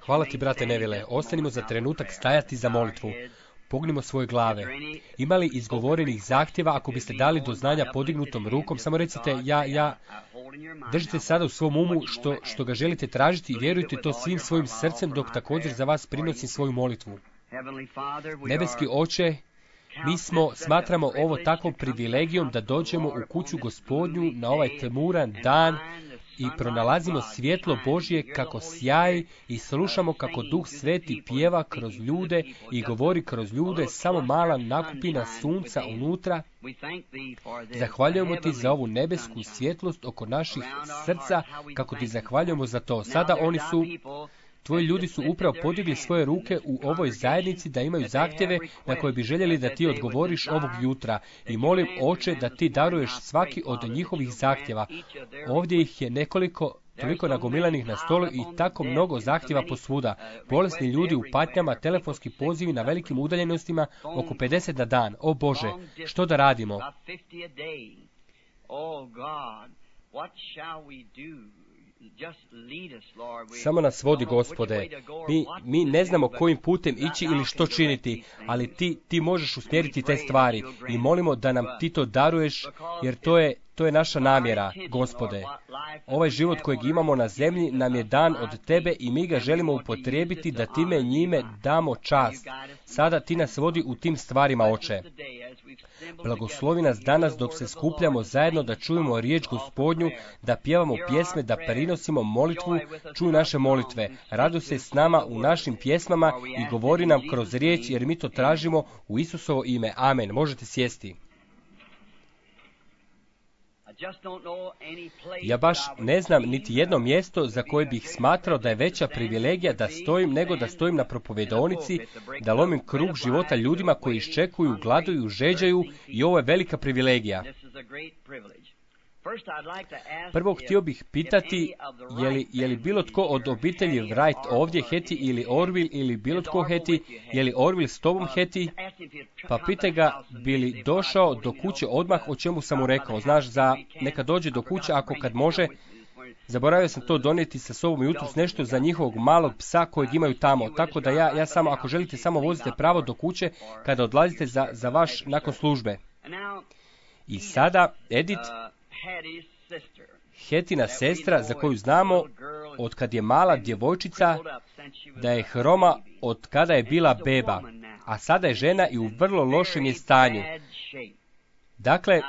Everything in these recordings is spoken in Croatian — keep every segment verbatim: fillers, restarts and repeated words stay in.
Hvala ti, brate Nevile. Ostanimo za trenutak stajati za molitvu. Pognimo svoje glave. Ima li izgovorenih zahtjeva? Ako biste dali do znanja podignutom rukom, samo recite ja, ja. Držite sada u svom umu što, što ga želite tražiti i vjerujte to svim svojim srcem dok također za vas prinosim svoju molitvu. Nebeski Oče, mi smo, smatramo ovo takvom privilegijom da dođemo u kuću Gospodnju na ovaj tmuran dan i pronalazimo svjetlo Božje kako sjaji i slušamo kako Duh Sveti pjeva kroz ljude i govori kroz ljude, samo mala nakupina sunca unutra. Zahvaljujemo ti za ovu nebesku svjetlost oko naših srca, kako ti zahvaljujemo za to. Sada oni su... Tvoji ljudi su upravo podigli svoje ruke u ovoj zajednici da imaju zahtjeve na koje bi željeli da ti odgovoriš ovog jutra. I molim, Oče, da ti daruješ svaki od njihovih zahtjeva. Ovdje ih je nekoliko, toliko nagomilanih na stolu i tako mnogo zahtjeva posvuda. Bolesni ljudi u patnjama, telefonski pozivi na velikim udaljenostima, oko pedeset na dan. O Bože, što da radimo? Samo nas vodi, Gospode. Mi, mi ne znamo kojim putem ići ili što činiti, ali ti, ti možeš usmjeriti te stvari i molimo da nam ti to daruješ, jer to je, to je naša namjera, Gospode. Ovaj život kojeg imamo na zemlji nam je dan od tebe i mi ga želimo upotrijebiti da time njime damo čast. Sada ti nas vodi u tim stvarima, Oče. Blagoslovi nas danas dok se skupljamo zajedno da čujemo riječ Gospodnju, da pjevamo pjesme, da prinosimo molitvu, čuj naše molitve. Radu se s nama u našim pjesmama i govori nam kroz riječ, jer mi to tražimo u Isusovo ime. Amen. Možete sjesti. Ja baš ne znam niti jedno mjesto za koje bih smatrao da je veća privilegija da stojim nego da stojim na propovedonici, da lomim krug života ljudima koji iščekuju, gladuju, žeđaju i ovo je velika privilegija. Prvo htio bih pitati, je li, je li bilo tko od obitelji Wright ovdje, Heti ili Orville, ili bilo tko Heti, je li Orville s tobom Heti? Pa pitaj ga, bi li došao do kuće odmah, o čemu sam mu rekao. Znaš, za neka dođe do kuće ako kad može. Zaboravio sam to donijeti sa sobom jutros nešto za njihovog malog psa kojeg imaju tamo. Tako da ja, ja samo, ako želite, samo vozite pravo do kuće kada odlazite za, za vaš nakon službe. I sada, Edith, Hetina sestra, za koju znamo od kad je mala djevojčica da je hroma od kada je bila beba, a sada je žena i u vrlo lošem je stanju. Dakle,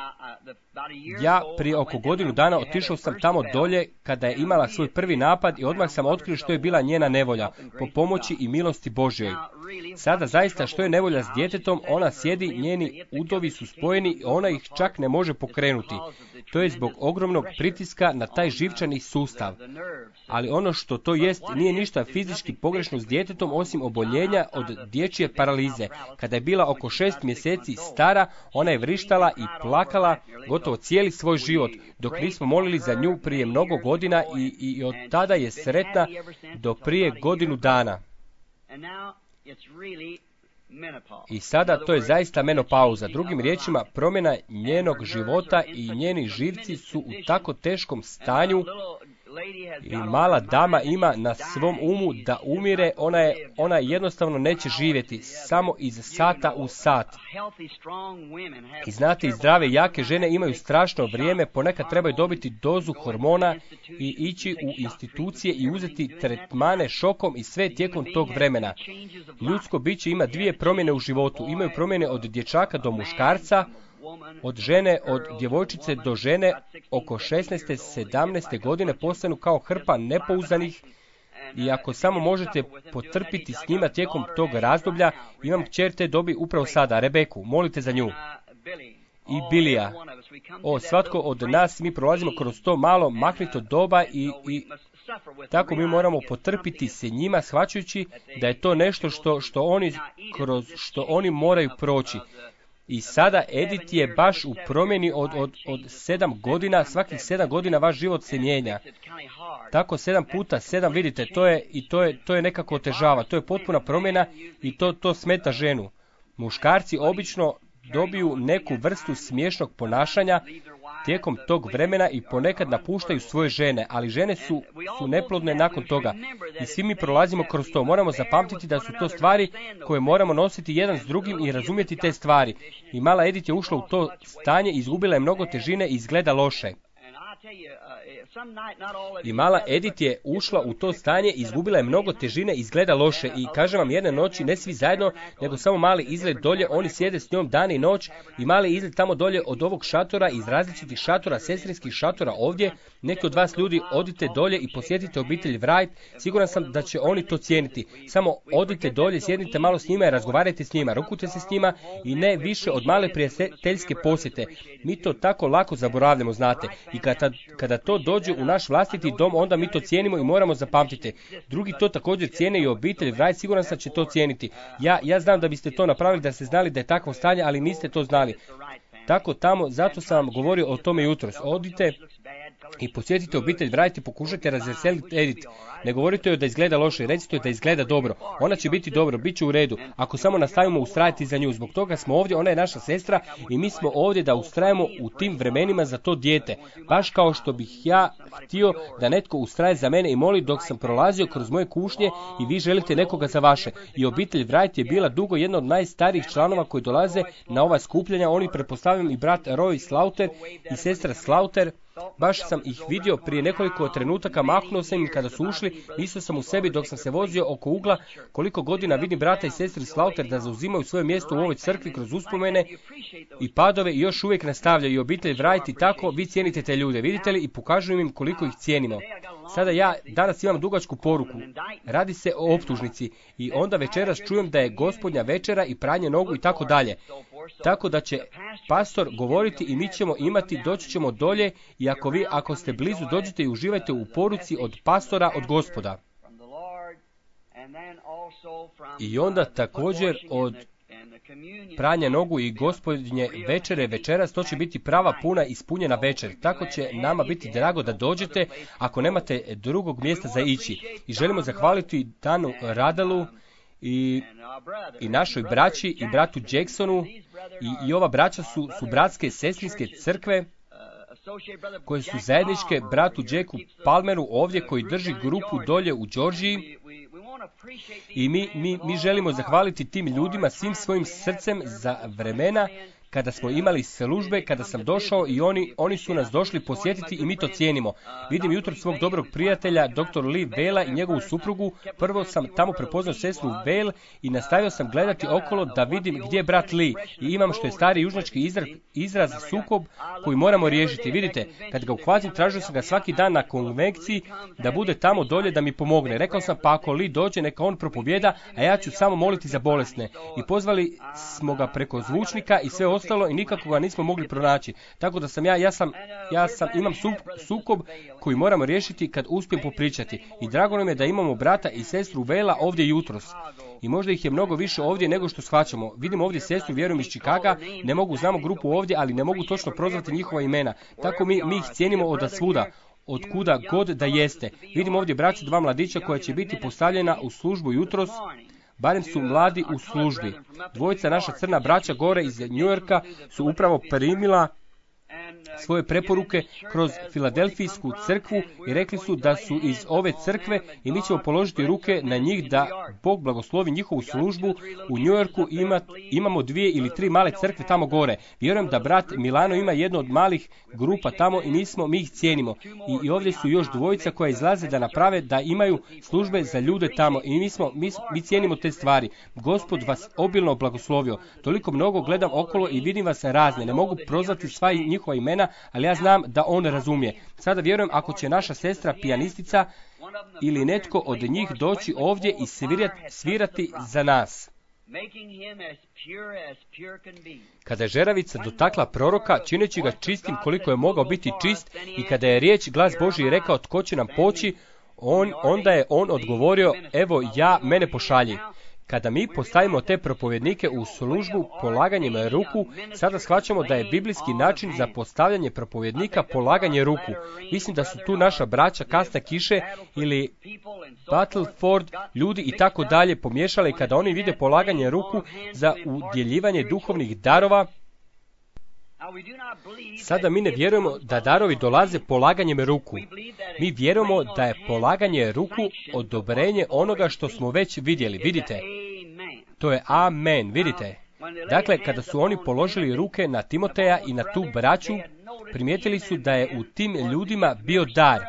ja prije oko godinu dana otišao sam tamo dolje kada je imala svoj prvi napad i odmah sam otkrio što je bila njena nevolja, po pomoći i milosti Božjoj. Sada zaista što je nevolja s djetetom, ona sjedi, njeni udovi su spojeni i ona ih čak ne može pokrenuti. To je zbog ogromnog pritiska na taj živčani sustav. Ali ono što to jest nije ništa fizički pogrešno s djetetom osim oboljenja od dječje paralize. Kada je bila oko šest mjeseci stara, ona je vrištala i plakala gotovo cijeli svoj život, dok nismo molili za nju prije mnogo godina i, i od tada je sretna do prije godinu dana. I sada to je zaista menopauza. Drugim riječima, promjena njenog života i njeni živci su u tako teškom stanju i mala dama ima na svom umu da umire, ona, je, ona jednostavno neće živjeti, samo iz sata u sat. I znate, i zdrave, jake žene imaju strašno vrijeme, ponekad trebaju dobiti dozu hormona i ići u institucije i uzeti tretmane šokom i sve tijekom tog vremena. Ljudsko biće ima dvije promjene u životu. Imaju promjene od dječaka do muškarca, od žene, od djevojčice do žene, oko šesnaeste sedamnaeste godine postanu kao hrpa nepouzdanih i ako samo možete potrpiti s njima tijekom tog razdoblja, imam kćer te dobi upravo sada, Rebeku, molite za nju. I Bilija. O, svatko od nas, mi prolazimo kroz to malo mahnito doba i, i tako mi moramo potrpiti se njima, shvaćajući da je to nešto što, što, oni, kroz što oni moraju proći. I sada Edith je baš u promjeni od, od, od sedam godina, svakih sedam godina vaš život se mijenja. Tako sedam puta sedam, vidite, to je, i to je, to je nekako otežava, to je potpuna promjena i to, to smeta ženu. Muškarci obično dobiju neku vrstu smiješnog ponašanja, tijekom tog vremena i ponekad napuštaju svoje žene, ali žene su, su neplodne nakon toga. I svi mi prolazimo kroz to. Moramo zapamtiti da su to stvari koje moramo nositi jedan s drugim i razumjeti te stvari. I mala Edith je ušla u to stanje, izgubila je mnogo težine i izgleda loše. I mala Edith je ušla u to stanje, izgubila je mnogo težine, izgleda loše. I kažem vam, jedne noći, ne svi zajedno, nego samo mali izgled dolje, oni sjede s njom dan i noć i mali izgled tamo dolje od ovog šatora, iz različitih šatora, sestrinskih šatora ovdje. Neki od vas ljudi odite dolje i posjetite obitelj Wright, siguran sam da će oni to cijeniti. Samo odite dolje, sjednite malo s njima i razgovarajte s njima, rukujte se s njima i ne više od male prijateljske posjete. Mi to tako lako zaboravljamo, znate. I kada, kada to dođe u naš vlastiti dom, onda mi to cijenimo i moramo zapamtiti. Drugi to također cijene i obitelj Wright, siguran sam će to cijeniti. Ja, ja znam da biste to napravili, da ste znali da je takvo stanje, ali niste to znali. Tako tamo, zato sam vam govorio o tome jutros. Odite i posjetite obitelj Wright i pokušajte razveseliti Edith. Ne govorite joj da izgleda loše, recite joj da izgleda dobro. Ona će biti dobro, bit će u redu. Ako samo nastavimo ustrajati za nju, zbog toga smo ovdje, ona je naša sestra i mi smo ovdje da ustrajemo u tim vremenima za to dijete. Baš kao što bih ja htio da netko ustraje za mene i moli dok sam prolazio kroz moje kušnje i vi želite nekoga za vaše. I obitelj Wright je bila dugo jedna od najstarijih članova koji dolaze na ova skupljanja. Oni, pretpostavljam, i brat Roy Slaughter i sestra Slaughter. Baš sam ih vidio prije nekoliko trenutaka, mahnuo sam im kada su ušli, mislio sam u sebi dok sam se vozio oko ugla, koliko godina vidim brata i sestri Slaughter da zauzimaju svoje mjesto u ovoj crkvi kroz uspomene i padove i još uvijek nastavljaju. I obitelj Wright i tako, vi cijenite te ljude, vidite li, i pokažujem im koliko ih cijenimo. Sada ja danas imam dugačku poruku. Radi se o optužnici i onda večeras čujem da je gospodnja večera i pranje nogu i tako dalje. Tako da će pastor govoriti i mi ćemo imati, doći ćemo dolje i ako vi, ako ste blizu, dođite i uživajte u poruci od pastora, od Gospoda. I onda također od pranja nogu i gospodnje večere večeras, to će biti prava puna ispunjena večer. Tako će nama biti drago da dođete ako nemate drugog mjesta za ići. I želimo zahvaliti Danu Radalu i, i našoj braći i bratu Jacksonu i, i ova braća su, su bratske sestrinske crkve koje su zajedničke bratu Jacku Palmeru ovdje koji drži grupu dolje u Georgiji. I mi, mi, mi želimo zahvaliti tim ljudima svim svojim srcem za vremena kada smo imali službe, kada sam došao i oni, oni su nas došli posjetiti i mi to cijenimo. Vidim jutro svog dobrog prijatelja, doktor Lee Vela i njegovu suprugu. Prvo sam tamo prepoznao sestru Vale i nastavio sam gledati okolo da vidim gdje je brat Lee. I imam što je stari južnjački izraz, izraz sukob koji moramo riješiti. Vidite, kad ga uhvatim, tražio sam ga svaki dan na konvenkciji da bude tamo dolje da mi pomogne. Rekao sam, pa ako Lee dođe, neka on propovjeda, a ja ću samo moliti za bolesne. I pozvali smo ga preko zvučnika i sve ostalo i nikako ga nismo mogli pronaći. Tako da sam ja, ja sam, ja sam, imam sukob koji moramo riješiti kad uspijem popričati. I drago nam je da imamo brata i sestru Vela ovdje jutros. I možda ih je mnogo više ovdje nego što shvaćamo. Vidim ovdje sestru, vjerujem, iz Chicaga, ne mogu, znamo grupu ovdje, ali ne mogu točno prozvati njihova imena. Tako mi, mi ih cijenimo od svuda, od kuda god da jeste. Vidim ovdje braću, dva mladića koja će biti postavljena u službu jutros. Barem su mladi u službi. Dvojica naša crna braća gore iz New Yorka su upravo primila svoje preporuke kroz Filadelfijsku crkvu i rekli su da su iz ove crkve i mi ćemo položiti ruke na njih da Bog blagoslovi njihovu službu. U New Yorku ima, imamo dvije ili tri male crkve tamo gore. Vjerujem da brat Milano ima jednu od malih grupa tamo i mi, smo, mi ih cijenimo. I, i ovdje su još dvojica koja izlaze da naprave da imaju službe za ljude tamo i mi, smo, mi, mi cijenimo te stvari. Gospod vas obilno blagoslovio. Toliko mnogo gledam okolo i vidim vas razne. Ne mogu prozvati sva njihova imena, ali ja znam da on razumije. Sada vjerujem ako će naša sestra pijanistica ili netko od njih doći ovdje i svirati, svirati za nas. Kada je žeravica dotakla proroka, čineći ga čistim koliko je mogao biti čist, i kada je riječ glas Božji rekao tko će nam poći, on, onda je on odgovorio, evo ja, mene pošalji. Kada mi postavimo te propovjednike u službu polaganjem ruku, sada shvaćamo da je biblijski način za postavljanje propovjednika polaganje ruku. Mislim da su tu naša braća Kasna Kiše ili Battleford, ljudi i tako dalje pomiješali kada oni vide polaganje ruku za udjeljivanje duhovnih darova. Sada mi ne vjerujemo da darovi dolaze polaganjem ruku. Mi vjerujemo da je polaganje ruku odobrenje onoga što smo već vidjeli. Vidite? To je amen. Vidite? Dakle, kada su oni položili ruke na Timoteja i na tu braću, primijetili su da je u tim ljudima bio dar.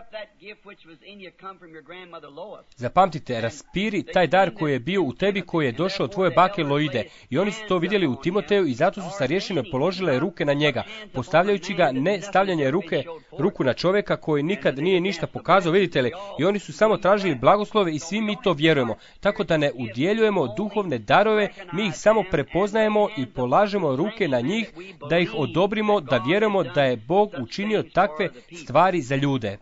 Zapamtite, raspiri taj dar koji je bio u tebi, koji je došao od tvoje bake Loide. I oni su to vidjeli u Timoteju i zato su sa rješenjem položile ruke na njega, postavljajući ga ne stavljanje ruke, ruku na čovjeka koji nikad nije ništa pokazao, vidite li? I oni su samo tražili blagoslove i svi mi to vjerujemo. Tako da ne udjeljujemo duhovne darove, mi ih samo prepoznajemo i polažemo ruke na njih, da ih odobrimo, da vjerujemo da je Bog učinio takve stvari za ljude.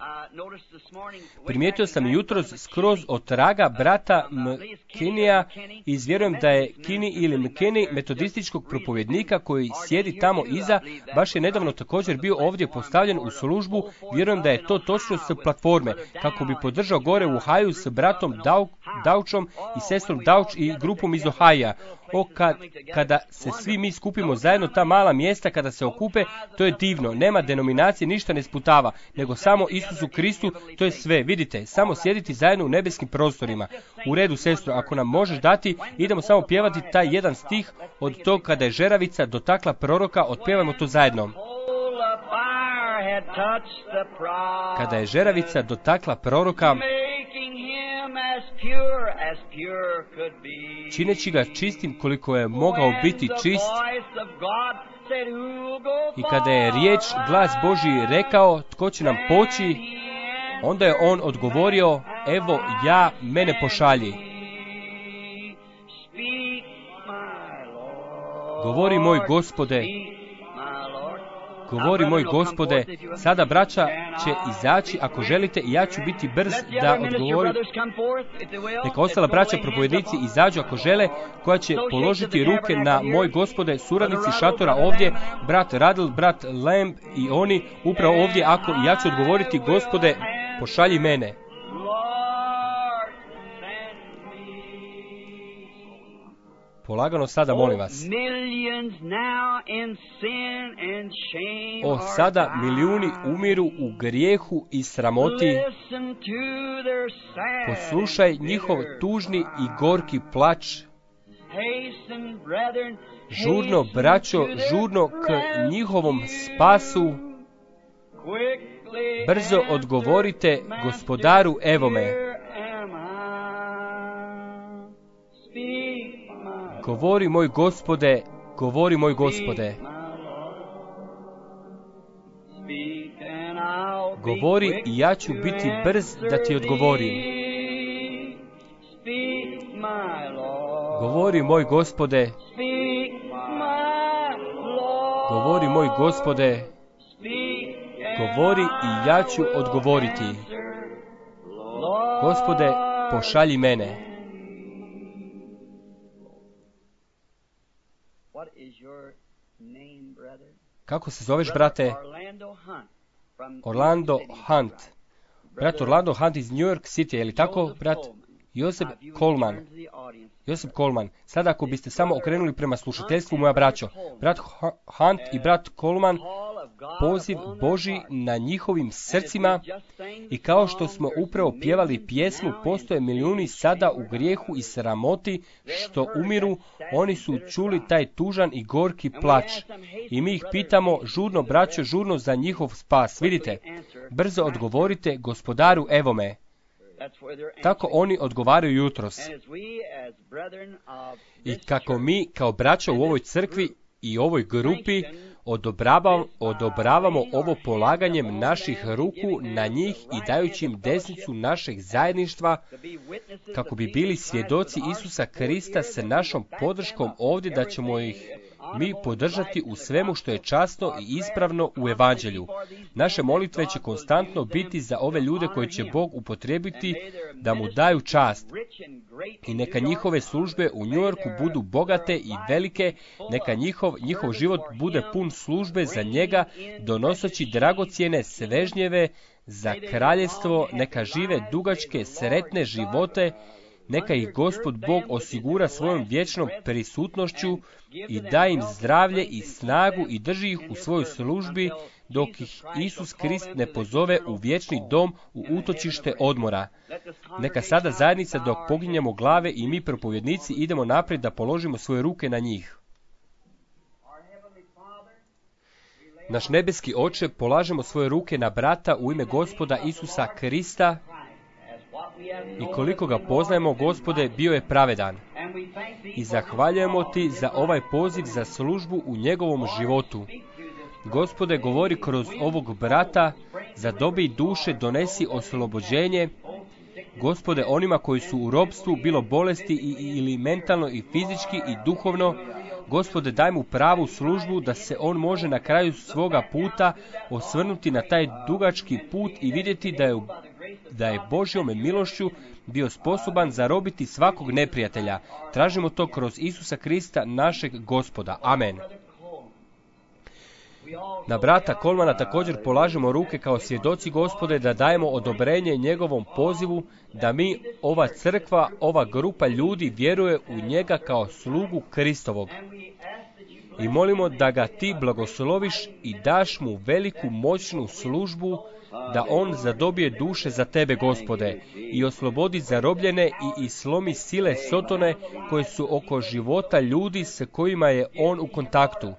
Primijetio sam jutros skroz od traga brata McKinneyja i izvjerujem da je Kinney ili McKinney metodističkog propovjednika koji sjedi tamo iza, baš je nedavno također bio ovdje postavljen u službu. Vjerujem da je to točno s platforme, kako bi podržao gore u Ohaju s bratom Dauchom i sestrom Dauch i grupom iz Ohaja. O, kad, kada se svi mi skupimo zajedno, ta mala mjesta kada se okupe, to je divno. Nema denominacije, ništa ne sputava, nego samo Isusu Kristu, to je sve. Vidite, samo sjediti zajedno u nebeskim prostorima. U redu, sestro, ako nam možeš dati, idemo samo pjevati taj jedan stih od tog kada je žeravica dotakla proroka, otpjevajmo to zajedno. Kada je žeravica dotakla proroka, čineći ga čistim koliko je mogao biti čist, i kada je riječ, glas Božji rekao, tko će nam poći, onda je on odgovorio, evo ja, mene pošalji. Govori moj Gospode, govori moj Gospode, sada braća će izaći ako želite i ja ću biti brz da odgovorim. Neka ostala braća propovjednici izađu ako žele, koja će položiti ruke na moj Gospode, suradnici šatora ovdje, brat Radl, brat Lamb i oni upravo ovdje, ako ja ću odgovoriti, Gospode, pošalji mene. Polagano sada, molim vas. O, sada milijuni umiru u grijehu i sramoti. Poslušaj njihov tužni i gorki plač. Žurno, braćo, žurno k njihovom spasu. Brzo odgovorite, Gospodaru, evo me. Govori moj Gospode, govori moj Gospode. Govori i ja ću biti brz da ti odgovorim. Govori moj Gospode, govori moj Gospode, govori i ja ću odgovoriti. Gospode, pošalji mene. Kako se zoveš, brate? Orlando Hunt. Brat Orlando Hunt iz New York City, je li tako, brat? Josip Coleman. Josip Coleman. Sada ako biste samo okrenuli prema slušateljstvu, moja braćo. Brat Hunt i brat Coleman, poziv Božji na njihovim srcima, i kao što smo upravo pjevali pjesmu, postoje milijuni sada u grijehu i sramoti što umiru, oni su čuli taj tužan i gorki plač. I mi ih pitamo, žurno braćo, žurno za njihov spas. Vidite, brzo odgovorite, Gospodaru, evo me. Tako oni odgovaraju jutros. I kako mi kao braća u ovoj crkvi i ovoj grupi odobravamo, odobravamo ovo polaganjem naših ruku na njih i dajući im desnicu našeg zajedništva, kako bi bili svjedoci Isusa Krista sa našom podrškom ovdje, da ćemo ih mi podržati u svemu što je časno i ispravno u evanđelju. Naše molitve će konstantno biti za ove ljude koje će Bog upotrijebiti da mu daju čast. I neka njihove službe u New Yorku budu bogate i velike, neka njihov, njihov život bude pun službe za njega, donoseći dragocjene svežnjeve za kraljevstvo, neka žive dugačke, sretne živote Neka ih Gospod Bog osigura svojom vječnom prisutnošću i da im zdravlje i snagu i drži ih u svojoj službi dok ih Isus Krist ne pozove u vječni dom, u utočište odmora. Neka sada zajednica dok poginjemo glave i mi propovjednici idemo naprijed da položimo svoje ruke na njih. Naš nebeski Oče, polažemo svoje ruke na brata u ime Gospoda Isusa Krista i koliko ga poznajemo, Gospode, bio je pravedan. I zahvaljujemo Ti za ovaj poziv za službu u njegovom životu. Gospode, govori kroz ovog brata, zadobi duše, donesi oslobođenje. Gospode, onima koji su u ropstvu, bilo bolesti i, ili mentalno i fizički i duhovno, Gospode, daj mu pravu službu da se on može na kraju svoga puta osvrnuti na taj dugački put i vidjeti da je, da je Božjom milošću bio sposoban zarobiti svakog neprijatelja. Tražimo to kroz Isusa Krista, našeg Gospoda. Amen. Na brata Kolmana također polažemo ruke kao svjedoci, Gospode, da dajemo odobrenje njegovom pozivu, da mi, ova crkva, ova grupa ljudi vjeruje u njega kao slugu Kristovog. I molimo da ga Ti blagosloviš i daš mu veliku moćnu službu, da on zadobije duše za Tebe, Gospode, i oslobodi zarobljene i, i slomi sile Sotone koje su oko života ljudi s kojima je on u kontaktu.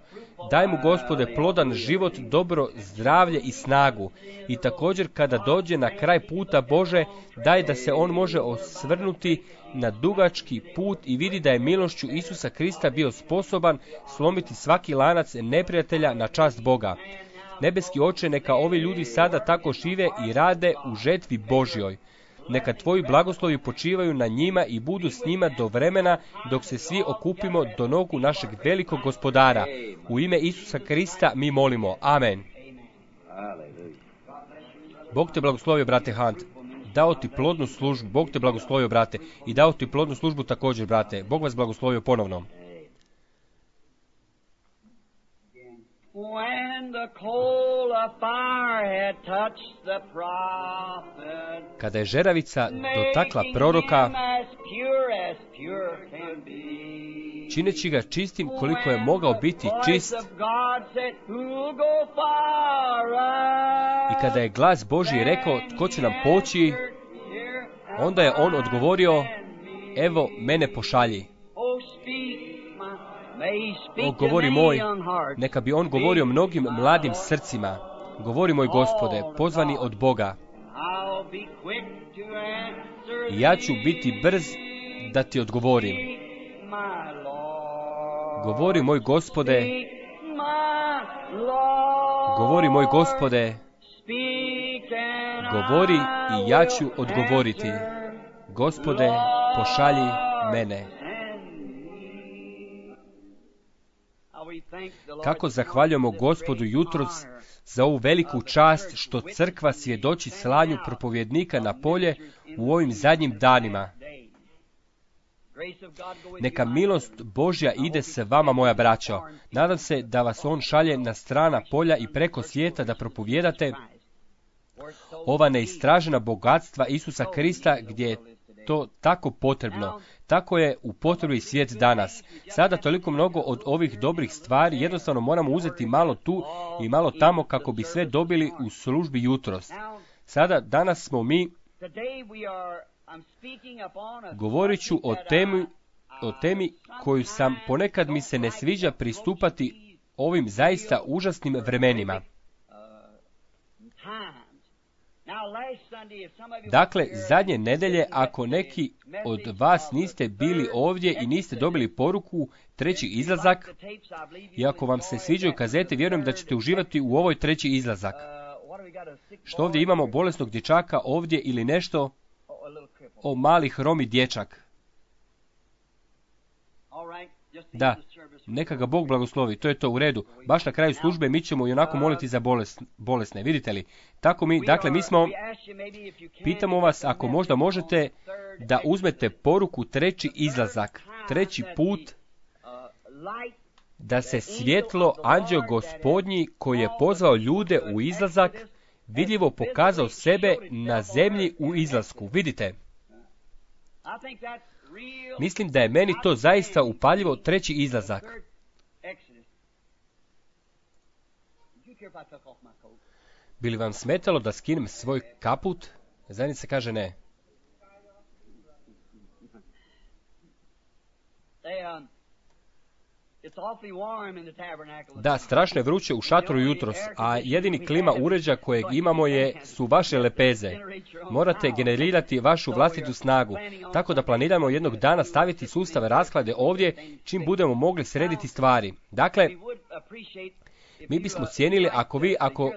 Daj mu, Gospode, plodan život, dobro zdravlje i snagu. I također kada dođe na kraj puta, Bože, daj da se on može osvrnuti na dugački put i vidi da je milošću Isusa Krista bio sposoban slomiti svaki lanac neprijatelja na čast Boga. Nebeski Oče, neka ovi ljudi sada tako žive i rade u žetvi Božjoj. Neka Tvoji blagoslovi počivaju na njima i budu s njima do vremena dok se svi okupimo do nogu našeg velikog Gospodara. U ime Isusa Krista mi molimo. Amen. Bog te blagoslovio, brate Hunt. Dao ti plodnu službu. Bog te blagoslovio, brate. I dao ti plodnu službu također, brate. Bog vas blagoslovio ponovno. When the coal of fire had touched the prophet, kada je žeravica dotakla proroka, čineći ga čistim koliko je mogao biti čist, i kada je glas Božji rekao, tko će nam poći, onda je on odgovorio, evo mene pošalji. O, govori moj, neka bi on govorio mnogim mladim srcima. Govori moj Gospode, pozvani od Boga. I ja ću biti brz da ti odgovorim. Govori moj Gospode, govori moj Gospode, govori i ja ću odgovoriti. Gospode, pošalji mene. Kako zahvaljujemo Gospodu jutros za ovu veliku čast što crkva svjedoči slanju propovjednika na polje u ovim zadnjim danima. Neka milost Božja ide s vama, moja braćo. Nadam se da vas on šalje na strana polja i preko svijeta da propovjedate ova neistražena bogatstva Isusa Krista gdje je to tako potrebno. Tako je u potrebi svijet danas. Sada toliko mnogo od ovih dobrih stvari, jednostavno moramo uzeti malo tu i malo tamo kako bi sve dobili u službi jutros. Sada, danas smo mi, govorit ću o temi, o temi koju sam ponekad mi se ne sviđa pristupati ovim zaista užasnim vremenima. Dakle, zadnje nedelje, ako neki od vas niste bili ovdje i niste dobili poruku treći izlazak, i ako vam se sviđaju kazete, vjerujem da ćete uživati u ovoj treći izlazak. Što ovdje imamo bolesnog dječaka ovdje ili nešto o mali hromi dječak. Da, neka ga Bog blagoslovi, to je to u redu. Baš na kraju službe mi ćemo i onako moliti za bolest, bolesne, vidite li? Tako mi, dakle mi smo, pitamo vas ako možda možete da uzmete poruku treći izlazak, treći put, da se svjetlo anđeo Gospodnji koji je pozvao ljude u izlazak, vidljivo pokazao sebe na zemlji u izlasku, vidite? Mislim da je meni to zaista upaljivo treći izlazak. Bi li vam smetalo da skinem svoj kaput? Zajednica kaže ne. Da, strašno je vruće u šatoru jutros, a jedini klima uređaj kojeg imamo je, su vaše lepeze. Morate generirati vašu vlastitu snagu, tako da planiramo jednog dana staviti sustav rashlade ovdje, čim budemo mogli srediti stvari. Dakle, mi bismo cijenili ako vi, ako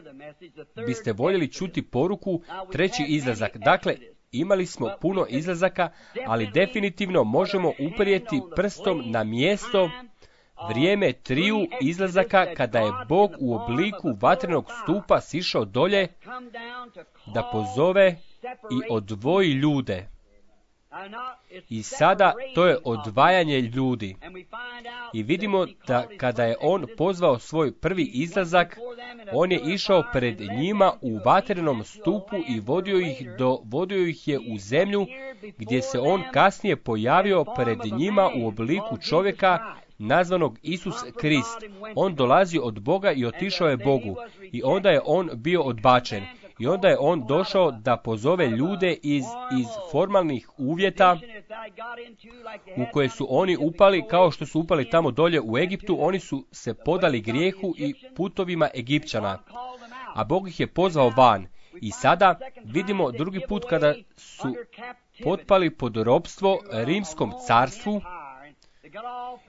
biste voljeli čuti poruku, treći izlazak. Dakle, imali smo puno izlazaka, ali definitivno možemo uprijeti prstom na mjesto, vrijeme triju izlazaka kada je Bog u obliku vatrenog stupa sišao dolje da pozove i odvoji ljude. I sada to je odvajanje ljudi. I vidimo da kada je on pozvao svoj prvi izlazak, on je išao pred njima u vatrenom stupu i vodio ih, do, vodio ih je u zemlju, gdje se on kasnije pojavio pred njima u obliku čovjeka nazvanog Isus Krist. On dolazi od Boga i otišao je Bogu. I onda je on bio odbačen. I onda je on došao da pozove ljude iz, iz formalnih uvjeta u koje su oni upali, kao što su upali tamo dolje u Egiptu. Oni su se podali grijehu i putovima Egipćana, a Bog ih je pozvao van. I sada vidimo drugi put kada su potpali pod ropstvo rimskom carstvu,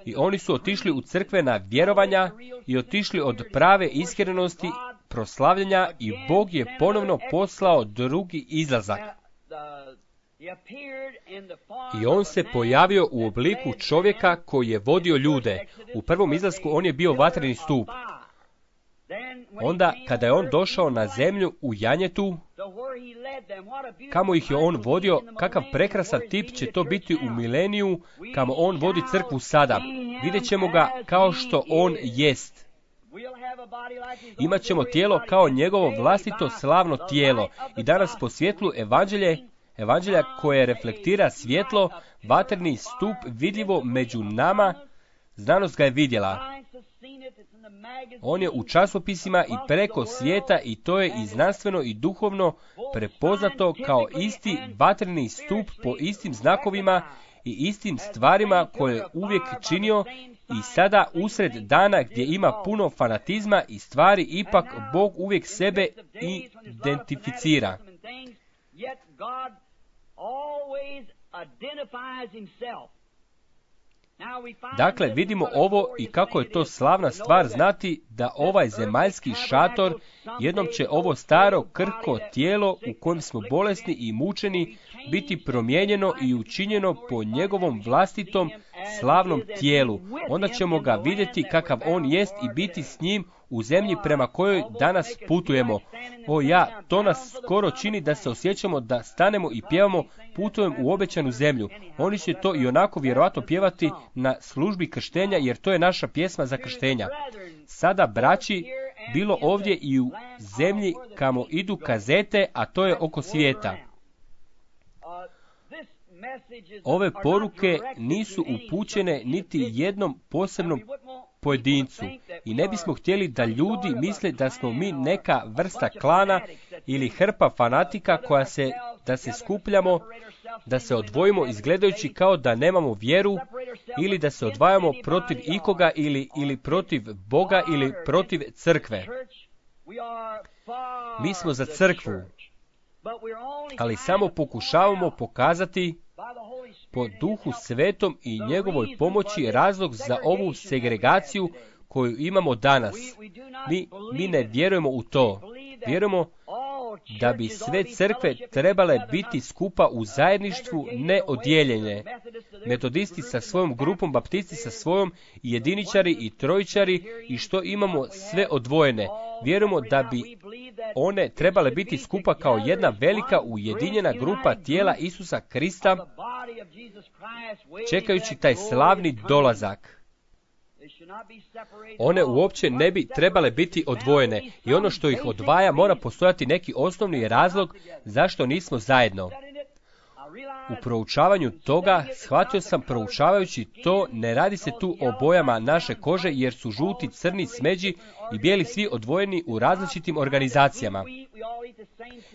i oni su otišli u crkvena vjerovanja i otišli od prave iskrenosti proslavljanja, i Bog je ponovno poslao drugi izlazak. I on se pojavio u obliku čovjeka koji je vodio ljude. U prvom izlasku on je bio vatreni stup. Onda, kada je on došao na zemlju u janjetu, kamo ih je on vodio, kakav prekrasan tip će to biti u mileniju, kamo on vodi crkvu sada. Vidjet ćemo ga kao što on jest. Imaćemo tijelo kao njegovo vlastito slavno tijelo. I danas po svjetlu evanđelje, evanđelja koje reflektira svjetlo, vatreni stup vidljivo među nama, znanost ga je vidjela. On je u časopisima i preko svijeta, i to je i znanstveno i duhovno prepoznato kao isti vatreni stup po istim znakovima i istim stvarima koje je uvijek činio. I sada usred dana gdje ima puno fanatizma i stvari, ipak Bog uvijek sebe identificira. Dakle, vidimo ovo i kako je to slavna stvar znati da ovaj zemaljski šator, jednom će ovo staro krhko tijelo u kojem smo bolesni i mučeni biti promijenjeno i učinjeno po njegovom vlastitom slavnom tijelu. Onda ćemo ga vidjeti kakav on jest i biti s njim u zemlji prema kojoj danas putujemo. O ja, to nas skoro čini da se osjećamo da stanemo i pjevamo putujem u obećanu zemlju. Oni će to i onako vjerojatno pjevati na službi krštenja, jer to je naša pjesma za krštenja. Sada, braći, bilo ovdje i u zemlji kamo idu kazete, a to je oko svijeta. Ove poruke nisu upućene niti jednom posebnom pojedincu i ne bismo htjeli da ljudi misle da smo mi neka vrsta klana ili hrpa fanatika koja se, da se skupljamo, da se odvojimo izgledajući kao da nemamo vjeru, ili da se odvajamo protiv ikoga ili, ili protiv Boga ili protiv crkve. Mi smo za crkvu, ali samo pokušavamo pokazati po Duhu Svetom i njegovoj pomoći razlog za ovu segregaciju koju imamo danas. Mi, mi ne vjerujemo u to. Vjerujemo da bi sve crkve trebale biti skupa u zajedništvu, ne odijeljene. Metodisti sa svojom grupom, baptisti sa svojom, jediničari i trojičari, i što imamo sve odvojene. Vjerujemo da bi one trebale biti skupa kao jedna velika ujedinjena grupa tijela Isusa Krista, čekajući taj slavni dolazak. One uopće ne bi trebale biti odvojene, i ono što ih odvaja mora postojati neki osnovni razlog zašto nismo zajedno. U proučavanju toga, shvatio sam proučavajući to, ne radi se tu o bojama naše kože, jer su žuti, crni, smeđi i bijeli svi odvojeni u različitim organizacijama.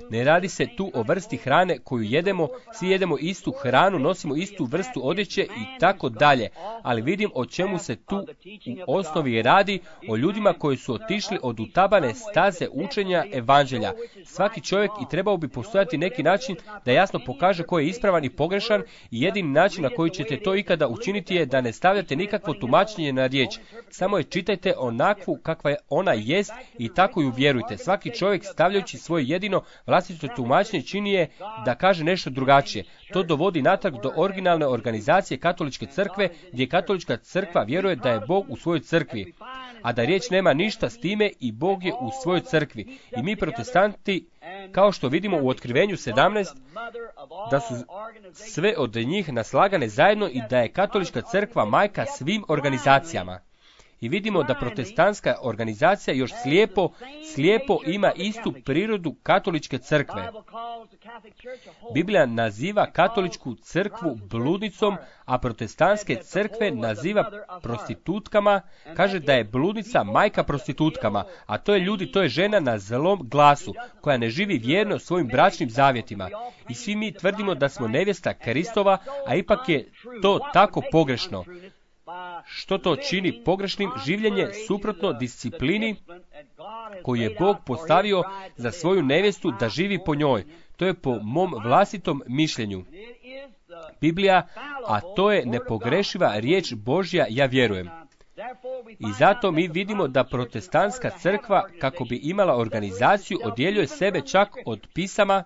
Ne radi se tu o vrsti hrane koju jedemo, svi jedemo istu hranu, nosimo istu vrstu odjeće i tako dalje. Ali vidim o čemu se tu u osnovi radi, o ljudima koji su otišli od utabane staze učenja evanđelja. Svaki čovjek i trebao bi postojati neki način da jasno pokaže ko je ispravan i pogrešan, i jedini način na koji ćete to ikada učiniti je da ne stavljate nikakvo tumačenje na riječ. Samo je čitajte onakvu kakva ona jest i tako ju vjerujte. Svaki čovjek stavljajući svoje jedino vlastito tumačenje čini je da kaže nešto drugačije. To dovodi natrag do originalne organizacije katoličke crkve, gdje katolička crkva vjeruje da je Bog u svojoj crkvi, a da riječ nema ništa s time i Bog je u svojoj crkvi. I mi protestanti, kao što vidimo u Otkrivenju sedamnaest, da su sve od njih naslagane zajedno i da je katolička crkva majka svim organizacijama. I vidimo da protestantska organizacija još slijepo, slijepo ima istu prirodu katoličke crkve. Biblija naziva katoličku crkvu bludnicom, a protestantske crkve naziva prostitutkama, kaže da je bludnica majka prostitutkama, a to je ljudi, to je žena na zlom glasu, koja ne živi vjerno svojim bračnim zavjetima. I svi mi tvrdimo da smo nevjesta Kristova, a ipak je to tako pogrešno. Što to čini pogrešnim? Življenje suprotno disciplini koju je Bog postavio za svoju nevjestu da živi po njoj. To je po mom vlastitom mišljenju Biblija, a to je nepogrešiva riječ Božja, ja vjerujem. I zato mi vidimo da protestantska crkva, kako bi imala organizaciju, odjeljuje sebe čak od pisama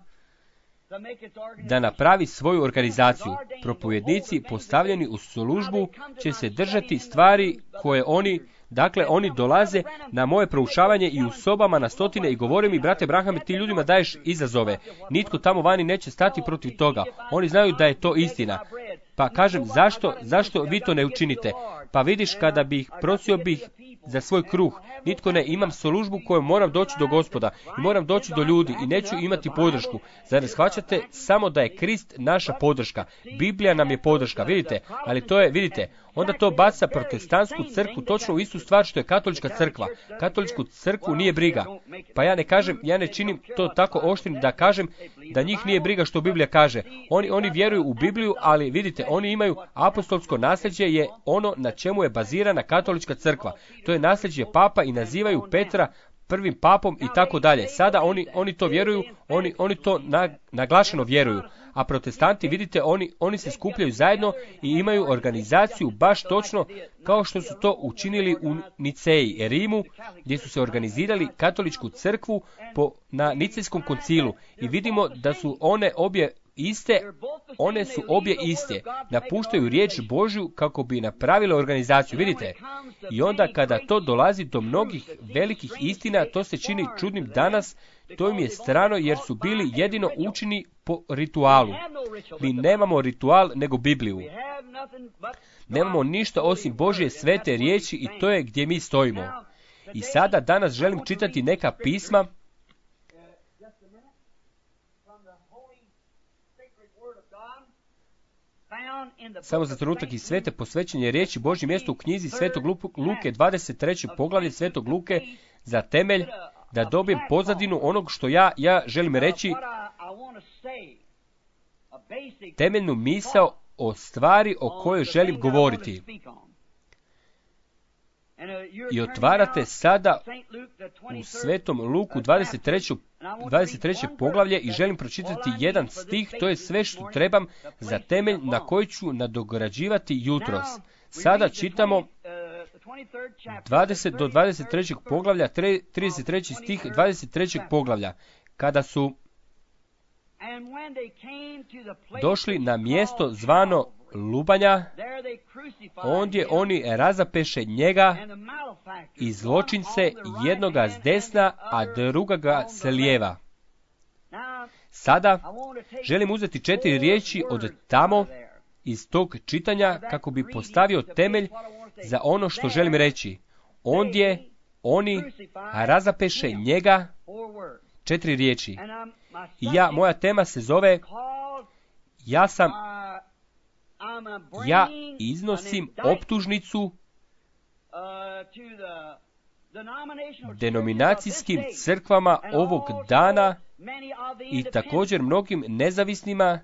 da napravi svoju organizaciju. Propovednici postavljeni u službu će se držati stvari koje oni, dakle oni dolaze na moje proučavanje i u sobama na stotine i govore mi, brate Branham, ti ljudima daješ izazove. Nitko tamo vani neće stati protiv toga. Oni znaju da je to istina. Pa kažem, zašto, zašto vi to ne učinite? Pa vidiš, kada bih prosio bih za svoj kruh, nitko ne, imam službu koju moram doći do Gospoda i moram doći do ljudi i neću imati podršku. Zar ne shvaćate samo da je Krist naša podrška? Biblija nam je podrška, vidite, ali to je, vidite, onda to baca protestantsku crkvu točno u istu stvar što je katolička crkva. Katoličku crkvu nije briga. Pa ja ne kažem, ja ne činim to tako oštrim da kažem da njih nije briga što Biblija kaže. Oni, oni vjeruju u Bibliju, ali vidite, oni imaju apostolsko nasljeđe, je ono na čemu je bazirana katolička crkva. To je nasljeđe papa i nazivaju Petra prvim papom i tako dalje. Sada oni, oni to vjeruju, oni, oni to na, naglašeno vjeruju. A protestanti, vidite, oni, oni se skupljaju zajedno i imaju organizaciju baš točno kao što su to učinili u Niceji, Rimu, gdje su se organizirali katoličku crkvu po, na Nicejskom koncilu. I vidimo da su one obje iste, one su obje iste. Napuštaju riječ Božju kako bi napravile organizaciju, vidite. I onda kada to dolazi do mnogih velikih istina, to se čini čudnim danas. To im je strano jer su bili jedino učini po ritualu. Mi nemamo ritual nego Bibliju. Nemamo ništa osim Božje svete riječi i to je gdje mi stojimo. I sada danas želim čitati neka pisma samo za trenutak iz svete posvećenje riječi Božje mjesto u knjizi Svetog Luke, dvadeset treće poglavlje Svetog Luke, za temelj da dobijem pozadinu onog što ja, ja želim reći, temeljnu misao o stvari o kojoj želim govoriti. I otvarate sada u Svetom Luku dvadeset treće poglavlje i želim pročitati jedan stih, to je sve što trebam za temelj na koji ću nadograđivati jutros. Sada čitamo dvadeset do dvadeset trećeg poglavlja, trideset treći stih dvadeset trećeg poglavlja. Kada su došli na mjesto zvano Lubanja, ondje oni razapeše njega i zločince, jednoga s desna, a drugoga s lijeva. Sada želim uzeti četiri riječi od tamo iz tog čitanja kako bi postavio temelj za ono što želim reći. Ondje oni razapeše njega, četiri riječi. I ja, moja tema se zove Ja sam, ja iznosim optužnicu denominacijskim crkvama ovog dana i također mnogim nezavisnima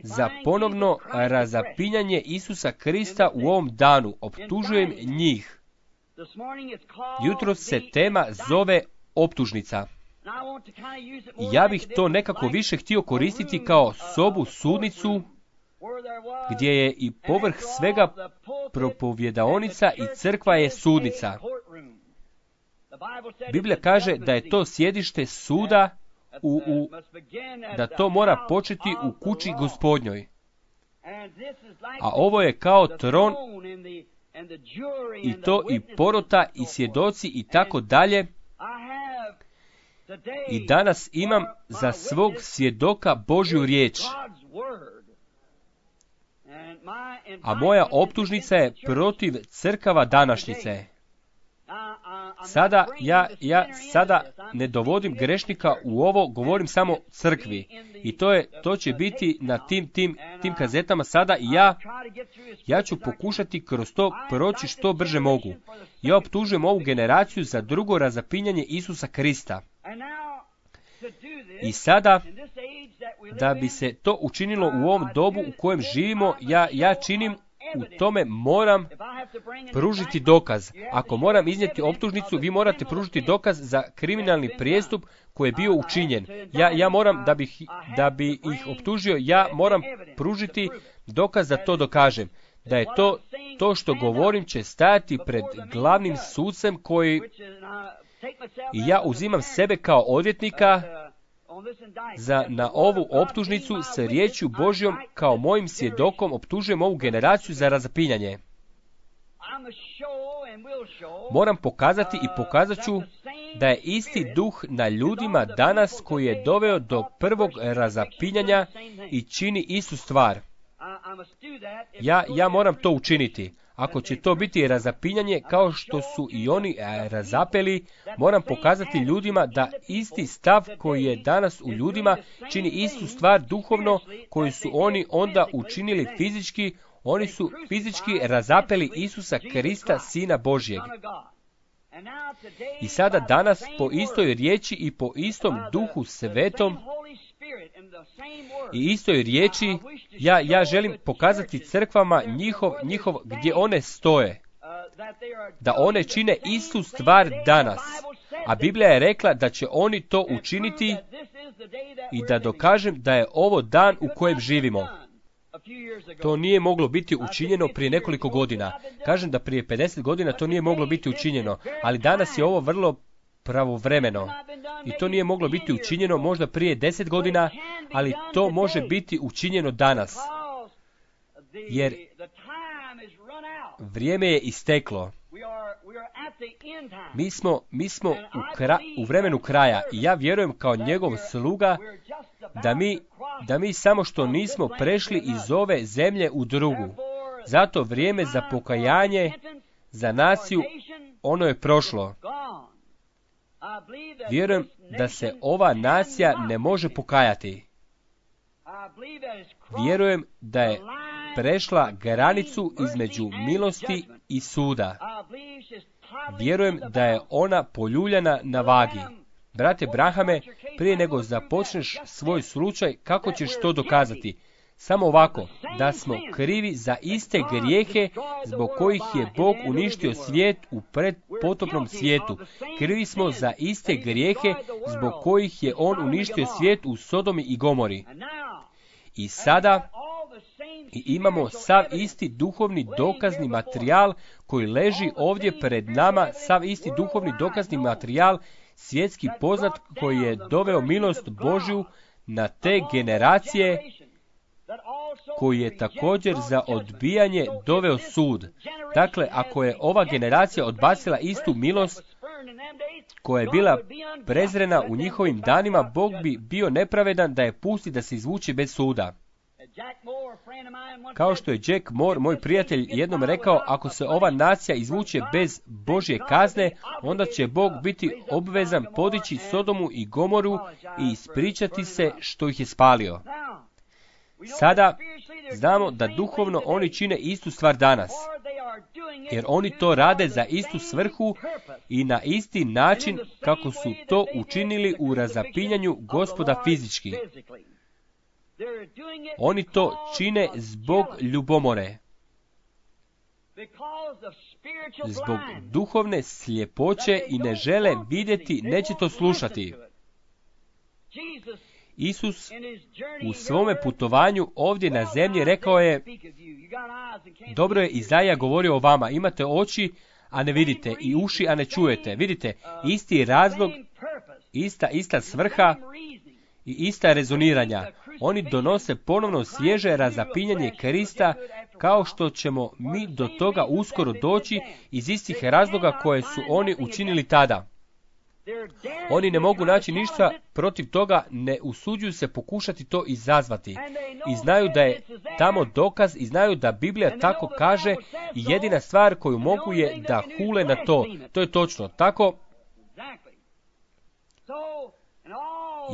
za ponovno razapinjanje Isusa Krista u ovom danu. Optužujem njih. Jutros se tema zove optužnica. Ja bih to nekako više htio koristiti kao sobu sudnicu, gdje je i povrh svega propovjedaonica i crkva je sudnica. Biblija kaže da je to sjedište suda, u, u, da to mora početi u kući Gospodnjoj. A ovo je kao tron i to i porota i svjedoci i tako dalje. I danas imam za svog svjedoka Božju riječ. A moja optužnica je protiv crkava današnjice. Sada ja, ja sada ne dovodim grešnika u ovo, govorim samo crkvi. I to je, to će biti na tim, tim, tim kazetama sada i ja, ja ću pokušati kroz to proći što brže mogu. Ja optužujem ovu generaciju za drugo razapinjanje Isusa Krista. I sada, da bi se to učinilo u ovom dobu u kojem živimo, ja, ja činim u tome moram pružiti dokaz. Ako moram iznijeti optužnicu, vi morate pružiti dokaz za kriminalni prijestup koji je bio učinjen. Ja, ja moram, da bih, da bi ih optužio, ja moram pružiti dokaz da to dokažem. Da je to, to što govorim će stajati pred glavnim sucem koji... I ja uzimam sebe kao odvjetnika za na ovu optužnicu sa riječju Božjom kao mojim svjedokom optužujem ovu generaciju za razapinjanje. Moram pokazati i pokazat ću da je isti duh na ljudima danas koji je doveo do prvog razapinjanja i čini istu stvar. Ja, ja moram to učiniti. Ako će to biti razapinjanje kao što su i oni razapeli, moram pokazati ljudima da isti stav koji je danas u ljudima čini istu stvar duhovno koju su oni onda učinili fizički. Oni su fizički razapeli Isusa Krista, Sina Božjeg. I sada danas po istoj riječi i po istom duhu svetom i istoj riječi ja, ja želim pokazati crkvama njihov, njihov gdje one stoje. Da one čine istu stvar danas. A Biblija je rekla da će oni to učiniti i da dokažem da je ovo dan u kojem živimo. To nije moglo biti učinjeno prije nekoliko godina. Kažem da prije pedeset godina to nije moglo biti učinjeno, ali danas je ovo vrlo pravovremeno. I to nije moglo biti učinjeno možda prije deset godina, ali to može biti učinjeno danas. Jer vrijeme je isteklo. Mi smo, mi smo u, kra, u vremenu kraja i ja vjerujem kao njegov sluga da mi, da mi samo što nismo prešli iz ove zemlje u drugu. Zato vrijeme za pokajanje, za naciju, ono je prošlo. Vjerujem da se ova nacija ne može pokajati. Vjerujem da je prešla granicu između milosti i suda. Vjerujem da je ona poljuljana na vagi. Brate Brahame, prije nego započneš svoj slučaj, kako ćeš to dokazati? Samo ovako, da smo krivi za iste grijehe zbog kojih je Bog uništio svijet u predpotopnom svijetu. Krivi smo za iste grijehe zbog kojih je On uništio svijet u Sodomi i Gomori. I sada i imamo sav isti duhovni dokazni materijal koji leži ovdje pred nama, sav isti duhovni dokazni materijal, svjetski poznat koji je doveo milost Božju na te generacije, koji je također za odbijanje doveo sud. Dakle, ako je ova generacija odbacila istu milost koja je bila prezrena u njihovim danima, Bog bi bio nepravedan da je pusti da se izvuče bez suda. Kao što je Jack Moore, moj prijatelj, jednom rekao, ako se ova nacija izvuče bez Božje kazne, onda će Bog biti obvezan podići Sodomu i Gomoru i ispričati se što ih je spalio. Sada znamo da duhovno oni čine istu stvar danas, jer oni to rade za istu svrhu i na isti način kako su to učinili u razapinjanju Gospoda fizički. Oni to čine zbog ljubomore, zbog duhovne sljepoće i ne žele vidjeti, neće to slušati. Isus u svome putovanju ovdje na zemlji rekao je, dobro je Izaija govorio o vama, imate oči, a ne vidite, i uši, a ne čujete. Vidite, isti razlog, ista, ista svrha i ista rezoniranja. Oni donose ponovno svježe razapinjanje Krista, kao što ćemo mi do toga uskoro doći iz istih razloga koje su oni učinili tada. Oni ne mogu naći ništa protiv toga, ne usuđuju se pokušati to izazvati. I znaju da je tamo dokaz i znaju da Biblija tako kaže i jedina stvar koju mogu je da hule na to. To je točno. Tako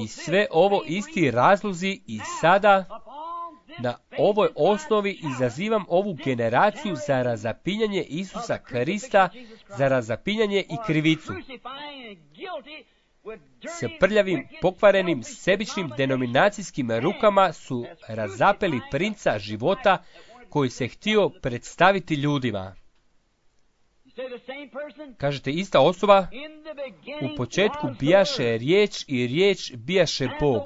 i sve ovo isti razlozi i sada na ovoj osnovi izazivam ovu generaciju za razapinjanje Isusa Krista, za razapinjanje i krivicu. S prljavim, pokvarenim, sebičnim denominacijskim rukama su razapeli princa života koji se htio predstaviti ljudima. Kažete, ista osoba, u početku bijaše riječ i riječ bijaše Bog.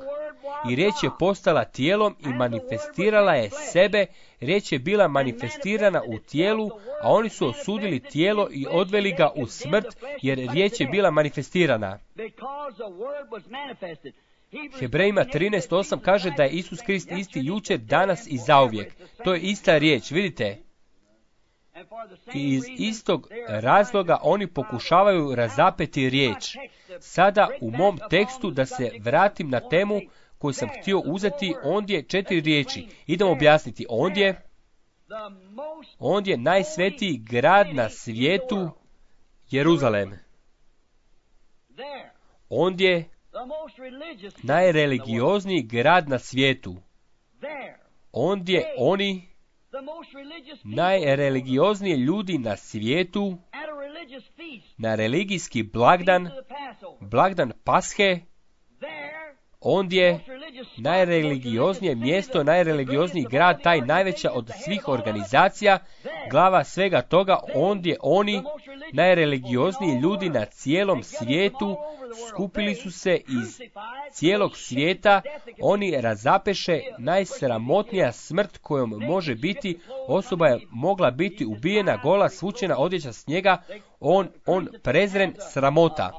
I riječ je postala tijelom i manifestirala je sebe, riječ je bila manifestirana u tijelu, a oni su osudili tijelo i odveli ga u smrt, jer riječ je bila manifestirana. Hebrejima trinaest osam kaže da je Isus Krist isti jučer, danas i zauvijek. To je ista riječ, vidite. I iz istog razloga oni pokušavaju razapeti riječ. Sada u mom tekstu, da se vratim na temu koju sam htio uzeti, ondje četiri riječi. Idemo objasniti. Ondje, ondje najsvetiji grad na svijetu, Jeruzalem. Ondje najreligiozniji grad na svijetu. Ondje oni najreligiozniji ljudi na svijetu, na religijski blagdan, blagdan Pashe, ondje najreligioznije mjesto, najreligiozniji grad, taj najveća od svih organizacija, glava svega toga, ondje oni, najreligiozniji ljudi na cijelom svijetu, skupili su se iz cijelog svijeta, oni razapeše najsramotnija smrt kojom može biti, osoba je mogla biti ubijena, gola, svučena odjeća s njega, on, on prezren, sramota.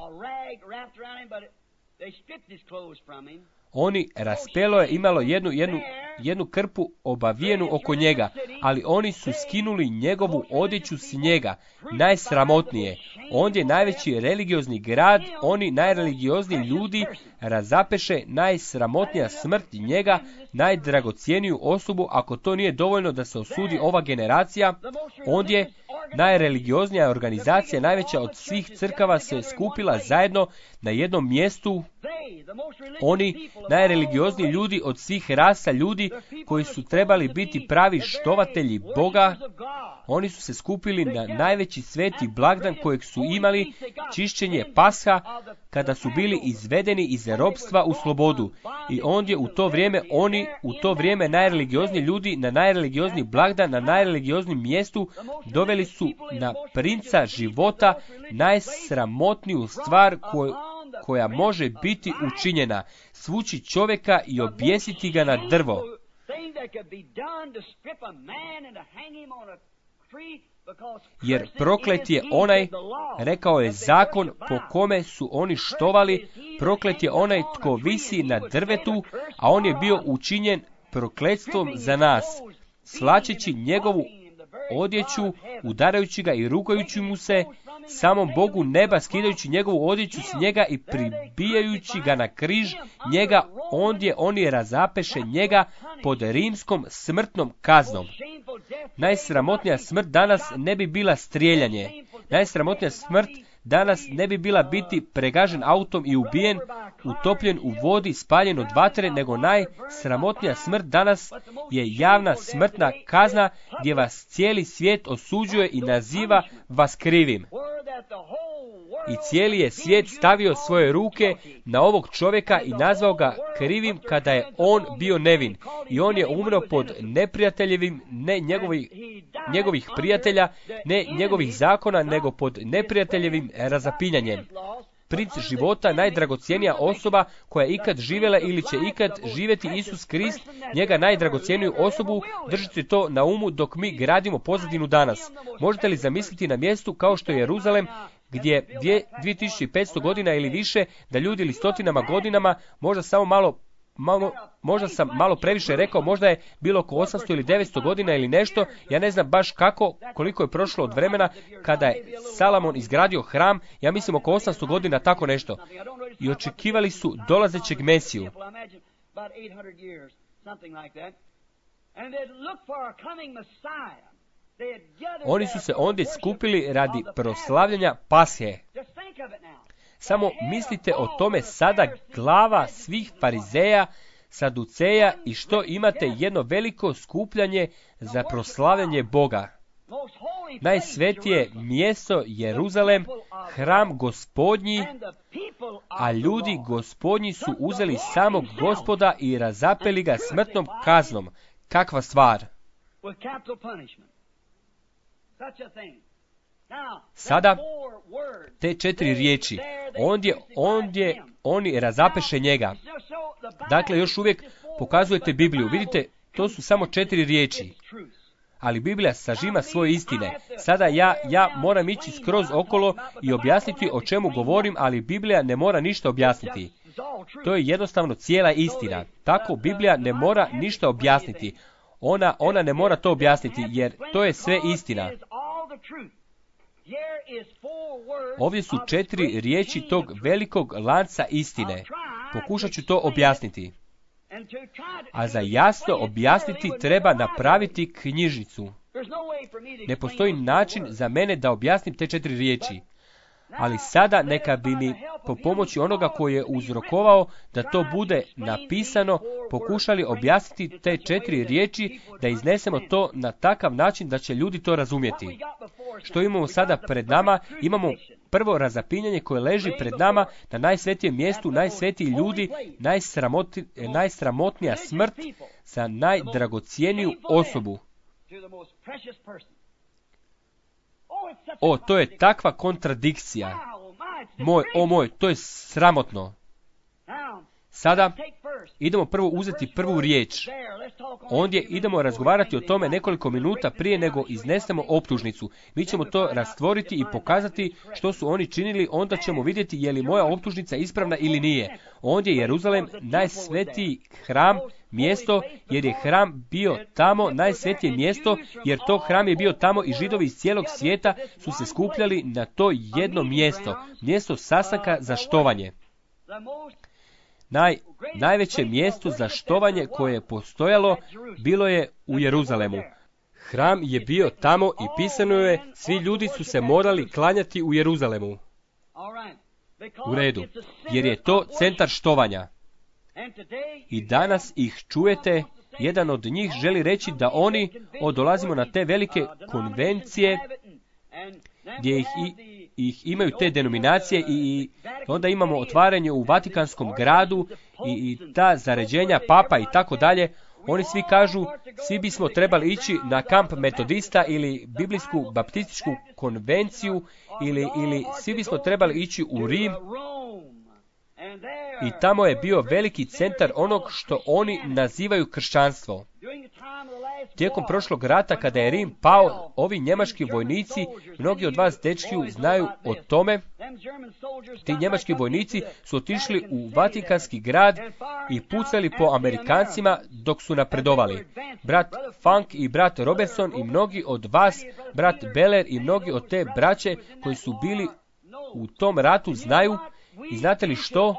Oni raspelo je imalo jednu, jednu, jednu krpu obavijenu oko njega, ali oni su skinuli njegovu odjeću s njega, najsramotnije. Ondje najveći religiozni grad, oni najreligiozniji ljudi razapeše najsramotnija smrt njega, najdragocijeniju osobu. Ako to nije dovoljno da se osudi ova generacija, ondje najreligioznija organizacija, najveća od svih crkava, se skupila zajedno na jednom mjestu. Oni najreligiozniji ljudi od svih rasa ljudi koji su trebali biti pravi štovatelji Boga, oni su se skupili na najveći sveti blagdan kojeg su imali, čišćenje Pasha, kada su bili izvedeni iz ropstva u slobodu. I ondje u to vrijeme, oni u to vrijeme najreligiozniji ljudi na najreligiozniji blagdan, na najreligioznijim mjestu, doveli su na princa života najsramotniju stvar koju koja može biti učinjena, svući čovjeka i objesiti ga na drvo. Jer proklet je onaj, rekao je zakon, po kome su oni štovali, proklet je onaj tko visi na drvetu, a on je bio učinjen prokletstvom za nas, svlačeći njegovu odjeću, udarajući ga i rukajući mu se, samom Bogu neba skidajući njegovu odjeću s njega i pribijajući ga na križ, njega ondje oni razapeše njega pod rimskom smrtnom kaznom. Najsramotnija smrt danas ne bi bila strijeljanje. Najsramotnija smrt danas ne bi bila biti pregažen autom i ubijen, utopljen u vodi, spaljen od vatre, nego najsramotnija smrt danas je javna smrtna kazna gdje vas cijeli svijet osuđuje i naziva vas krivim. I cijeli je svijet stavio svoje ruke na ovog čovjeka i nazvao ga krivim kada je on bio nevin. I on je umro pod neprijateljevim, ne njegovih, njegovih prijatelja, ne njegovih zakona, nego pod neprijateljevim razapinjanjem. Princ života, najdragocjenija osoba koja je ikad živjela ili će ikad živjeti, Isus Krist, njega najdragocjeniju osobu, držite to na umu dok mi gradimo pozadinu danas. Možete li zamisliti na mjestu kao što je Jeruzalem, gdje dvije tisuće petsto godina ili više, da ljudi ili stotinama godinama, možda samo malo, malo, možda sam malo previše rekao, možda je bilo oko osamsto ili devetsto godina ili nešto, ja ne znam baš kako, koliko je prošlo od vremena kada je Salomon izgradio hram, ja mislim oko osamsto godina, tako nešto. I očekivali su dolazećeg Mesiju. Oni su se ondje skupili radi proslavljanja Pashe. Samo mislite o tome sada, glava svih farizeja, saduceja, i što imate jedno veliko skupljanje za proslavljanje Boga. Najsvetije mjesto Jeruzalem, hram Gospodnji, a ljudi Gospodnji su uzeli samog Gospoda i razapeli ga smrtnom kaznom. Kakva stvar! Sada, te četiri riječi, ondje, ondje oni razapeše njega. Dakle, još uvijek pokazujete Bibliju. Vidite, to su samo četiri riječi. Ali Biblija sažima svoje istine. Sada ja, ja moram ići skroz okolo i objasniti o čemu govorim, ali Biblija ne mora ništa objasniti. To je jednostavno cijela istina. Tako Biblija ne mora ništa objasniti. Ona, ona ne mora to objasniti, jer to je sve istina. Ovdje su četiri riječi tog velikog lanca istine. Pokušat ću to objasniti. A za jasno objasniti treba napraviti knjižnicu. Ne postoji način za mene da objasnim te četiri riječi. Ali sada neka bi mi po pomoći onoga koji je uzrokovao da to bude napisano, pokušali objasniti te četiri riječi, da iznesemo to na takav način da će ljudi to razumjeti. Što imamo sada pred nama? Imamo prvo razapinjanje koje leži pred nama na najsvetijem mjestu, najsvetiji ljudi, najsramoti, najsramotnija smrt za najdragocijeniju osobu. O, to je takva kontradikcija. Moj, o moj, to je sramotno. Sada idemo prvo uzeti prvu riječ. Ondje idemo razgovarati o tome nekoliko minuta prije nego iznesemo optužnicu. Mi ćemo to rastvoriti i pokazati što su oni činili, onda ćemo vidjeti je li moja optužnica ispravna ili nije. Ondje je Jeruzalem najsvetiji hram, mjesto, jer je hram bio tamo, najsvetije mjesto, jer to hram je bio tamo i Židovi iz cijelog svijeta su se skupljali na to jedno mjesto, mjesto sastanka za štovanje. Naj, najveće mjesto za štovanje koje je postojalo bilo je u Jeruzalemu. Hram je bio tamo i pisano je, svi ljudi su se morali klanjati u Jeruzalemu. U redu, jer je to centar štovanja. I danas ih čujete, jedan od njih želi reći da oni, o, dolazimo na te velike konvencije, gdje ih, i, ih imaju te denominacije i, i onda imamo otvaranje u Vatikanskom gradu i, i ta zaređenja papa i tako dalje. Oni svi kažu, svi bismo trebali ići na kamp metodista ili biblijsku baptističku konvenciju ili, ili svi bismo trebali ići u Rim. I tamo je bio veliki centar onog što oni nazivaju kršćanstvo. Tijekom prošlog rata, kada je Rim pao, ovi njemački vojnici, mnogi od vas dečki znaju o tome, ti njemački vojnici su otišli u Vatikanski grad i pucali po Amerikancima dok su napredovali. Brat Funk i brat Robertson i mnogi od vas, brat Beller i mnogi od te braće koji su bili u tom ratu znaju. I znate li što?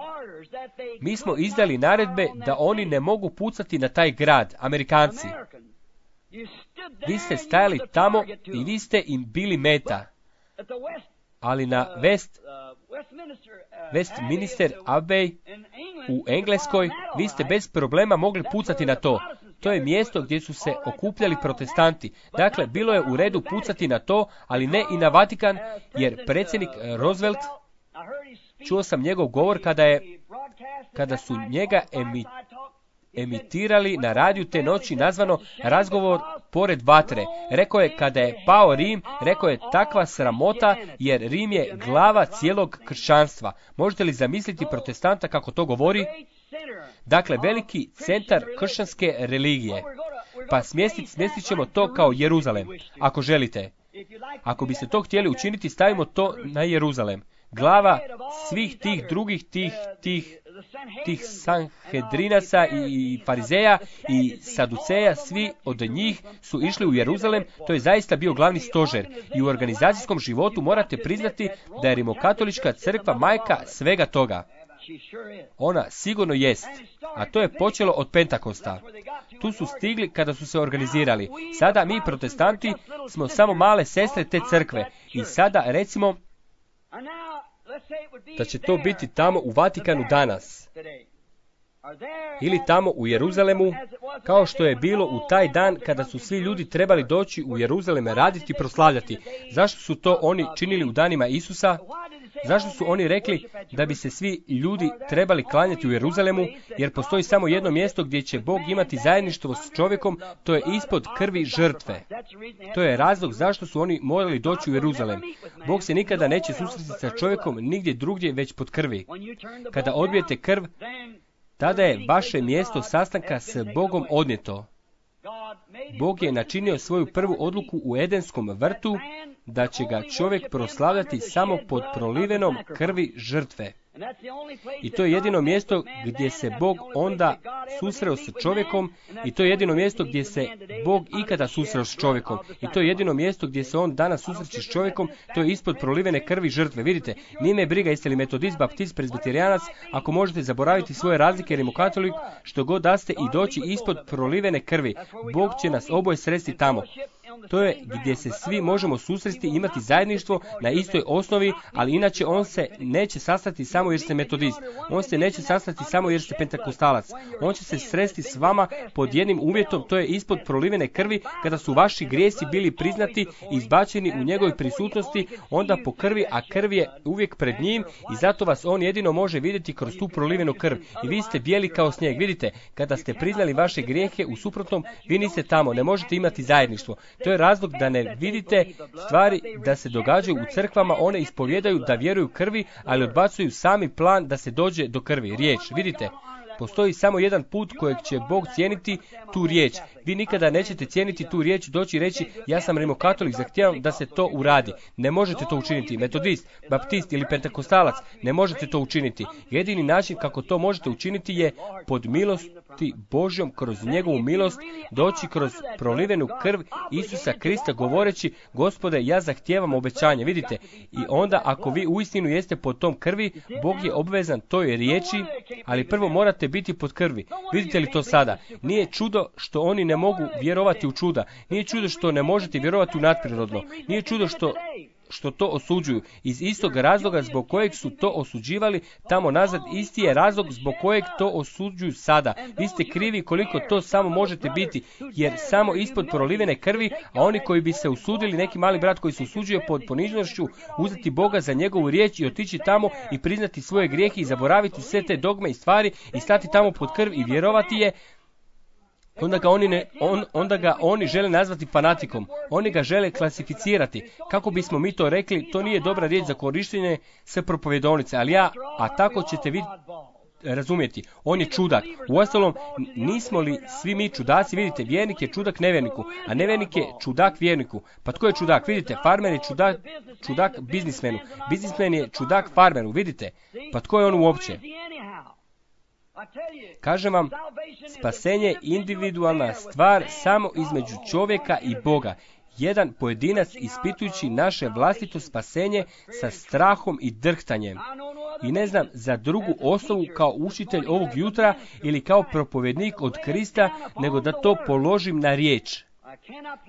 Mi smo izdali naredbe da oni ne mogu pucati na taj grad, Amerikanci. Vi ste stajali tamo i vi ste im bili meta. ali na West, Westminster Abbey u Engleskoj vi ste bez problema mogli pucati na to. To je mjesto gdje su se okupljali protestanti. Dakle, bilo je u redu pucati na to, ali ne i na Vatikan, jer predsjednik Roosevelt, čuo sam njegov govor kada je, kada su njega emi, emitirali na radiju te noći, nazvano razgovor pored vatre. Rekao je, kada je pao Rim, rekao je, takva sramota, jer Rim je glava cijelog kršćanstva. Možete li zamisliti protestanta kako to govori? Dakle, veliki centar kršćanske religije. Pa smjestit, smjestit ćemo to kao Jeruzalem, ako želite. Ako biste to htjeli učiniti, stavimo to na Jeruzalem. Glava svih tih drugih, tih, tih, tih Sanhedrinaca i Farizeja i Saduceja, svi od njih su išli u Jeruzalem. To je zaista bio glavni stožer. I u organizacijskom životu morate priznati da je Rimokatolička crkva majka svega toga. Ona sigurno jest, a to je počelo od Pentakosta. Tu su stigli kada su se organizirali. Sada mi protestanti smo samo male sestre te crkve. I sada recimo da će to biti tamo u Vatikanu danas. Ili tamo u Jeruzalemu, kao što je bilo u taj dan kada su svi ljudi trebali doći u Jeruzaleme raditi i proslavljati. Zašto su to oni činili u danima Isusa? Zašto su oni rekli da bi se svi ljudi trebali klanjati u Jeruzalemu? Jer postoji samo jedno mjesto gdje će Bog imati zajedništvo s čovjekom, to je ispod krvi žrtve. To je razlog zašto su oni morali doći u Jeruzalem. Bog se nikada neće susresti sa čovjekom nigdje drugdje već pod krvi. Kada odbijete krv, tada je vaše mjesto sastanka s Bogom odnijeto. Bog je načinio svoju prvu odluku u Edenskom vrtu da će ga čovjek proslavljati samo pod prolivenom krvi žrtve. I to je jedino mjesto gdje se Bog onda susreo s čovjekom i to je jedino mjesto gdje se Bog ikada susreo s čovjekom. I to je jedino mjesto gdje se on danas susreće s čovjekom, to je ispod prolivene krvi žrtve. Vidite, nije me briga jeste li metodist, baptist, prezbiterijanac, ako možete zaboraviti svoje razlike, rimokatolik, što god da ste i doći ispod prolivene krvi. Bog će nas oboje sresti tamo. To je gdje se svi možemo susresti i imati zajedništvo na istoj osnovi, ali inače on se neće sastati samo jer ste metodist. On se neće sastati samo jer ste pentakostalac. On će se sresti s vama pod jednim uvjetom, to je ispod prolivene krvi, kada su vaši grijesi bili priznati i izbačeni u njegovoj prisutnosti, onda po krvi, a krv je uvijek pred njim i zato vas on jedino može vidjeti kroz tu prolivenu krv. I vi ste bijeli kao snijeg. Vidite, kada ste priznali vaše grijehe, u suprotnom vi niste tamo, ne možete imati zajedništvo. To je razlog da ne vidite stvari da se događaju u crkvama, one ispovjedaju da vjeruju krvi, ali odbacuju sami plan da se dođe do krvi. Riječ, vidite, postoji samo jedan put kojeg će Bog cijeniti, tu riječ. Vi nikada nećete cijeniti tu riječ, doći i reći ja sam rimokatolik, zahtijevam da se to uradi. Ne možete to učiniti. Metodist, baptist ili pentakostalac, ne možete to učiniti. Jedini način kako to možete učiniti je pod milosti Božjom, kroz njegovu milost, doći kroz prolivenu krv Isusa Krista govoreći Gospode, ja zahtijevam obećanje. Vidite, i onda ako vi uistinu jeste pod tom krvi, Bog je obvezan toj riječi, ali prvo morate biti pod krvi. Vidite li to sada? Nije čudo što oni ne mogu vjerovati u čuda. Nije čudo što ne možete vjerovati u nadprirodno. Nije čudo što što to osuđuju. Iz istog razloga zbog kojeg su to osuđivali tamo nazad, isti je razlog zbog kojeg to osuđuju sada. Vi ste krivi koliko to samo možete biti, jer samo ispod prolivene krvi, a oni koji bi se usudili, neki mali brat koji se usuđuje pod ponižnošću, uzeti Boga za njegovu riječ i otići tamo i priznati svoje grijehe i zaboraviti sve te dogme i stvari i stati tamo pod krv i vjerovati je, Onda ga, oni ne, on, onda ga oni žele nazvati fanatikom. Oni ga žele klasificirati. Kako bismo mi to rekli, to nije dobra riječ za korištenje sve propovjedovnice, ali ja, a tako ćete vi razumjeti. On je čudak. Uostalom, nismo li svi mi čudaci? Vidite, vjernik je čudak nevjerniku, a nevjernik je čudak vjerniku. Pa tko je čudak? Vidite, farmer je čudak, čudak biznismenu. Biznismen je čudak farmeru. Vidite, pa tko je on uopće? Kažem vam, spasenje je individualna stvar samo između čovjeka i Boga. Jedan pojedinac ispitujući naše vlastito spasenje sa strahom i drhtanjem. I ne znam za drugu osobu kao učitelj ovog jutra ili kao propovjednik od Krista, nego da to položim na riječ.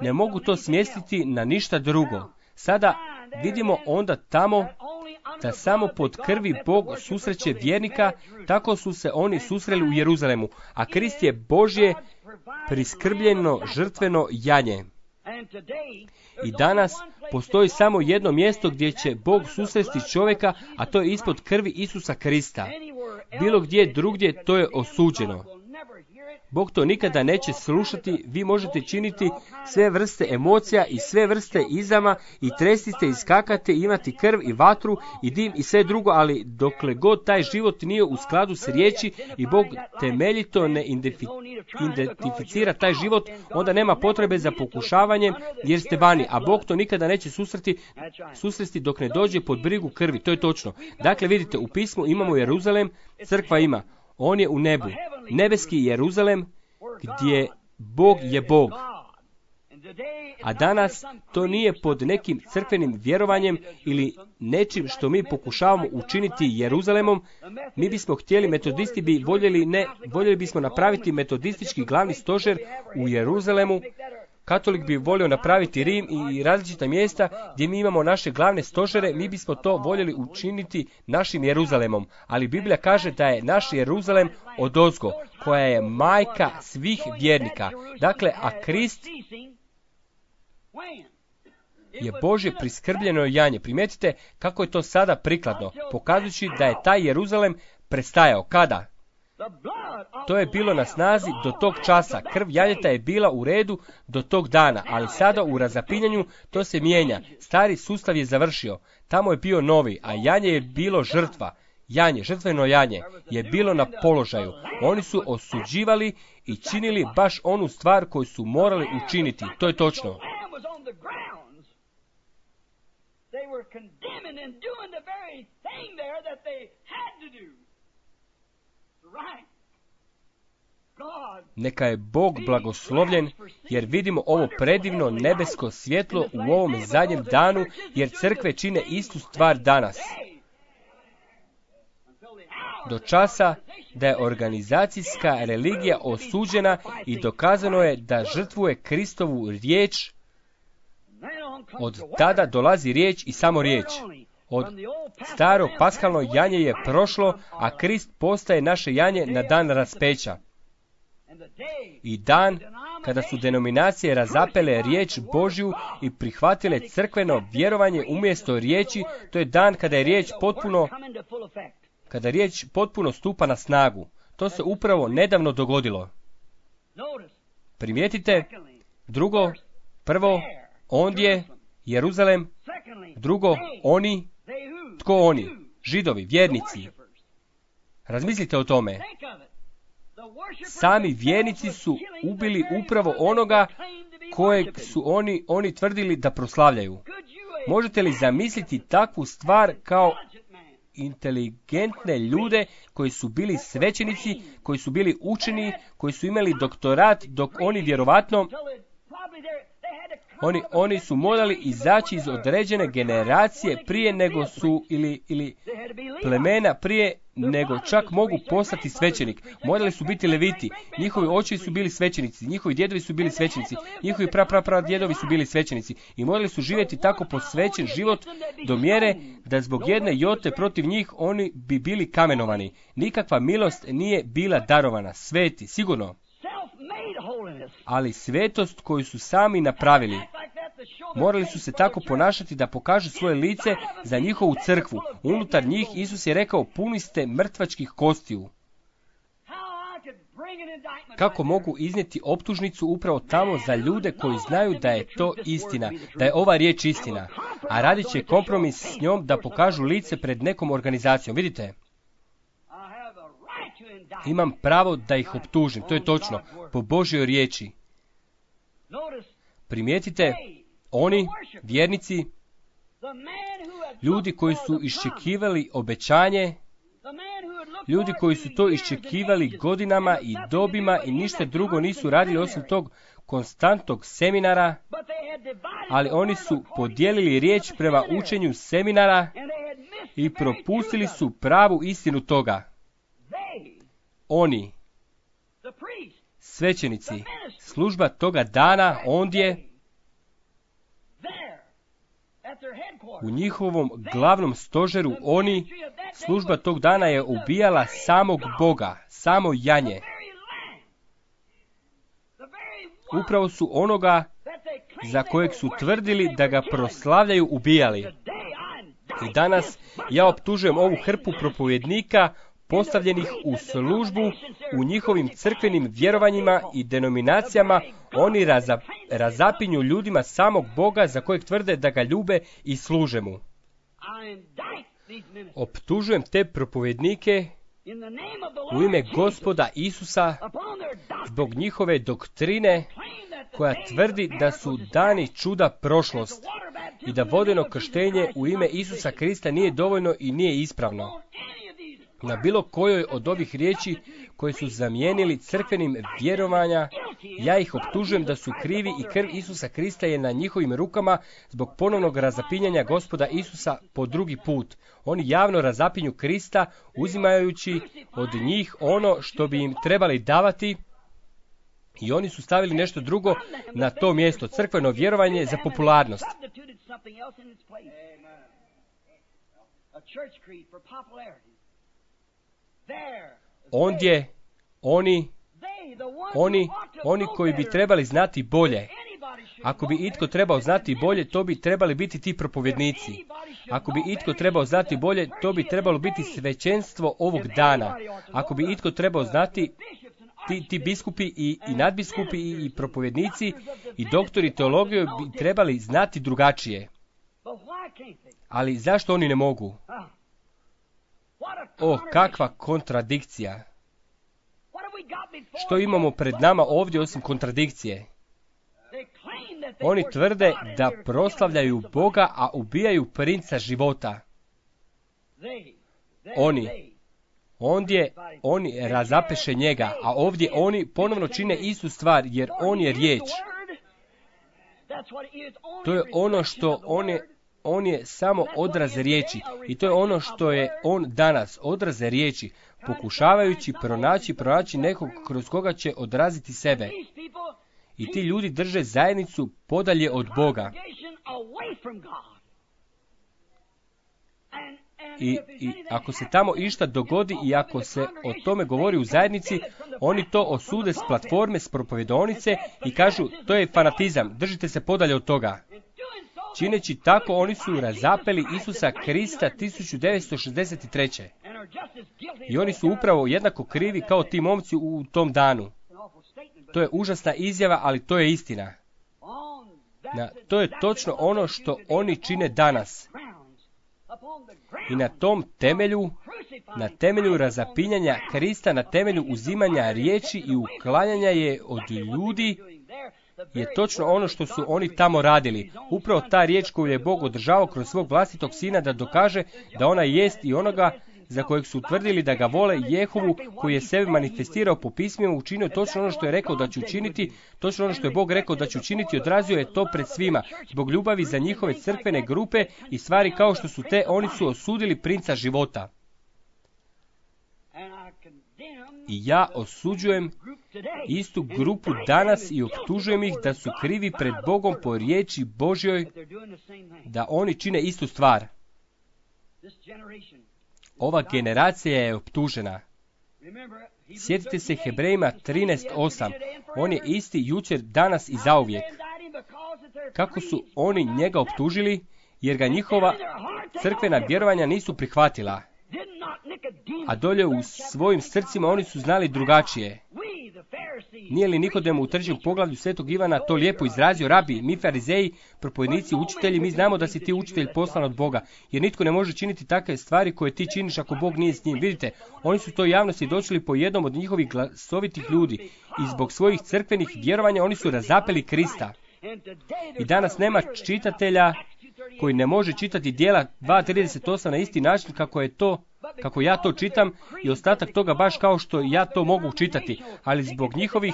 Ne mogu to smjestiti na ništa drugo. Sada vidimo onda tamo da samo pod krvi Bog susreće vjernika, tako su se oni susreli u Jeruzalemu, a Krist je Božje priskrbljeno žrtveno janje. I danas postoji samo jedno mjesto gdje će Bog susresti čovjeka, a to je ispod krvi Isusa Krista. Bilo gdje drugdje to je osuđeno. Bog to nikada neće slušati, vi možete činiti sve vrste emocija i sve vrste izama i trestite i skakate, imati krv i vatru i dim i sve drugo, ali dokle god taj život nije u skladu s riječi i Bog temeljito ne identificira taj život, onda nema potrebe za pokušavanjem jer ste vani, a Bog to nikada neće susreti, susresti dok ne dođe pod brigu krvi, to je točno. Dakle, vidite, u pismu imamo Jeruzalem, crkva ima. On je u nebu, nebeski Jeruzalem, gdje Bog je Bog. A danas to nije pod nekim crkvenim vjerovanjem ili nečim što mi pokušavamo učiniti Jeruzalemom. Mi bismo htjeli, metodisti bi voljeli, ne, voljeli bismo napraviti metodistički glavni stožer u Jeruzalemu. Katolik bi volio napraviti Rim i različita mjesta gdje mi imamo naše glavne stožere, mi bismo to voljeli učiniti našim Jeruzalemom. Ali Biblija kaže da je naš Jeruzalem odozgo, koja je majka svih vjernika. Dakle, a Krist je Božje priskrbljeno janje. Primijetite kako je to sada prikladno, pokazujući da je taj Jeruzalem prestajao. Kada? To je bilo na snazi do tog časa. Krv janjeta je bila u redu do tog dana, ali sada u razapinjanju to se mijenja. Stari sustav je završio. Tamo je bio novi, a janje je bilo žrtva. Janje, žrtveno janje, je bilo na položaju. Oni su osuđivali i činili baš onu stvar koju su morali učiniti. To je točno. Neka je Bog blagoslovljen, jer vidimo ovo predivno nebesko svjetlo u ovom zadnjem danu, jer crkve čine istu stvar danas. Do časa da je organizacijska religija osuđena i dokazano je da žrtvuje Kristovu riječ, od tada dolazi riječ i samo riječ. Od staro paskalno janje je prošlo, a Krist postaje naše janje na dan raspeća. I dan kada su denominacije razapele riječ Božju i prihvatile crkveno vjerovanje umjesto riječi, to je dan kada je riječ potpuno, kada riječ potpuno stupa na snagu. To se upravo nedavno dogodilo. Primijetite, drugo, prvo, ondje, Jeruzalem, drugo, oni, tko oni? Židovi, vjernici. Razmislite o tome. Sami vjernici su ubili upravo onoga kojeg su oni, oni tvrdili da proslavljaju. Možete li zamisliti takvu stvar kao inteligentne ljude koji su bili svećenici, koji su bili učeni, koji su imali doktorat, dok oni vjerovatno Oni, oni su morali izaći iz određene generacije prije nego su, ili, ili plemena prije nego čak mogu postati svećenik. Morali su biti leviti, njihovi očevi su bili svećenici, njihovi djedovi su bili svećenici, njihovi pra, pra, pra djedovi su bili svećenici i morali su živjeti tako posvećen život do mjere da zbog jedne jote protiv njih oni bi bili kamenovani. Nikakva milost nije bila darovana, sveti, sigurno. Ali svetost koju su sami napravili, morali su se tako ponašati da pokažu svoje lice za njihovu crkvu. Unutar njih Isus je rekao, puni ste mrtvačkih kostiju. Kako mogu iznijeti optužnicu upravo tamo za ljude koji znaju da je to istina, da je ova riječ istina, a radit će kompromis s njom da pokažu lice pred nekom organizacijom. Vidite? Imam pravo da ih optužim, to je točno, po Božjoj riječi. Primijetite, oni, vjernici, ljudi koji su iščekivali obećanje, ljudi koji su to iščekivali godinama i dobima i ništa drugo nisu radili osim tog konstantnog seminara, ali oni su podijelili riječ prema učenju seminara i propustili su pravu istinu toga. Oni, svećenici, služba toga dana ondje, U njihovom glavnom stožeru oni, služba tog dana je ubijala samog Boga, samo janje. Upravo su onoga za kojeg su tvrdili da ga proslavljaju ubijali. I danas ja optužujem ovu hrpu propovjednika postavljenih u službu u njihovim crkvenim vjerovanjima i denominacijama. Oni raza, razapinju ljudima samog Boga za kojeg tvrde da ga ljube i služe mu. Optužujem te propovjednike u ime Gospoda Isusa zbog njihove doktrine koja tvrdi da su dani čuda prošlost i da vodeno krštenje u ime Isusa Krista nije dovoljno i nije ispravno. Na bilo kojoj od ovih riječi koje su zamijenili crkvenim vjerovanja, ja ih optužujem da su krivi i krv Isusa Krista je na njihovim rukama zbog ponovnog razapinjanja Gospoda Isusa po drugi put. Oni javno razapinju Krista uzimajući od njih ono što bi im trebali davati i oni su stavili nešto drugo na to mjesto, crkveno vjerovanje za popularnost. Ondje oni, oni, oni koji bi trebali znati bolje. Ako bi itko trebao znati bolje, to bi trebali biti ti propovjednici. Ako bi itko trebao znati bolje, to bi trebalo biti svećenstvo ovog dana. Ako bi itko trebao znati, ti, ti biskupi i, i nadbiskupi i, i propovjednici i doktori teologije bi trebali znati drugačije. Ali zašto oni ne mogu? O, kakva kontradikcija! Što imamo pred nama ovdje osim kontradikcije? Oni tvrde da proslavljaju Boga, a ubijaju princa života. Oni, ondje oni razapeše njega, a ovdje oni ponovno čine istu stvar, jer on je riječ. To je ono što on je, on je samo odraz riječi. I to je ono što je on danas, odraz riječi, pokušavajući pronaći, pronaći nekog kroz koga će odraziti sebe. I ti ljudi drže zajednicu podalje od Boga. I, I ako se tamo išta dogodi i ako se o tome govori u zajednici, oni to osude s platforme, s propovjedonice i kažu to je fanatizam, držite se podalje od toga. Čineći tako, oni su razapeli Isusa Krista tisuću devetsto šezdeset treće. I oni su upravo jednako krivi kao ti momci u tom danu. To je užasna izjava, ali to je istina. Na, to je točno ono što oni čine danas. I na tom temelju, na temelju razapinjanja Krista, na temelju uzimanja riječi i uklanjanja je od ljudi, je točno ono što su oni tamo radili. Upravo ta riječ koju je Bog održavao kroz svog vlastitog sina da dokaže da ona jest i onoga za kojeg su tvrdili da ga vole, Jehovu, koji je sebe manifestirao po pismima, učinio točno ono što je rekao da će učiniti, točno ono što je Bog rekao da će učiniti, odrazio je to pred svima. Zbog ljubavi za njihove crkvene grupe i stvari kao što su te, oni su osudili princa života. I ja osuđujem istu grupu danas i optužujem ih da su krivi pred Bogom po riječi Božjoj, da oni čine istu stvar. Ova generacija je optužena. Sjetite se Hebrejima trinaest osam. On je isti jučer, danas i zauvijek. Kako su oni njega optužili? Jer ga njihova crkvena vjerovanja nisu prihvatila. A dolje u svojim srcima oni su znali drugačije. Nije li Nikodem u trećem poglavlju Svetog Ivana to lijepo izrazio? Rabi, mi farizeji, propovjednici, učitelji, mi znamo da si ti učitelj poslan od Boga, jer nitko ne može činiti takve stvari koje ti činiš ako Bog nije s njim. Vidite, oni su to javno svjedočili po jednom od njihovih glasovitih ljudi i zbog svojih crkvenih vjerovanja oni su razapeli Krista. I danas nema čitatelja koji ne može čitati djela dva trideset osam na isti način kako je to, kako ja to čitam i ostatak toga baš kao što ja to mogu čitati, ali zbog njihovih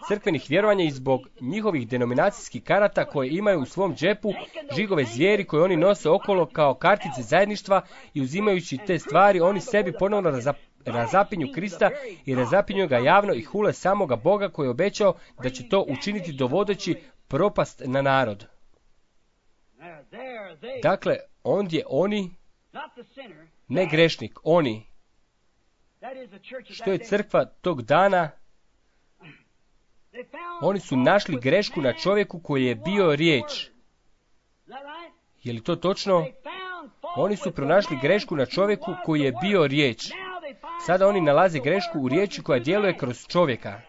crkvenih vjerovanja i zbog njihovih denominacijskih karata koje imaju u svom džepu, žigove zvijeri koje oni nose okolo kao kartice zajedništva i uzimajući te stvari, oni sebi ponovno razap, razapinju Krista i razapinju ga javno i hule samoga Boga koji je obećao da će to učiniti dovodeći propast na narod. Dakle, ondje oni, ne grešnik, oni, što je crkva tog dana, oni su našli grešku na čovjeku koji je bio riječ. Je li to točno? Oni su pronašli grešku na čovjeku koji je bio riječ. Sada oni nalaze grešku u riječi koja djeluje kroz čovjeka.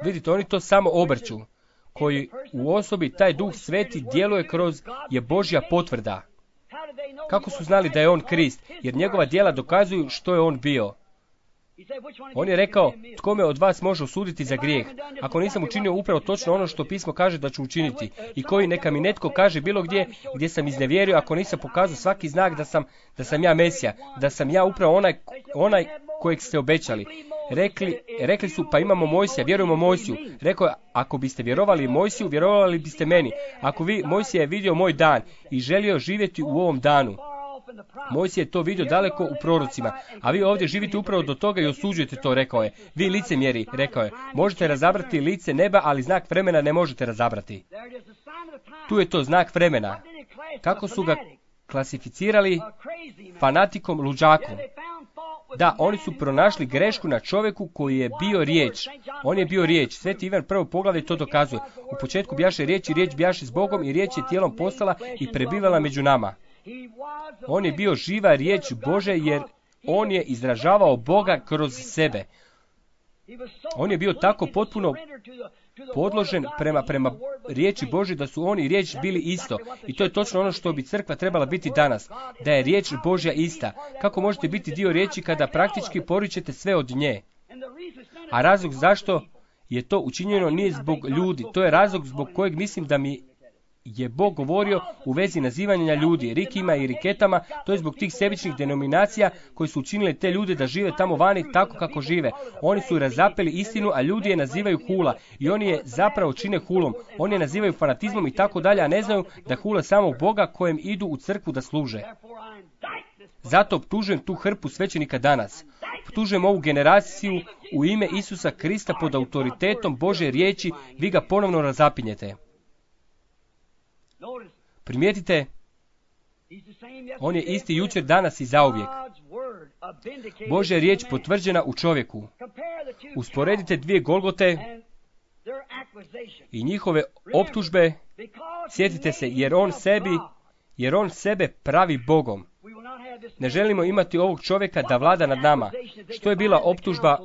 Vidite, oni to samo obrću. Koji u osobi taj Duh Sveti djeluje kroz je Božja potvrda. Kako su znali da je on Krist? Jer njegova djela dokazuju što je on bio. On je rekao, tko me od vas može osuditi za grijeh, ako nisam učinio upravo točno ono što pismo kaže da ću učiniti, i koji neka mi netko kaže bilo gdje, gdje sam iznevjerio, ako nisam pokazao svaki znak da sam, da sam ja Mesija, da sam ja upravo onaj, onaj kojeg ste obećali. Rekli, rekli su, pa imamo Mojsija, vjerujemo Mojsiju. Rekao je, ako biste vjerovali Mojsiju, vjerovali biste meni. Ako vi, Mojsija je vidio moj dan i želio živjeti u ovom danu. Mojsije je to vidio daleko u prorocima, a vi ovdje živite upravo do toga i osuđujete to, rekao je. Vi licemjeri, rekao je, možete razabrati lice neba, ali znak vremena ne možete razabrati. Tu je to znak vremena. Kako su ga klasificirali? Fanatikom, luđakom. Da, oni su pronašli grešku na čovjeku koji je bio riječ. On je bio riječ. Sveti Ivan prvo poglavlje to dokazuje. U početku bjaše riječ i riječ bjaše s Bogom i riječ je tijelom postala i prebivala među nama. On je bio živa riječ Bože jer on je izražavao Boga kroz sebe. On je bio tako potpuno podložen prema, prema riječi Božje da su on i riječ bili isto. I to je točno ono što bi crkva trebala biti danas. Da je riječ Božja ista. Kako možete biti dio riječi kada praktički poričete sve od nje? A razlog zašto je to učinjeno nije zbog ljudi. To je razlog zbog kojeg mislim da mi je Bog govorio u vezi nazivanja ljudi, rikima i riketama, to je zbog tih sebičnih denominacija koji su učinili te ljude da žive tamo vani tako kako žive. Oni su razapeli istinu, a ljudi je nazivaju hula i oni je zapravo čine hulom. Oni je nazivaju fanatizmom i tako dalje, a ne znaju da hule samo Boga kojem idu u crkvu da služe. Zato optužujem tu hrpu svećenika danas. Optužujem ovu generaciju u ime Isusa Krista pod autoritetom Božje riječi, vi ga ponovno razapinjete. Primijetite, on je isti jučer, danas i zauvijek. Božja riječ potvrđena u čovjeku. Usporedite dvije Golgote i njihove optužbe. Sjetite se, jer on sebi, jer on sebe pravi Bogom. Ne želimo imati ovog čovjeka da vlada nad nama. Što je bila optužba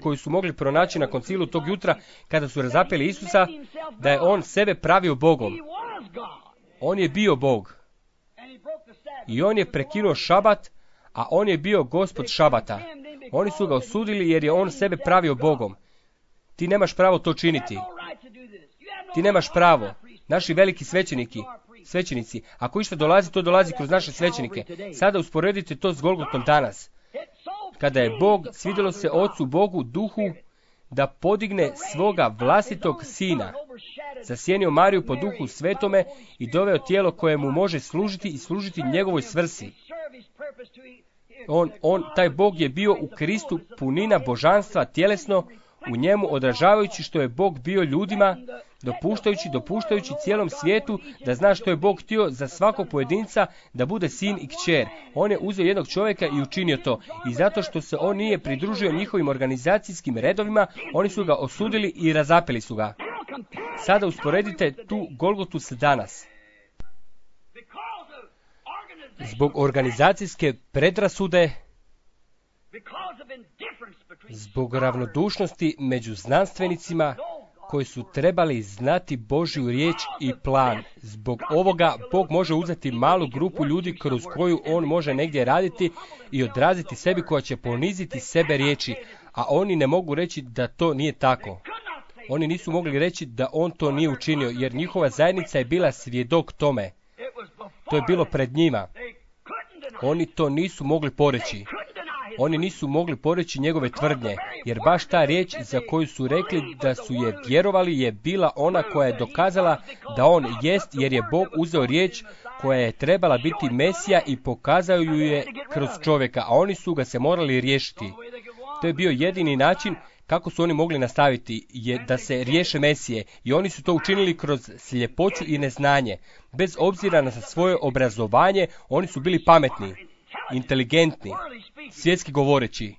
koju su mogli pronaći na koncilu tog jutra kada su razapeli Isusa? Da je on sebe pravio Bogom. On je bio Bog. I on je prekinuo šabat, a on je bio gospod šabata. Oni su ga osudili jer je on sebe pravio Bogom. Ti nemaš pravo to činiti. Ti nemaš pravo. Naši veliki svećeniki, svećenici, ako išta dolazi, to dolazi kroz naše svećenike. Sada usporedite to s Golgotom danas. Kada je Bog, svidjelo se Ocu Bogu, Duhu, da podigne svoga vlastitog sina, zasjenio Mariju po Duhu Svetome i doveo tijelo koje mu može služiti i služiti njegovoj svrsi. On, on, taj Bog je bio u Kristu punina božanstva tjelesno, u njemu odražavajući što je Bog bio ljudima, dopuštajući, dopuštajući cijelom svijetu da zna što je Bog htio za svakog pojedinca da bude sin i kćer. On je uzeo jednog čovjeka i učinio to. I zato što se on nije pridružio njihovim organizacijskim redovima, oni su ga osudili i razapeli su ga. Sada usporedite tu Golgotu s danas. Zbog organizacijske predrasude, zbog ravnodušnosti među znanstvenicima koji su trebali znati Božju riječ i plan. Zbog ovoga Bog može uzeti malu grupu ljudi kroz koju on može negdje raditi i odraziti sebi koja će poniziti sebe riječi, a oni ne mogu reći da to nije tako. Oni nisu mogli reći da on to nije učinio, jer njihova zajednica je bila svjedok tome. To je bilo pred njima. Oni to nisu mogli poreći. Oni nisu mogli poreći njegove tvrdnje, jer baš ta riječ za koju su rekli da su je vjerovali je bila ona koja je dokazala da on jest, jer je Bog uzeo riječ koja je trebala biti Mesija i pokazao ju je kroz čovjeka, a oni su ga se morali riješiti. To je bio jedini način kako su oni mogli nastaviti je da se riješe Mesije i oni su to učinili kroz sljepoću i neznanje. Bez obzira na svoje obrazovanje, oni su bili pametni, inteligentni, svjetski govoreći.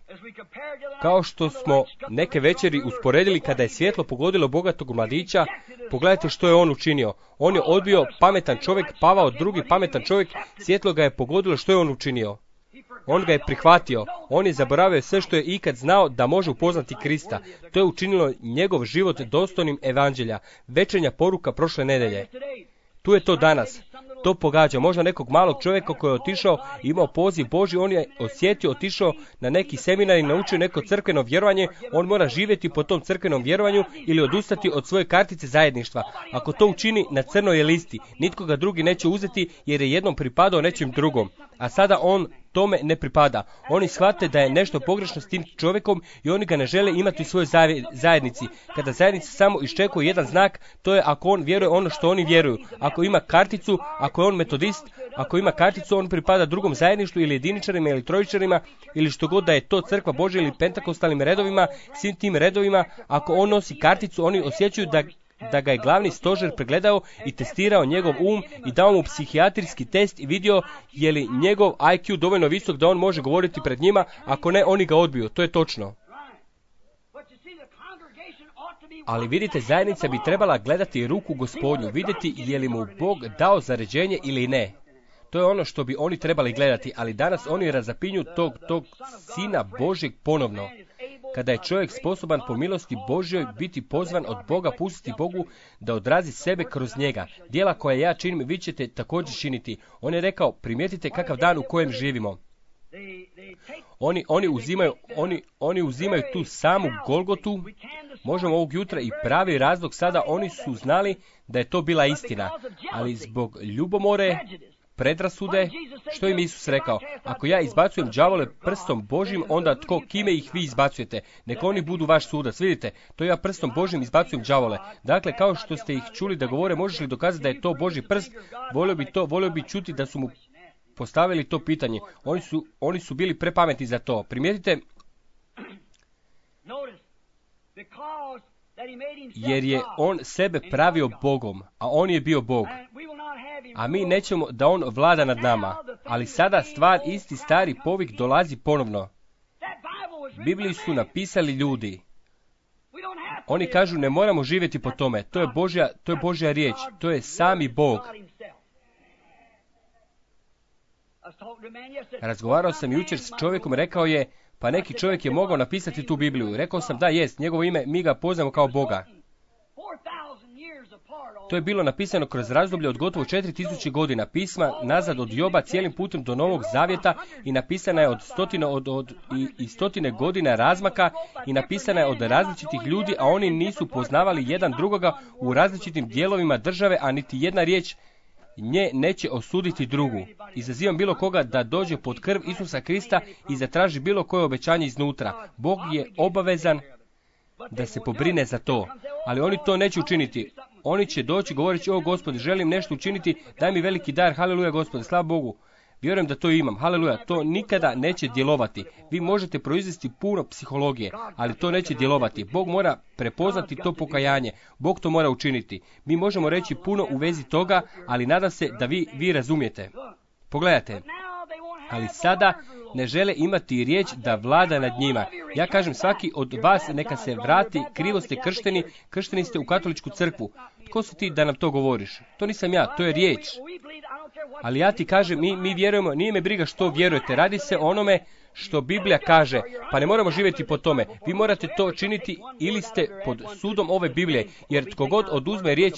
Kao što smo neke večeri usporedili kada je svjetlo pogodilo bogatog mladića, pogledajte što je on učinio. On je odbio pametan čovjek, pavao drugi pametan čovjek, svjetlo ga je pogodilo, što je on učinio. On ga je prihvatio, on je zaboravio sve što je ikad znao da može upoznati Krista. To je učinilo njegov život dostojnim evanđelja. Večernja poruka prošle nedelje. Tu je to danas. To pogađa možda nekog malog čovjeka koji je otišao, imao poziv Božji, on je osjetio, otišao na neki seminar i naučio neko crkveno vjerovanje, on mora živjeti po tom crkvenom vjerovanju ili odustati od svoje kartice zajedništva. Ako to učini, na crnoj je listi, nitko ga drugi neće uzeti jer je jednom pripadao nečem drugom. A sada on tome ne pripada. Oni shvate da je nešto pogrešno s tim čovjekom i oni ga ne žele imati u svojoj zajednici. Kada zajednica samo iščekuje jedan znak, to je ako on vjeruje ono što oni vjeruju. Ako ima karticu, ako je on metodist, ako ima karticu, on pripada drugom zajedništvu ili jediničarima ili trojičarima ili što god da je to crkva Božja ili pentakostalnim redovima, svim tim redovima, ako on nosi karticu, oni osjećaju da da ga je glavni stožer pregledao i testirao njegov um i dao mu psihijatrijski test i vidio je li njegov I Q dovoljno visok da on može govoriti pred njima, ako ne, oni ga odbiju. To je točno. Ali vidite, zajednica bi trebala gledati ruku Gospodnju, vidjeti je li mu Bog dao zaređenje ili ne. To je ono što bi oni trebali gledati, ali danas oni razapinju tog, tog Sina Božjeg ponovno. Kada je čovjek sposoban po milosti Božjoj biti pozvan od Boga, pustiti Bogu da odrazi sebe kroz njega. Djela koja ja činim, vi ćete također činiti. On je rekao, primijetite kakav dan u kojem živimo. Oni, oni, uzimaju, oni, oni uzimaju tu samu Golgotu, možemo ovog jutra i pravi razlog sada, oni su znali da je to bila istina, ali zbog ljubomore, predrasude, što im Isus rekao? Ako ja izbacujem đavole prstom Božjim, onda tko, kime ih vi izbacujete? Neka oni budu vaš sudac. Vidite, to ja prstom Božjim izbacujem đavole. Dakle, kao što ste ih čuli da govore, možeš li dokazati da je to Božji prst? Volio bi to, volio bi čuti da su mu postavili to pitanje. Oni su, oni su bili prepametni za to. Primijetite, jer je on sebe pravio Bogom, a on je bio Bog. A mi nećemo da on vlada nad nama. Ali sada stvar, isti stari povik dolazi ponovno. Bibliju su napisali ljudi. Oni kažu ne moramo živjeti po tome. To je Božja, to je Božja riječ. To je sami Bog. Razgovarao sam jučer s čovjekom, rekao je, pa neki čovjek je mogao napisati tu Bibliju. Rekao sam da jest, njegovo ime, mi ga poznamo kao Boga. To je bilo napisano kroz razdoblje od gotovo četiri tisuće godina, pisma nazad od Joba cijelim putem do Novog Zavjeta i napisana je od stotine, od, od, i, i stotine godina razmaka i napisana je od različitih ljudi, a oni nisu poznavali jedan drugoga u različitim dijelovima države, a niti jedna riječ nje neće osuditi drugu. Izazivam bilo koga da dođe pod krv Isusa Krista i zatraži bilo koje obećanje iznutra. Bog je obavezan da se pobrine za to, ali oni to neće učiniti. Oni će doći govoreći, o Gospodi, želim nešto učiniti, daj mi veliki dar, haleluja Gospodi, slava Bogu. Vjerujem da to imam, haleluja, to nikada neće djelovati. Vi možete proizvesti puno psihologije, ali to neće djelovati. Bog mora prepoznati to pokajanje, Bog to mora učiniti. Mi možemo reći puno u vezi toga, ali nadam se da vi, vi razumijete. Pogledajte, ali sada ne žele imati riječ da vlada nad njima. Ja kažem, svaki od vas neka se vrati, krivo ste kršteni, kršteni ste u katoličku crkvu. Tko si ti da nam to govoriš? To nisam ja, to je riječ. Ali ja ti kažem, mi, mi vjerujemo, nije me briga što vjerujete, radi se o onome što Biblija kaže, pa ne moramo živjeti po tome. Vi morate to činiti ili ste pod sudom ove Biblije, jer tko god oduzme riječ,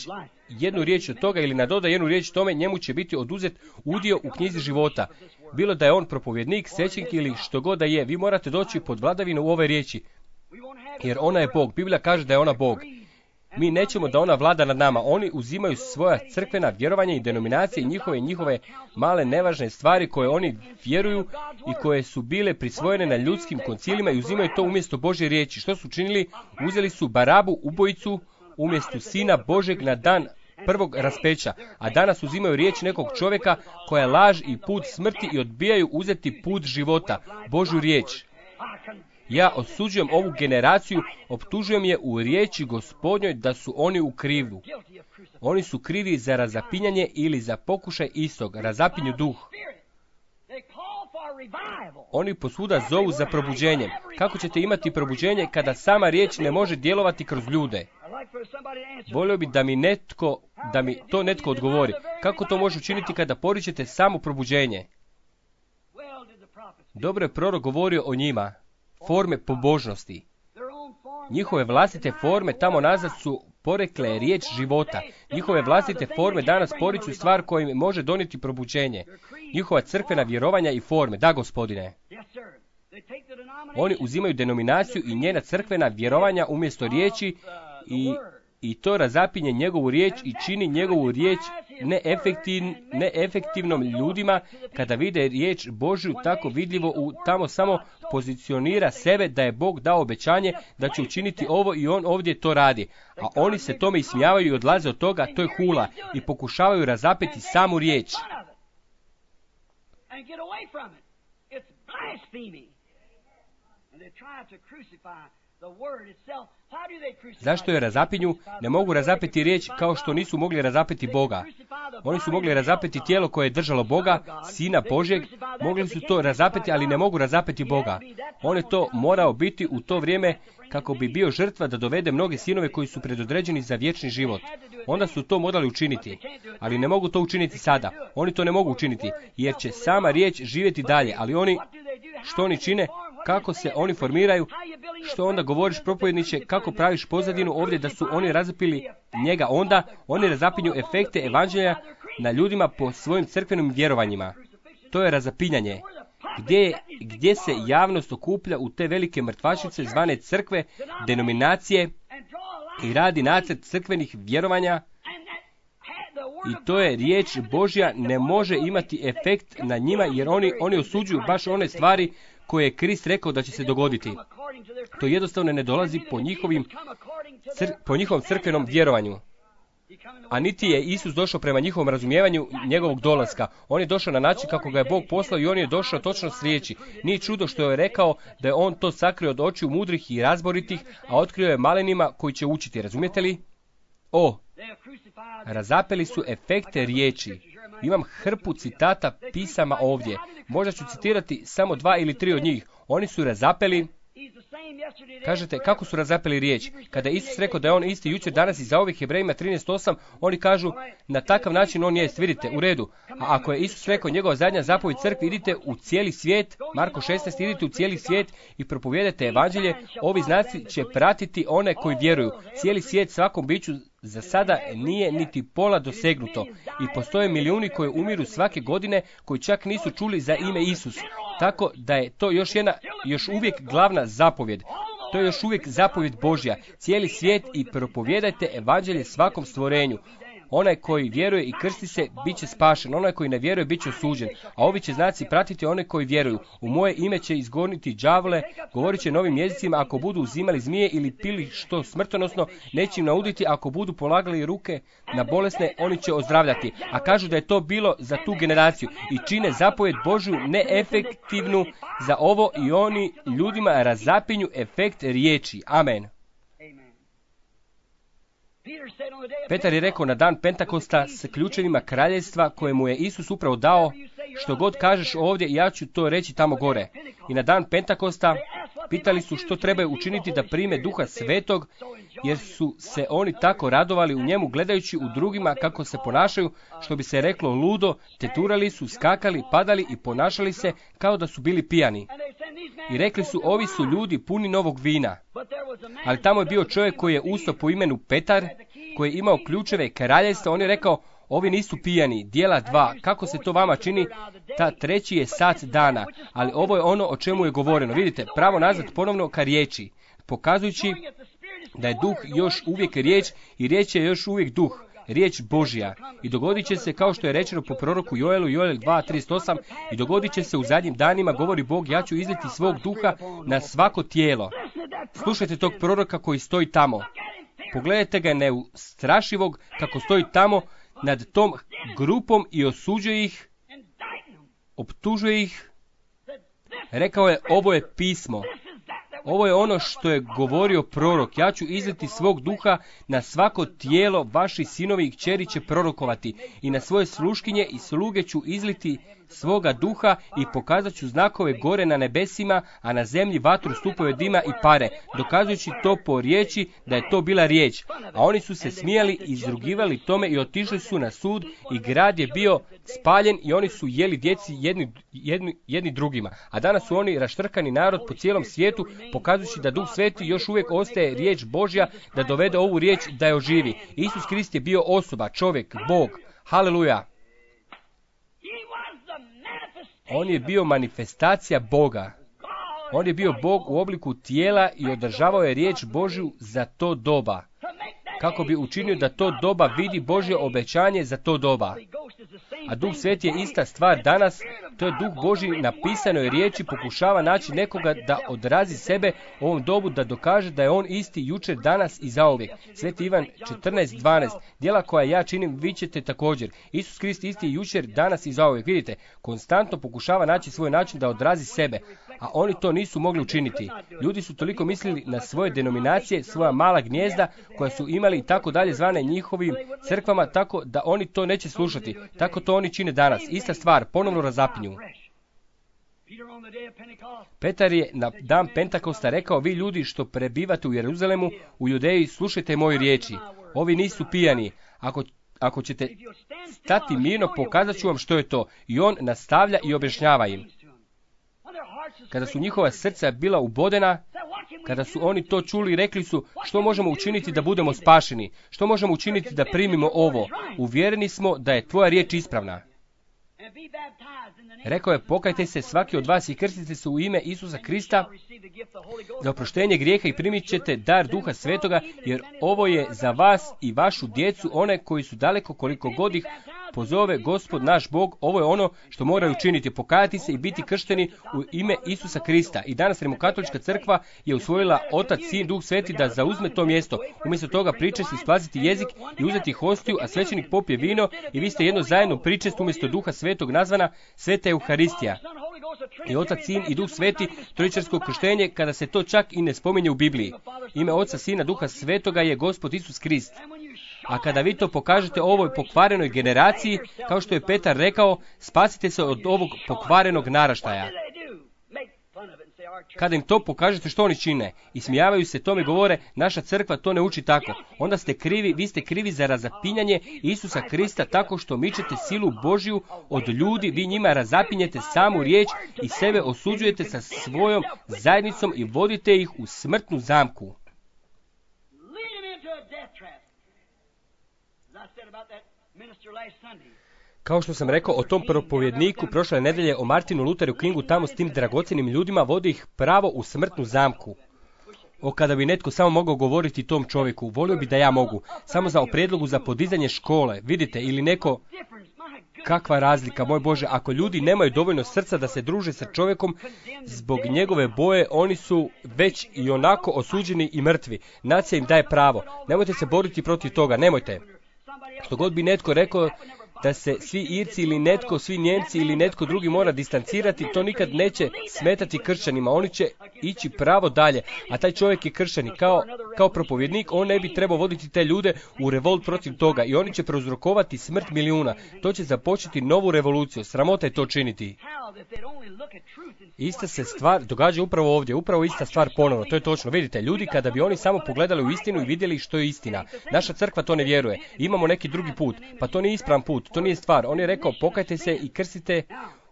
jednu riječ od toga ili nadoda jednu riječ tome, njemu će biti oduzet udio u knjizi života. Bilo da je on propovjednik, svećenik ili što god da je, vi morate doći pod vladavinu u ove riječi, jer ona je Bog. Biblija kaže da je ona Bog. Mi nećemo da ona vlada nad nama. Oni uzimaju svoja crkvena vjerovanja i denominacije i njihove njihove male nevažne stvari koje oni vjeruju i koje su bile prisvojene na ljudskim koncilima i uzimaju to umjesto Božje riječi. Što su činili? Uzeli su Barabu, ubojicu, umjesto Sina Božeg na dan prvog raspeća, a danas uzimaju riječ nekog čovjeka koja je laž i put smrti i odbijaju uzeti put života, Božju riječ. Ja osuđujem ovu generaciju, optužujem je u riječi Gospodnjoj da su oni u krivu. Oni su krivi za razapinjanje ili za pokušaj istog, razapinju duh. Oni posvuda zovu za probuđenje. Kako ćete imati probuđenje kada sama riječ ne može djelovati kroz ljude? Volio bi da mi netko, da mi to netko odgovori. Kako to može učiniti kada poričete samo probuđenje? Dobro je prorok govorio o njima. Forme pobožnosti. Njihove vlastite forme tamo nazad su porekle riječ života. Njihove vlastite forme danas poriču stvar koja im može donijeti probuđenje. Njihova crkvena vjerovanja i forme. Da, Gospodine. Oni uzimaju denominaciju i njena crkvena vjerovanja umjesto riječi i, i to razapinje njegovu riječ i čini njegovu riječ neefektiv, neefektivnom ljudima kada vide riječ Božju tako vidljivo u tamo samo pozicionira sebe da je Bog dao obećanje da će učiniti ovo i on ovdje to radi. A oni se tome ismijavaju i odlaze od toga, to je hula i pokušavaju razapeti samu riječ. Zašto je razapinju? Ne mogu razapeti riječ kao što nisu mogli razapeti Boga. Oni su mogli razapeti tijelo koje je držalo Boga, Sina Božjeg, mogli su to razapeti, ali ne mogu razapeti Boga. On je to morao biti u to vrijeme kako bi bio žrtva da dovede mnoge sinove koji su predodređeni za vječni život. Onda su to morali učiniti, ali ne mogu to učiniti sada. Oni to ne mogu učiniti, jer će sama riječ živjeti dalje, ali oni, što oni čine, kako se oni formiraju, što onda govoriš propovjedniče, kako praviš pozadinu ovdje da su oni razapili njega, onda oni razapinju efekte evanđelja na ljudima po svojim crkvenim vjerovanjima. To je razapinjanje. Gdje, gdje se javnost okuplja u te velike mrtvačnice zvane crkve, denominacije i radi nacrt crkvenih vjerovanja i to je riječ Božja ne može imati efekt na njima jer oni, oni osuđuju baš one stvari koje je Krist rekao da će se dogoditi. To jednostavno ne dolazi po, njihovim, cr, po njihovom crkvenom vjerovanju. A niti je Isus došao prema njihovom razumijevanju njegovog dolaska. On je došao na način kako ga je Bog poslao i on je došao točno s riječi. Nije čudo što je rekao da je on to sakrio od očiju mudrih i razboritih, a otkrio je malenima koji će učiti. Razumijete li? O, razapeli su efekte riječi. Imam hrpu citata pisama ovdje. Možda ću citirati samo dva ili tri od njih. Oni su razapeli. Kažete, kako su razapeli riječ? Kada je Isus rekao da je on isti jučer, danas i za ovih Hebrejima trinaest osam, oni kažu, na takav način on jest, vidite, u redu. A ako je Isus rekao njegova zadnja zapovjed crkvi, idite u cijeli svijet, Marko šesnaest, idite u cijeli svijet i propovijedajte evanđelje, ovi znaci će pratiti one koji vjeruju. Cijeli svijet svakom biću za sada nije niti pola dosegnuto i postoje milijuni koji umiru svake godine koji čak nisu čuli za ime Isus. Tako da je to još jedna, još uvijek glavna zapovjed. To je još uvijek zapovjed Božja. Cijeli svijet i propovijedajte evanđelje svakom stvorenju. Onaj koji vjeruje i krsti se, bit će spašen. Onaj koji ne vjeruje, bit će osuđen. A ovi će znaci pratiti one koji vjeruju. U moje ime će izgoniti đavole, govorit će novim jezicima, ako budu uzimali zmije ili pili što smrtonosno, neće im nauditi, ako budu polagali ruke na bolesne, oni će ozdravljati. A kažu da je to bilo za tu generaciju. I čine zapovjed Božju neefektivnu za ovo i oni ljudima razapinju efekt riječi. Amen. Petar je rekao na dan Pentakosta s ključevima kraljevstva koje mu je Isus upravo dao, što god kažeš ovdje, ja ću to reći tamo gore. I na dan Pentakosta pitali su što trebaju učiniti da prime Duha Svetog, jer su se oni tako radovali u njemu gledajući u drugima kako se ponašaju, što bi se reklo ludo, teturali su, skakali, padali i ponašali se kao da su bili pijani. I rekli su, ovi su ljudi puni novog vina. Ali tamo je bio čovjek koji je ustao po imenu Petar, koji je imao ključeve kraljevstva. On je rekao, ovi nisu pijani, dijela dva, kako se to vama čini, ta treći je sat dana, ali ovo je ono o čemu je govoreno. Vidite, pravo nazad ponovno ka riječi, pokazujući da je duh još uvijek riječ i riječ je još uvijek duh, riječ Božja. I dogodit će se kao što je rečeno po proroku Joelu, Joel dva trideset osam, i dogodit će se u zadnjim danima, govori Bog, ja ću izliti svog duha na svako tijelo. Slušajte tog proroka koji stoji tamo. Pogledajte ga neustrašivog kako stoji tamo nad tom grupom i osuđuje ih, optužuje ih. Rekao je, ovo je pismo. Ovo je ono što je govorio prorok. Ja ću izliti svog duha na svako tijelo, vaši sinovi i kćeri će prorokovati. I na svoje sluškinje i sluge ću izliti svoga duha i pokazat ću znakove gore na nebesima, a na zemlji vatru, stupove dima i pare, dokazujući to po riječi da je to bila riječ. A oni su se smijali i izrugivali tome i otišli su na sud i grad je bio spaljen i oni su jeli djeci jedni, jedni, jedni drugima. A danas su oni raštrkani narod po cijelom svijetu, pokazujući da Duh Sveti još uvijek ostaje riječ Božja da dovede ovu riječ da je oživi. Isus Krist je bio osoba, čovjek, Bog. Haleluja! On je bio manifestacija Boga. On je bio Bog u obliku tijela i održavao je riječ Božju za to doba, kako bi učinio da to doba vidi Božje obećanje za to doba. A Duh Sveti je ista stvar danas, to je Duh Božji napisanoj riječi, pokušava naći nekoga da odrazi sebe u ovom dobu, da dokaže da je on isti jučer, danas i zauvijek. Sveti Ivan četrnaest dvanaest, djela koja ja činim, vi ćete također. Isus Krist isti jučer, danas i zauvijek. Vidite, konstantno pokušava naći svoj način da odrazi sebe, a oni to nisu mogli učiniti. Ljudi su toliko mislili na svoje denominacije, svoja mala gnijezda koja su imali i tako dalje zvane njihovim crkvama, tako da oni to neće slušati. Tako to oni čine danas. Ista stvar, ponovno razapinju. Petar je na dan Pentakosta rekao: vi ljudi što prebivate u Jeruzalemu, u Judeji, slušajte moje riječi. Ovi nisu pijani. Ako, ako ćete stati mirno, pokazat ću vam što je to. I on nastavlja i objašnjava im. Kada su njihova srca bila ubodena, kada su oni to čuli, rekli su: što možemo učiniti da budemo spašeni? Što možemo učiniti da primimo ovo? Uvjereni smo da je tvoja riječ ispravna. Rekao je: pokajte se svaki od vas i krstite se u ime Isusa Krista za oproštenje grijeha i primit ćete dar Duha Svetoga, jer ovo je za vas i vašu djecu, one koji su daleko, koliko god ih pozove Gospod naš Bog. Ovo je ono što moraju učiniti, pokajati se i biti kršteni u ime Isusa Krista. I danas Rimokatolička crkva je usvojila Otac, Sin, Duh Sveti da zauzme to mjesto. Umjesto toga pričesti, splasiti jezik i uzeti hostiju, a svećenik popije vino i vi ste jedno zajedno pričest umjesto Duha Svetog nazvana Sveta Euharistija. I Otac, Sin i Duh Sveti, trojičarsko krštenje, kada se to čak i ne spominje u Bibliji. Ime Oca, Sina, Duha Svetoga je Gospod Isus Krist. A kada vi to pokažete ovoj pokvarenoj generaciji, kao što je Petar rekao, spasite se od ovog pokvarenog naraštaja. Kada im to pokažete, što oni čine? Ismijavaju se tome, govore: naša crkva to ne uči tako. Onda ste krivi, vi ste krivi za razapinjanje Isusa Krista tako što mičete silu Božju od ljudi, vi njima razapinjete samu riječ i sebe osuđujete sa svojom zajednicom i vodite ih u smrtnu zamku. Kao što sam rekao o tom propovjedniku prošle nedelje, o Martinu Lutheru Kingu, tamo s tim dragocjenim ljudima vodi ih pravo u smrtnu zamku. O, kada bi netko samo mogao govoriti tom čovjeku, volio bi da ja mogu, samo za o prijedlogu za podizanje škole, vidite, ili neko... Kakva razlika, moj Bože, ako ljudi nemaju dovoljno srca da se druže sa čovjekom zbog njegove boje, oni su već i onako osuđeni i mrtvi. Nacija im daje pravo. Nemojte se boriti protiv toga, nemojte. Što god bi netko rekao da se svi Irci ili netko, svi Njemci ili netko drugi mora distancirati, to nikad neće smetati kršćanima. Oni će ići pravo dalje, a taj čovjek je kršćanin. Kao, kao propovjednik, on ne bi trebao voditi te ljude u revolt protiv toga i oni će prouzrokovati smrt milijuna. To će započeti novu revoluciju. Sramota je to činiti. Ista se stvar događa upravo ovdje, upravo ista stvar ponovno. To je točno. Vidite, ljudi kada bi oni samo pogledali u istinu i vidjeli što je istina. Naša crkva to ne vjeruje. Imamo neki drugi put, pa to nije ispravan put. To nije stvar. On je rekao: pokajte se i krstite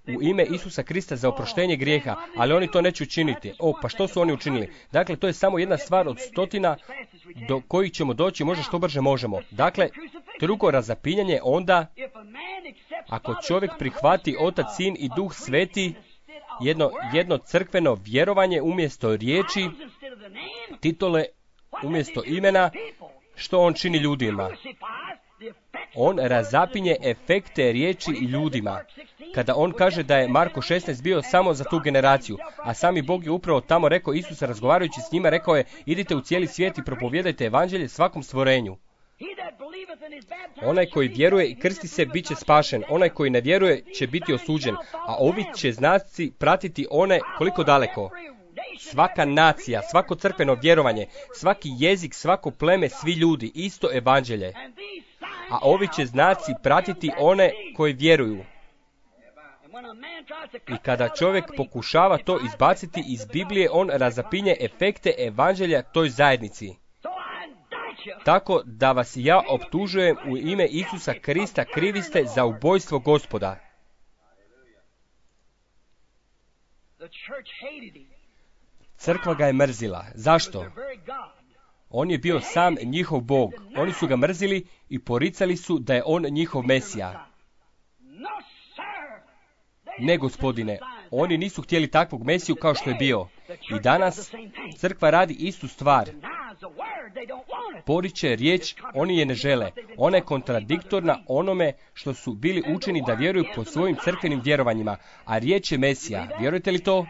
u ime Isusa Krista za oproštenje grijeha, ali oni to neće učiniti. O, pa što su oni učinili? Dakle, to je samo jedna stvar od stotina do kojih ćemo doći možda što brže možemo. Dakle, drugo razapinjanje, onda, ako čovjek prihvati Otac, Sin i Duh Sveti, jedno, jedno crkveno vjerovanje umjesto riječi, titule umjesto imena, što on čini ljudima? On razapinje efekte riječi i ljudima. Kada on kaže da je Marko šesnaest bio samo za tu generaciju, a sami Bog je upravo tamo rekao, Isus razgovarajući s njima rekao je: idite u cijeli svijet i propovijedajte evanđelje svakom stvorenju. Onaj koji vjeruje i krsti se bit će spašen, onaj koji ne vjeruje će biti osuđen, a ovi će znaci pratiti one koliko daleko. svaka nacija, svako crkveno vjerovanje, svaki jezik, svako pleme, svi ljudi, isto evanđelje. A ovi će znaci pratiti one koji vjeruju. I kada čovjek pokušava to izbaciti iz Biblije, on razapinje efekte evanđelja toj zajednici. Tako da vas ja optužujem u ime Isusa Krista, krivi ste za ubojstvo Gospoda. Crkva ga je mrzila. Zašto? On je bio sam njihov Bog. Oni su ga mrzili i poricali su da je on njihov Mesija. Ne, gospodine, oni nisu htjeli takvog Mesiju kao što je bio. I danas crkva radi istu stvar. Poriče riječ, oni je ne žele. Ona je kontradiktorna onome što su bili učeni da vjeruju po svojim crkvenim vjerovanjima. A riječ je Mesija. Vjerujete li to?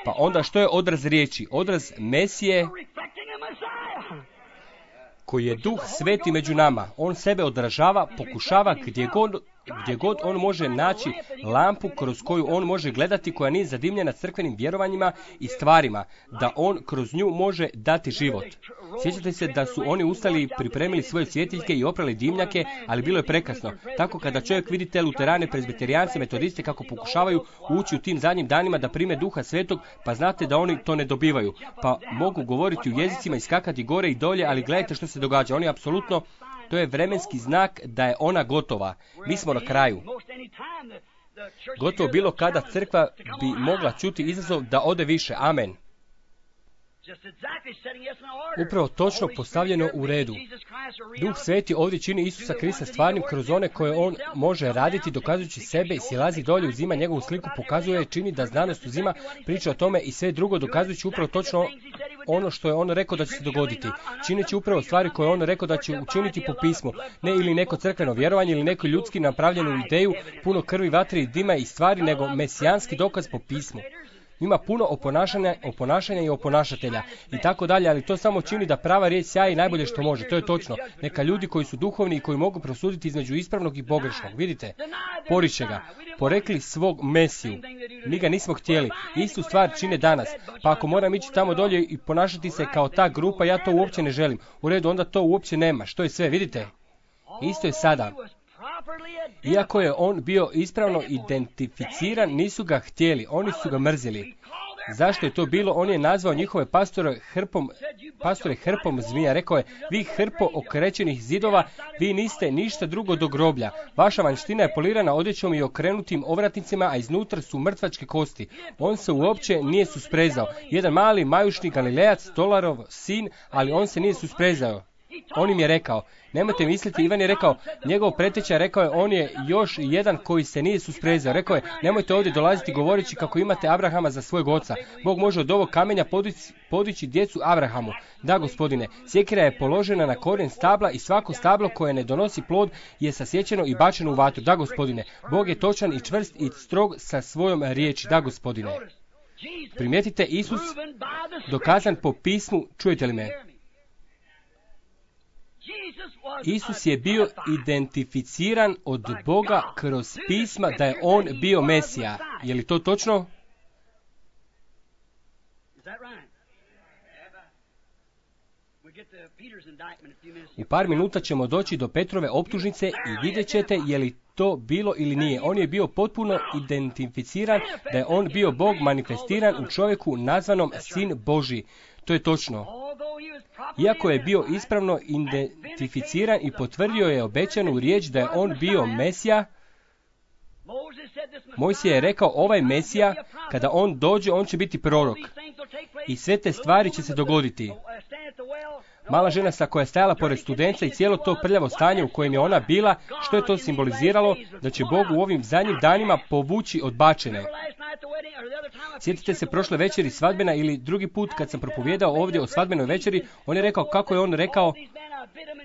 Pa onda što je odraz riječi? Odraz Mesije koji je Duh Sveti među nama. On sebe odražava, pokušava gdje god, gdje god on može naći lampu kroz koju on može gledati, koja nije zadimljena crkvenim vjerovanjima i stvarima, da on kroz nju može dati život. Sjećate se da su oni ustali i pripremili svoje svjetiljke i oprali dimnjake, ali bilo je prekasno. Tako kada čovjek vidi te luterane, prezbiterijance, metodiste kako pokušavaju ući u tim zadnjim danima da prime Duha Svetog, pa znate da oni to ne dobivaju. Pa mogu govoriti u jezicima i skakati gore i dolje, ali gledajte što se događa. Oni apsolutno, to je vremenski znak da je ona gotova. Mi smo na kraju. Gotovo bilo kada crkva bi mogla čuti izazov da ode više. Amen. Upravo točno postavljeno u redu. Duh Sveti ovdje čini Isusa Krista stvarnim kroz one koje on može raditi, dokazujući sebe, silazi dolje, uzima njegovu sliku, pokazuje, čini da znanost uzima, priča o tome i sve drugo, dokazujući upravo točno ono što je on rekao da će se dogoditi. Čineći upravo stvari koje je on rekao da će učiniti po pismu. Ne ili neko crkveno vjerovanje ili neko ljudski napravljenu ideju, puno krvi, vatre i dima i stvari, nego mesijanski dokaz po pismu. Ima puno oponašanja, oponašanja i oponašatelja i tako dalje, ali to samo čini da prava riječ sjaji najbolje što može. To je točno. Neka ljudi koji su duhovni i koji mogu prosuditi između ispravnog i pogrešnog. Vidite, poriče ga. Porekli svog Mesiju. Mi ga nismo htjeli. Istu stvar čine danas. Pa ako moram ići tamo dolje i ponašati se kao ta grupa, ja to uopće ne želim. U redu, onda to uopće nema. Što je sve, vidite? Isto je sada. Iako je on bio ispravno identificiran, nisu ga htjeli, oni su ga mrzili. Zašto je to bilo? On je nazvao njihove pastore hrpom, pastore hrpom zmija. Rekao je, vi hrpo okrećenih zidova, vi niste ništa drugo do groblja. Vaša vanština je polirana odjećom i okrenutim ovratnicima, a iznutra su mrtvačke kosti. On se uopće nije susprezao. Jedan mali majušni Galilejac, stolarov sin, ali on se nije susprezao. On im je rekao, nemojte misliti, Ivan je rekao, njegov preteča rekao je, on je još jedan koji se nije susprezao. Rekao je, nemojte ovdje dolaziti govoreći kako imate Abrahama za svojeg oca. Bog može od ovog kamenja podići, podići djecu Abrahamu. Da, gospodine, sjekira je položena na korijen stabla i svako stablo koje ne donosi plod je sasječeno i bačeno u vatru. Da, gospodine, Bog je točan i čvrst i strog sa svojom riječi. Da, gospodine. Primijetite, Isus dokazan po pismu, čujete li me? Isus je bio identificiran od Boga kroz pisma da je on bio Mesija. Je li to točno? U par minuta ćemo doći do Petrove optužnice i vidjet ćete je li to bilo ili nije. On je bio potpuno identificiran da je on bio Bog manifestiran u čovjeku nazvanom Sin Božji. To je točno. Iako je bio ispravno identificiran i potvrdio je obećanu riječ da je on bio Mesija, Mojsije je rekao, ovaj Mesija, kada on dođe, on će biti prorok. I sve te stvari će se dogoditi. Mala žena sa koja je stajala pored studenca i cijelo to prljavo stanje u kojem je ona bila, što je to simboliziralo? Da će Bog u ovim zadnjim danima povući odbačene. Sjetite se prošle večeri svadbena ili drugi put kad sam propovijedao ovdje o svadbenoj večeri, on je rekao kako je on rekao,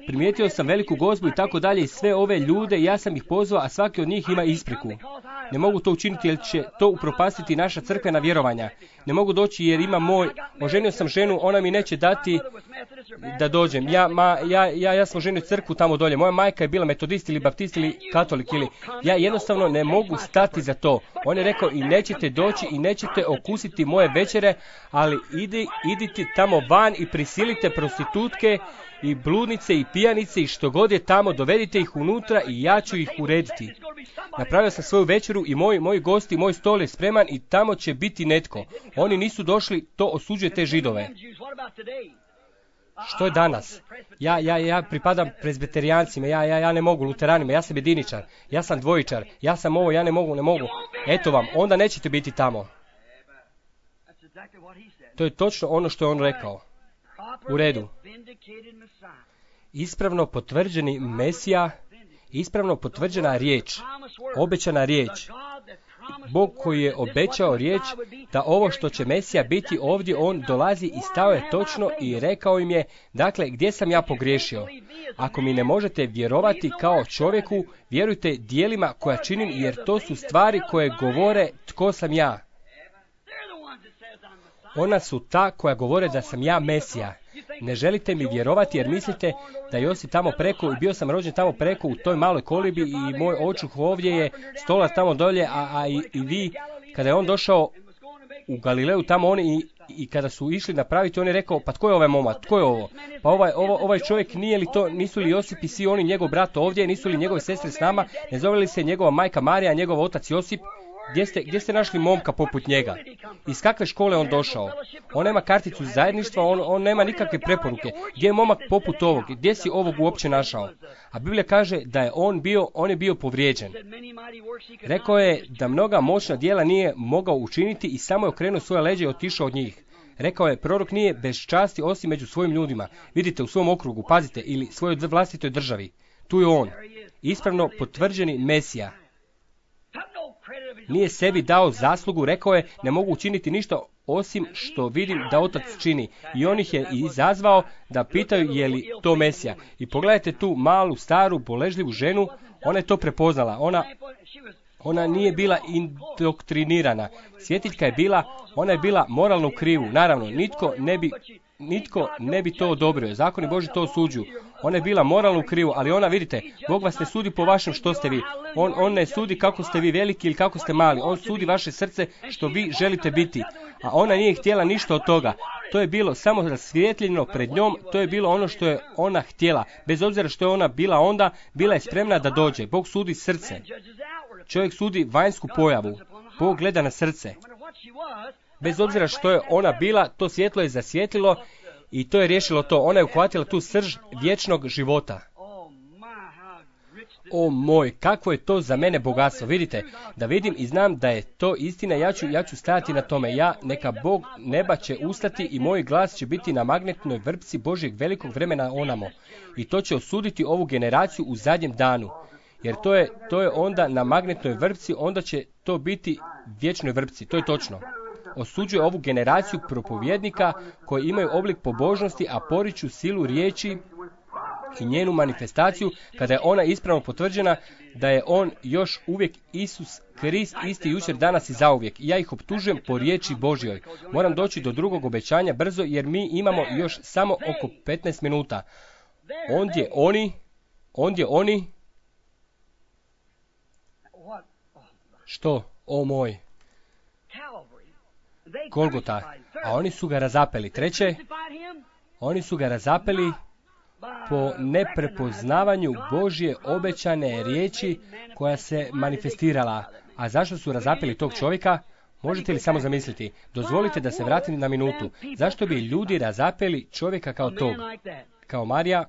primijetio sam veliku gozbu i tako dalje i sve ove ljude, ja sam ih pozvao, a svaki od njih ima ispriku. Ne mogu to učiniti jer će to upropastiti naša crkvena vjerovanja. Ne mogu doći jer ima moj, oženio sam ženu, ona mi neće dati da dođem. Ja, ma, ja, ja, ja sam oženio crkvu tamo dolje. Moja majka je bila metodist ili baptist ili katolik ili... Ja jednostavno ne mogu stati za to. On je rekao i nećete doći i nećete okusiti moje večere, ali idi, idite tamo van i prisilite prostitutke i bludnice i pijanice i što god je tamo, dovedite ih unutra i ja ću ih urediti. Napravio sam svoju večeru i moji, moji gosti, moj stol je spreman i tamo će biti netko. Oni nisu došli, to osuđuje te Židove. Što je danas? Ja, ja, ja pripadam prezbiterijancima, ja, ja, ja ne mogu, luteranima, ja sam jediničar, ja sam dvojičar, ja sam ovo, ja ne mogu, ne mogu. Eto vam, onda nećete biti tamo. To je točno ono što je on rekao. U redu. Ispravno potvrđeni Mesija, ispravno potvrđena riječ, obećana riječ. Bog koji je obećao riječ da ovo što će Mesija biti ovdje, on dolazi i stao je točno i rekao im je, dakle, gdje sam ja pogriješio? Ako mi ne možete vjerovati kao čovjeku, vjerujte dijelima koja činim, jer to su stvari koje govore tko sam ja. Ona su ta koja govore da sam ja Mesija. Ne želite mi vjerovati jer mislite da Josip tamo preko, i bio sam rođen tamo preko u toj maloj kolibi i moj očuh ovdje je, stolar tamo dolje, a, a i, i vi, kada je on došao u Galileju tamo oni i, i kada su išli napraviti, on je rekao, pa tko je ovaj momak, tko je ovo? Pa ovaj, ovo, ovaj čovjek nije li to, nisu li Josip i svi oni, njegov brat ovdje, nisu li njegove sestre s nama, ne zove li se njegova majka Marija, njegov otac Josip? Gdje ste, gdje ste našli momka poput njega? Iz kakve škole on došao? On nema karticu zajedništva, on, on nema nikakve preporuke. Gdje je momak poput ovog? Gdje si ovog uopće našao? A Biblija kaže da je on bio, on je bio povrijeđen. Rekao je da mnoga moćna djela nije mogao učiniti i samo je okrenuo svoje leđe i otišao od njih. Rekao je, prorok nije bez časti osim među svojim ljudima. Vidite, u svom okrugu, pazite, ili svojoj vlastitoj državi. Tu je on. Ispravno potvrđeni Mesija. Nije sebi dao zaslugu, rekao je, ne mogu učiniti ništa osim što vidim da otac čini. I on ih je izazvao da pitaju je li to Mesija. I pogledajte tu malu, staru, boležljivu ženu, ona je to prepoznala. Ona, ona nije bila indoktrinirana. Svjetiljka je bila, ona je bila moralno u krivu. Naravno, nitko ne bi... Nitko ne bi to odobrio. Zakoni Boži to osuđuju. Ona je bila moralno u krivu, ali ona, vidite, Bog vas ne sudi po vašem što ste vi. On, on ne sudi kako ste vi veliki ili kako ste mali. On sudi vaše srce što vi želite biti. A ona nije htjela ništa od toga. To je bilo samo rasvijetljeno pred njom, to je bilo ono što je ona htjela. Bez obzira što je ona bila onda, bila je spremna da dođe. Bog sudi srce. Čovjek sudi vanjsku pojavu. Bog gleda na srce. Bez obzira što je ona bila, to svjetlo je zasvijetlilo i to je riješilo to. Ona je uhvatila tu srž vječnog života. O moj, kakvo je to za mene bogatstvo. Vidite, da vidim i znam da je to istina, ja ću, ja ću stajati na tome. Ja, neka Bog neba će ustati i moj glas će biti na magnetnoj vrpci Božjeg velikog vremena onamo. I to će osuditi ovu generaciju u zadnjem danu. Jer to je, to je onda na magnetnoj vrpci, onda će to biti vječnoj vrpci. To je točno. Osuđuje ovu generaciju propovjednika koji imaju oblik pobožnosti, a poriču silu riječi i njenu manifestaciju kada je ona ispravno potvrđena da je on još uvijek Isus Krist, isti jučer, danas i zauvijek. Ja ih optužujem po riječi Božjoj. Moram doći do drugog obećanja brzo jer mi imamo još samo oko petnaest minuta. Ondje oni, ondje oni, što, o moj, Golgota, a oni su ga razapeli. Treće, oni su ga razapeli po neprepoznavanju Božje obećane riječi koja se manifestirala. A zašto su razapeli tog čovjeka? Možete li samo zamisliti? Dozvolite da se vratim na minutu. Zašto bi ljudi razapeli čovjeka kao tog? Kao Marija?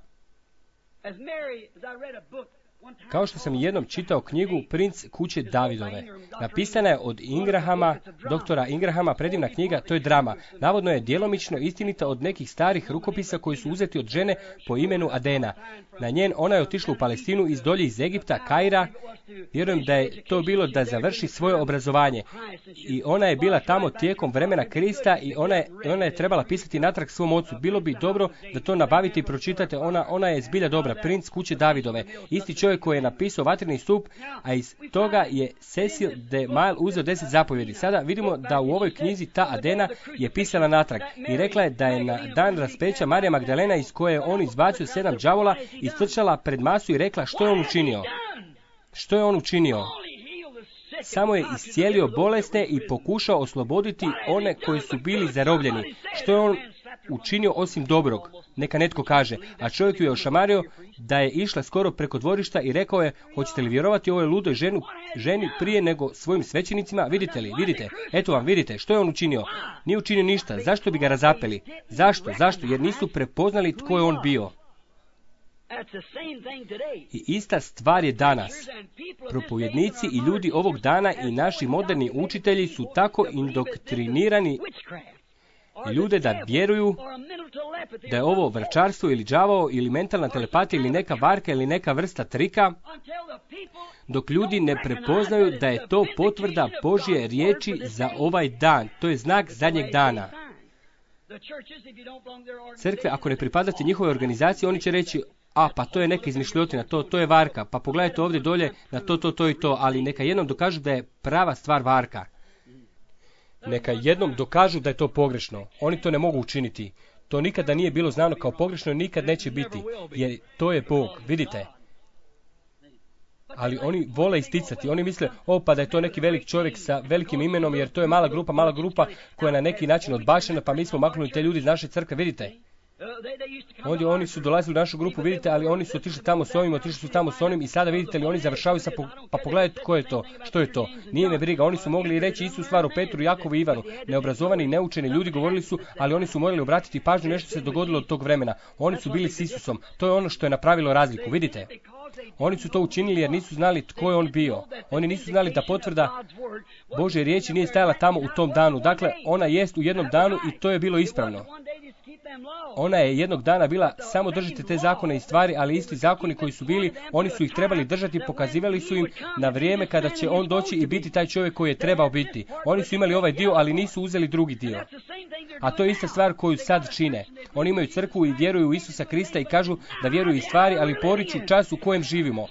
Kao što sam jednom čitao knjigu Princ kuće Davidove. Napisana je od Ingrahama, doktora Ingrahama, predivna knjiga, to je drama. Navodno je djelomično istinita od nekih starih rukopisa koji su uzeti od žene po imenu Adena. Na njen ona je otišla u Palestinu iz dolje iz Egipta, Kaira. Vjerujem da je to bilo da završi svoje obrazovanje. I ona je bila tamo tijekom vremena Krista i ona je, ona je trebala pisati natrag svom ocu. Bilo bi dobro da to nabavite i pročitate. Ona, ona je zbilja dobra. Princ kuće Davidove. Isti čovjek čovjek koji je napisao Vatreni stup, a iz toga je Cecil de Mille uzeo deset zapovjedi. Sada vidimo da u ovoj knjizi ta Adena je pisala natrag i rekla je da je na dan raspeća Marija Magdalena, iz koje je on izbacio sedam đavola, istrčala pred masu i rekla što je on učinio. Što je on učinio? Samo je iscijelio bolesne i pokušao osloboditi one koji su bili zarobljeni. Što je on učinio osim dobrog? Neka netko kaže. A čovjek ju je ošamario da je išla skoro preko dvorišta i rekao je, hoćete li vjerovati ovoj ludoj ženu, ženi prije nego svojim svećenicima? Vidite li, vidite, eto vam, vidite, što je on učinio? Nije učinio ništa. Zašto bi ga razapeli? Zašto? Zašto? Jer nisu prepoznali tko je on bio. I ista stvar je danas. Propovjednici i ljudi ovog dana i naši moderni učitelji su tako indoktrinirani ljude da vjeruju da je ovo vrčarstvo ili đavao ili mentalna telepatija ili neka varka ili neka vrsta trika, dok ljudi ne prepoznaju da je to potvrda Božje riječi za ovaj dan. To je znak zadnjeg dana. Crkve, ako ne pripadate njihovoj organizaciji, oni će reći, a pa to je neka izmišljotina, to, to je varka, pa pogledajte ovdje dolje na to, to, to i to, ali neka jednom dokažu da je prava stvar varka. Neka jednom dokažu da je to pogrešno. Oni to ne mogu učiniti. To nikada nije bilo znano kao pogrešno i nikad neće biti, jer to je Bog, vidite. Ali oni vole isticati, oni misle, o pa da je to neki velik čovjek sa velikim imenom, jer to je mala grupa, mala grupa koja je na neki način odbačena, pa mi smo maknuli te ljudi iz naše crkve, vidite. Ovdje oni su dolazili u našu grupu, vidite, ali oni su otišli tamo s ovim, otišli su tamo s onim i sada vidite li oni završavaju sa, po, pa pogledajte tko je to, što je to. Nije me briga, oni su mogli reći Isu stvaru Petru, Jakovu i Ivanu. Neobrazovani i neučeni ljudi govorili su, ali oni su morali obratiti pažnju, nešto se dogodilo od tog vremena. Oni su bili s Isusom, to je ono što je napravilo razliku, vidite. Oni su to učinili jer nisu znali tko je on bio. Oni nisu znali da potvrda Božje riječi nije stajala tamo u tom danu. Dakle, ona jest u jednom danu i to je bilo ispravno. Ona je jednog dana bila, samo držite te zakone i stvari, ali isti zakoni koji su bili, oni su ih trebali držati, pokazivali su im na vrijeme kada će on doći i biti taj čovjek koji je trebao biti. Oni su imali ovaj dio, ali nisu uzeli drugi dio. A to je ista stvar koju sad čine. Oni imaju crkvu i vjeruju u Isusa Krista i kažu da vjeruju i stvari, ali poriču čas u kojem živimo.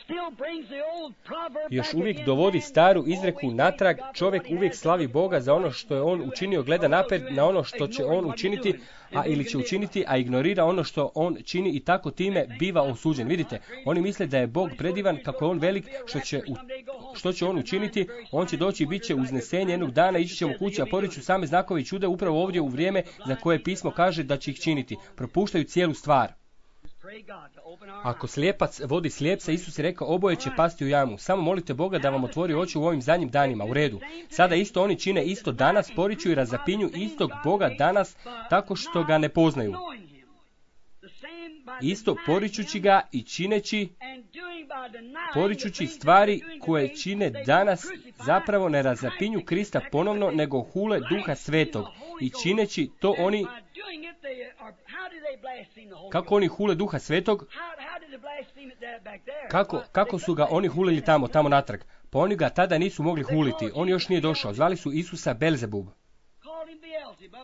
Još uvijek dovodi staru izreku natrag, čovjek uvijek slavi Boga za ono što je on učinio, gleda naprijed na ono što će on učiniti, a ili će učiniti, a ignorira ono što on čini i tako time biva osuđen. Vidite, oni misle da je Bog predivan, kako je on velik, što će, u, što će on učiniti, on će doći i bit će uznesenje jednog dana, ići ćemo kući, a poriču same znakove i čude upravo ovdje u vrijeme za koje pismo kaže da će ih činiti. Propuštaju cijelu stvar. Ako slijepac vodi slijepca, Isus je rekao, oboje će pasti u jamu. Samo molite Boga da vam otvori oči u ovim zadnjim danima. U redu. Sada isto oni čine isto danas, poriču i razapinju istog Boga danas tako što ga ne poznaju. Isto poričući ga i čineći, poričući stvari koje čine danas, zapravo ne razapinju Krista ponovno, nego hule Duha Svetog. I čineći to oni, kako oni hule Duha Svetog, kako, kako su ga oni hulili tamo, tamo natrag? Pa oni ga tada nisu mogli huliti, on još nije došao. Zvali su Isusa Belzebub.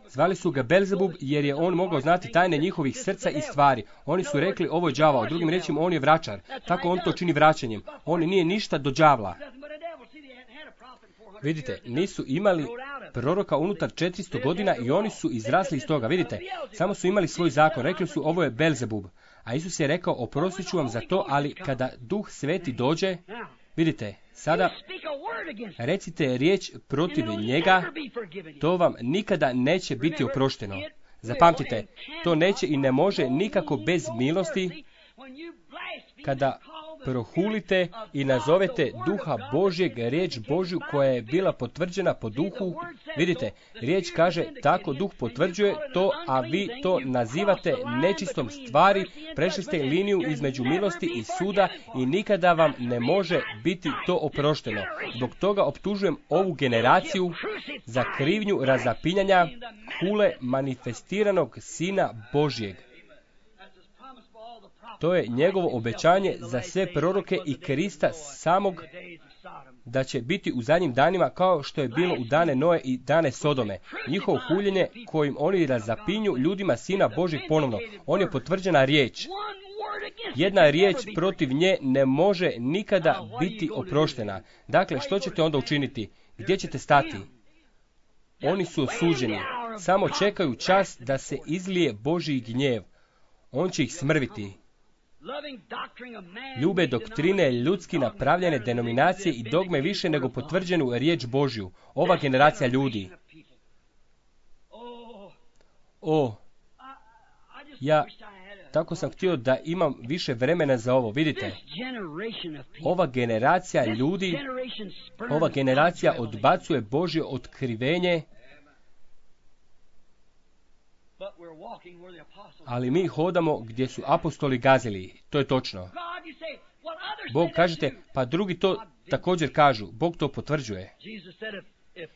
Zvali su ga Belzebub jer je on mogao znati tajne njihovih srca i stvari. Oni su rekli, ovo je đavao, drugim riječima on je vračar. Tako on to čini vraćanjem. On nije ništa do đavla. Vidite, nisu imali proroka unutar četiristo godina i oni su izrasli iz toga. Vidite, samo su imali svoj zakon. Rekli su, ovo je Belzebub. A Isus je rekao, oprostit ću vam za to, ali kada Duh Sveti dođe, vidite, sada recite riječ protiv njega, to vam nikada neće biti oprošteno. Zapamtite, to neće i ne može nikako bez milosti kada prohulite i nazovete Duha Božjeg, riječ Božju koja je bila potvrđena po Duhu. Vidite, riječ kaže tako Duh potvrđuje to, a vi to nazivate nečistom stvari, prešli ste liniju između milosti i suda i nikada vam ne može biti to oprošteno. Zbog toga optužujem ovu generaciju za krivnju razapinjanja hule manifestiranog Sina Božjeg. To je njegovo obećanje za sve proroke i Krista samog, da će biti u zadnjim danima kao što je bilo u dane Noe i dane Sodome. Njihovo huljenje kojim oni razapinju ljudima Sina Božjeg ponovno. On je potvrđena riječ. Jedna riječ protiv nje ne može nikada biti oproštena. Dakle, što ćete onda učiniti? Gdje ćete stati? Oni su osuđeni. Samo čekaju čas da se izlije Božji gnjev. On će ih smrviti. Ljube doktrine ljudski napravljene denominacije i dogme više nego potvrđenu riječ Božju. Ova generacija ljudi. O, ja tako sam htio da imam više vremena za ovo. Vidite, ova generacija ljudi, ova generacija odbacuje Božje otkrivenje, ali mi hodamo gdje su apostoli gazili. To je točno. Bog, kažete, pa drugi to također kažu. Bog to potvrđuje.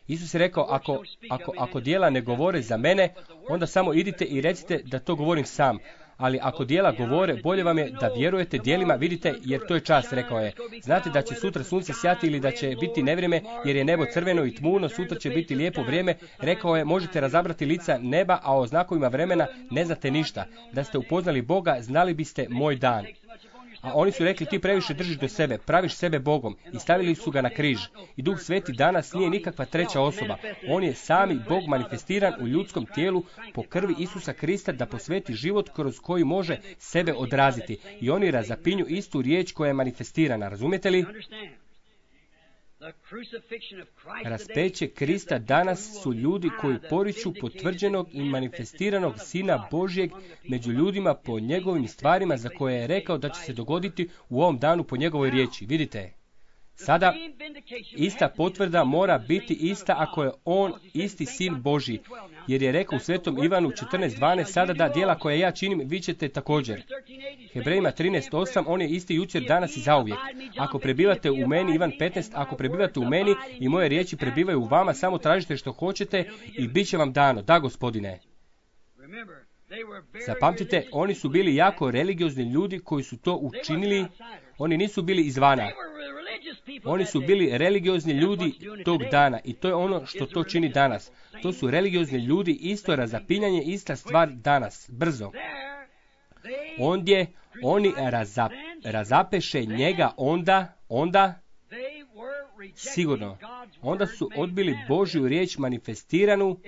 Isus je rekao, ako, ako, ako djela ne govore za mene, onda samo idite i recite da to govorim sam. Ali ako djela govore, bolje vam je da vjerujete djelima, vidite, jer to je čas, rekao je. Znate da će sutra sunce sjati ili da će biti nevrijeme, jer je nebo crveno i tmuno, sutra će biti lijepo vrijeme. Rekao je, možete razabrati lica neba, a o znakovima vremena ne znate ništa. Da ste upoznali Boga, znali biste moj dan. A oni su rekli, ti previše držiš do sebe, praviš sebe Bogom, i stavili su ga na križ. I Duh Sveti danas nije nikakva treća osoba. On je sami Bog manifestiran u ljudskom tijelu po krvi Isusa Krista da posveti život kroz koji može sebe odraziti. I oni razapinju istu riječ koja je manifestirana. Razumijete li? Raspeće Krista danas su ljudi koji poriču potvrđenog i manifestiranog Sina Božjeg među ljudima po njegovim stvarima za koje je rekao da će se dogoditi u ovom danu po njegovoj riječi. Vidite, sada ista potvrda mora biti ista ako je on isti Sin Božji, jer je rekao u Svetom Ivanu četrnaest dvanaest, sada da djela koje ja činim, vi ćete također. Hebrejima trinaest osam, on je isti jučer, danas i zauvijek. Ako prebivate u meni, Ivan petnaest, ako prebivate u meni i moje riječi prebivaju u vama, samo tražite što hoćete i bit će vam dano. Da, Gospodine. Zapamtite, oni su bili jako religiozni ljudi koji su to učinili. Oni nisu bili izvana. Oni su bili religiozni ljudi tog dana i to je ono što to čini danas. To su religiozni ljudi, isto razapinjanje, ista stvar danas, brzo. Ondje oni razap, razapeše njega onda, onda, sigurno, onda su odbili Božju riječ manifestiranu,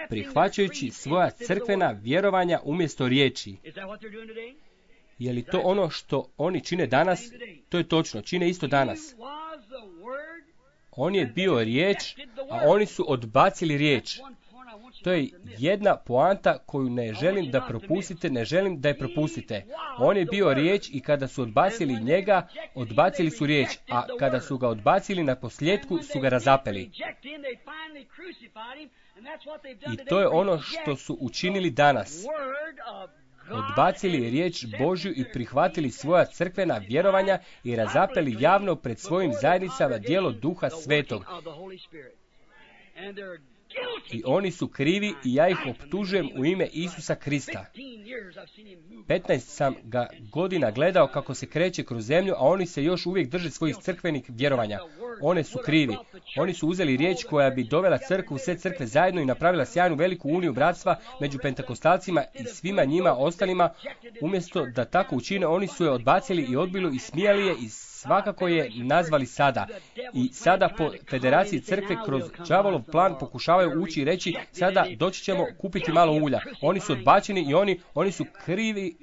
prihvaćajući svoja crkvena vjerovanja umjesto riječi. Je li to ono što oni čine danas? To je točno, čine isto danas. On je bio riječ, a oni su odbacili riječ. To je jedna poanta koju ne želim da propustite, ne želim da je propustite. On je bio riječ i kada su odbacili njega, odbacili su riječ, a kada su ga odbacili na posljedku su ga razapeli. I to je ono što su učinili danas. Odbacili riječ Božju i prihvatili svoja crkvena vjerovanja i razapeli javno pred svojim zajednicama djelo Duha Svetog. I oni su krivi i ja ih optužujem u ime Isusa Krista. petnaest sam ga godina gledao kako se kreće kroz zemlju, a oni se još uvijek drže svojih crkvenih vjerovanja. One su krivi. Oni su uzeli riječ koja bi dovela crkvu, sve crkve zajedno i napravila sjajnu veliku uniju bratstva među pentakostalcima i svima njima ostalima. Umjesto da tako učine, oni su je odbacili i odbili i smijali je i svakako je nazvali sada. I sada po federaciji crkve kroz đavolov plan pokušavaju ući i reći sada doći ćemo kupiti malo ulja. Oni su odbačeni i oni, oni su krivi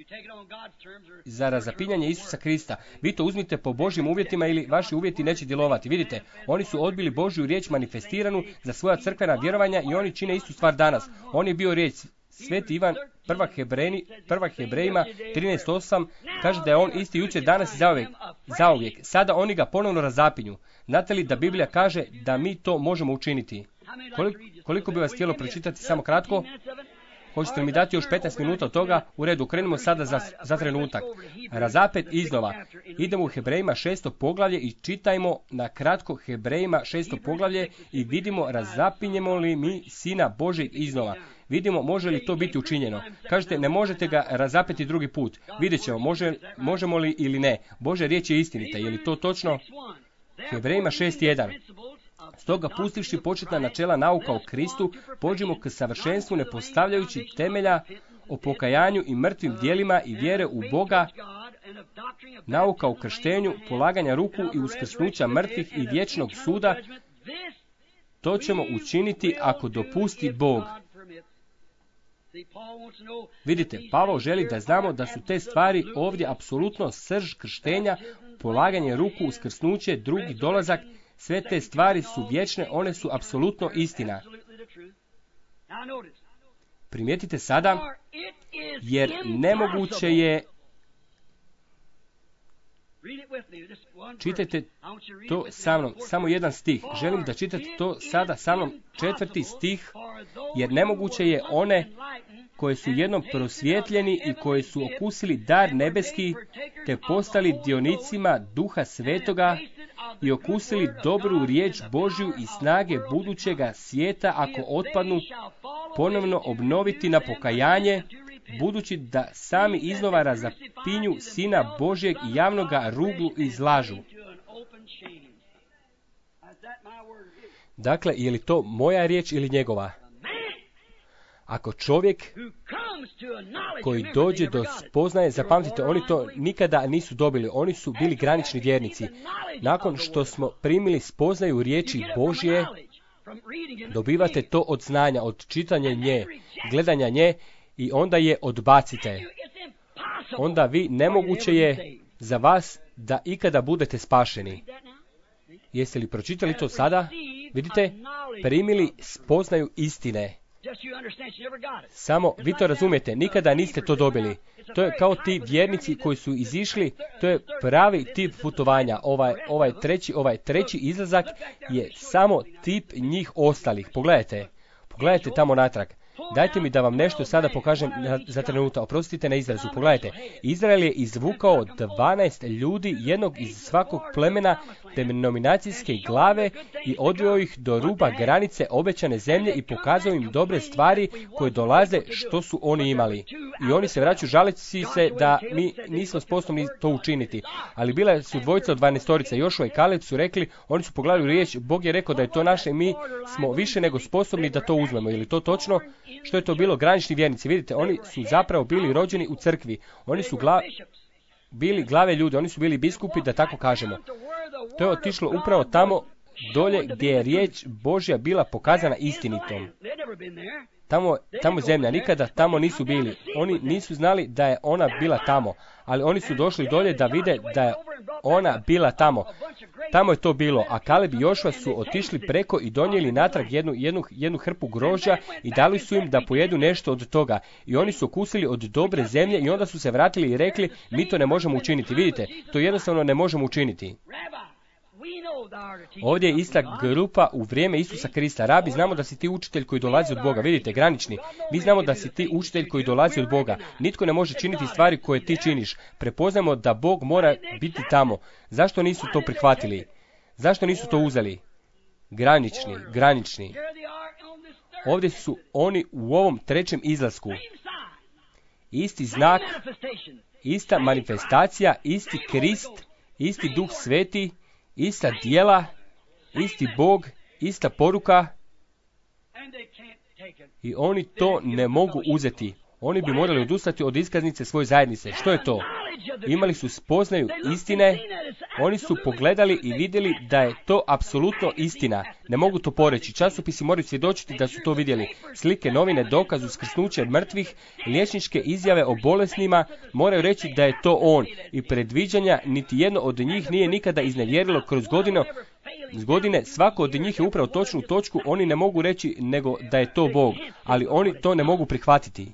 za razapinjanje Isusa Krista. Vi to uzmite po Božjim uvjetima ili vaši uvjeti neće djelovati. Vidite, oni su odbili Božju riječ manifestiranu za svoja crkvena vjerovanja i oni čine istu stvar danas. On je bio riječ. Sveti Ivan, prva, Hebrejni, prva Hebrejima trinaest osam, kaže da je on isti jučer, danas i zauvijek, zauvijek. Sada oni ga ponovno razapinju. Znate li da Biblija kaže da mi to možemo učiniti? Koliko, koliko bi vas htjelo pročitati samo kratko? Hoćete li mi dati još petnaest minuta od toga? U redu, krenimo sada za, za trenutak. Razapet iznova. Idemo u Hebrejima šesto poglavlje i čitajmo na kratko Hebrejima šesto poglavlje i vidimo razapinjemo li mi Sina Božeg iznova. Vidimo može li to biti učinjeno. Kažete, ne možete ga razapeti drugi put. Vidjet ćemo, može, možemo li ili ne. Božja riječ je istinita. Je li to točno? Hebrejima šest jedan. Stoga pustivši početna načela nauka o Kristu, pođimo k savršenstvu ne postavljajući temelja o pokajanju i mrtvim djelima i vjere u Boga nauka o krštenju, polaganja ruku i uskrsnuća mrtvih i vječnog suda, to ćemo učiniti ako dopusti Bog. Vidite, Pavao želi da znamo da su te stvari ovdje apsolutno srž krštenja, polaganje ruku, uskrsnuće, drugi dolazak, sve te stvari su vječne, one su apsolutno istina. Primijetite sada, jer nemoguće je, čitajte to sa mnom, samo jedan stih, želim da čitate to sada sa mnom, četvrti stih, jer nemoguće je one koje su jednom prosvjetljeni i koji su okusili dar nebeski, te postali dionicima Duha Svetoga i okusili dobru riječ Božju i snage budućega svijeta, ako otpadnu, ponovno obnoviti na pokajanje, budući da sami iznova razapinju Sina Božjeg i javno ga ruglu izlažu. Dakle, je li to moja riječ ili njegova? Ako čovjek koji dođe do spoznaje, zapamtite, oni to nikada nisu dobili, oni su bili granični vjernici. Nakon što smo primili spoznaju riječi Božje, dobivate to od znanja, od čitanja nje, gledanja nje i onda je odbacite. Onda vi nemoguće je za vas da ikada budete spašeni. Jeste li pročitali to sada? Vidite, primili spoznaju istine. Samo vi to razumijete, nikada niste to dobili. To je kao ti vjernici koji su izišli, to je pravi tip putovanja. Ovaj, ovaj, treći, ovaj treći izlazak je samo tip njih ostalih. Pogledajte, pogledajte tamo natrag. Dajte mi da vam nešto sada pokažem za trenutak. Oprostite na izrazu. Pogledajte. Izrael je izvukao dvanaest ljudi, jednog iz svakog plemena denominacijske glave i odveo ih do ruba granice obećane zemlje i pokazao im dobre stvari koje dolaze što su oni imali. I oni se vraćaju žaleći se da mi nismo sposobni to učiniti. Ali bila su dvojica od dvanaestorica, Jošua i Kaleb su rekli, oni su pogledali riječ, Bog je rekao da je to naše i mi smo više nego sposobni da to uzmemo. Je li to točno? Što je to bilo? Granični vjernici. Vidite, oni su zapravo bili rođeni u crkvi. Oni su gla... bili glave ljudi, oni su bili biskupi, da tako kažemo. To je otišlo upravo tamo dolje gdje je riječ Božja bila pokazana istinitom. Tamo, tamo zemlja, nikada tamo nisu bili. Oni nisu znali da je ona bila tamo, ali oni su došli dolje da vide da je ona bila tamo. Tamo je to bilo, a Kaleb i Jošua su otišli preko i donijeli natrag jednu, jednu, jednu hrpu grožđa i dali su im da pojedu nešto od toga. I oni su okusili od dobre zemlje i onda su se vratili i rekli, mi to ne možemo učiniti. Vidite, to jednostavno ne možemo učiniti. Ovdje je ista grupa u vrijeme Isusa Krista. Rabi, znamo da si ti učitelj koji dolazi od Boga. Vidite, granični. Mi znamo da si ti učitelj koji dolazi od Boga. Nitko ne može činiti stvari koje ti činiš. Prepoznajemo da Bog mora biti tamo. Zašto nisu to prihvatili? Zašto nisu to uzeli? Granični, granični. Ovdje su oni u ovom trećem izlasku. Isti znak, ista manifestacija, isti Krist, isti Duh Sveti, ista djela, isti Bog, ista poruka i oni to ne mogu uzeti. Oni bi morali odustati od iskaznice svoje zajednice. Što je to? Imali su spoznaju istine, oni su pogledali i vidjeli da je to apsolutno istina. Ne mogu to poreći. Časopisi moraju svjedočiti da su to vidjeli. Slike, novine, dokaz, uskrsnuće mrtvih, liječničke izjave o bolesnima moraju reći da je to on. I predviđanja niti jedno od njih nije nikada iznevjerilo kroz godine. S godine svako od njih je upravo točnu točku, oni ne mogu reći nego da je to Bog, ali oni to ne mogu prihvatiti.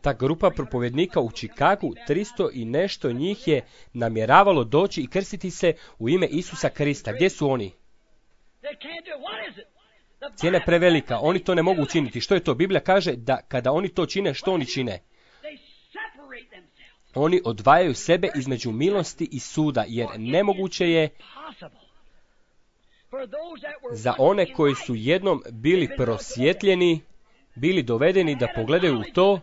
Ta grupa propovjednika u Chicagu, tristo i nešto njih je namjeravalo doći i krstiti se u ime Isusa Krista. Gdje su oni? Cijena je prevelika, oni to ne mogu učiniti. Što je to? Biblija kaže da kada oni to čine, što oni čine? Oni odvajaju sebe između milosti i suda, jer nemoguće je za one koji su jednom bili prosvjetljeni, bili dovedeni da pogledaju u to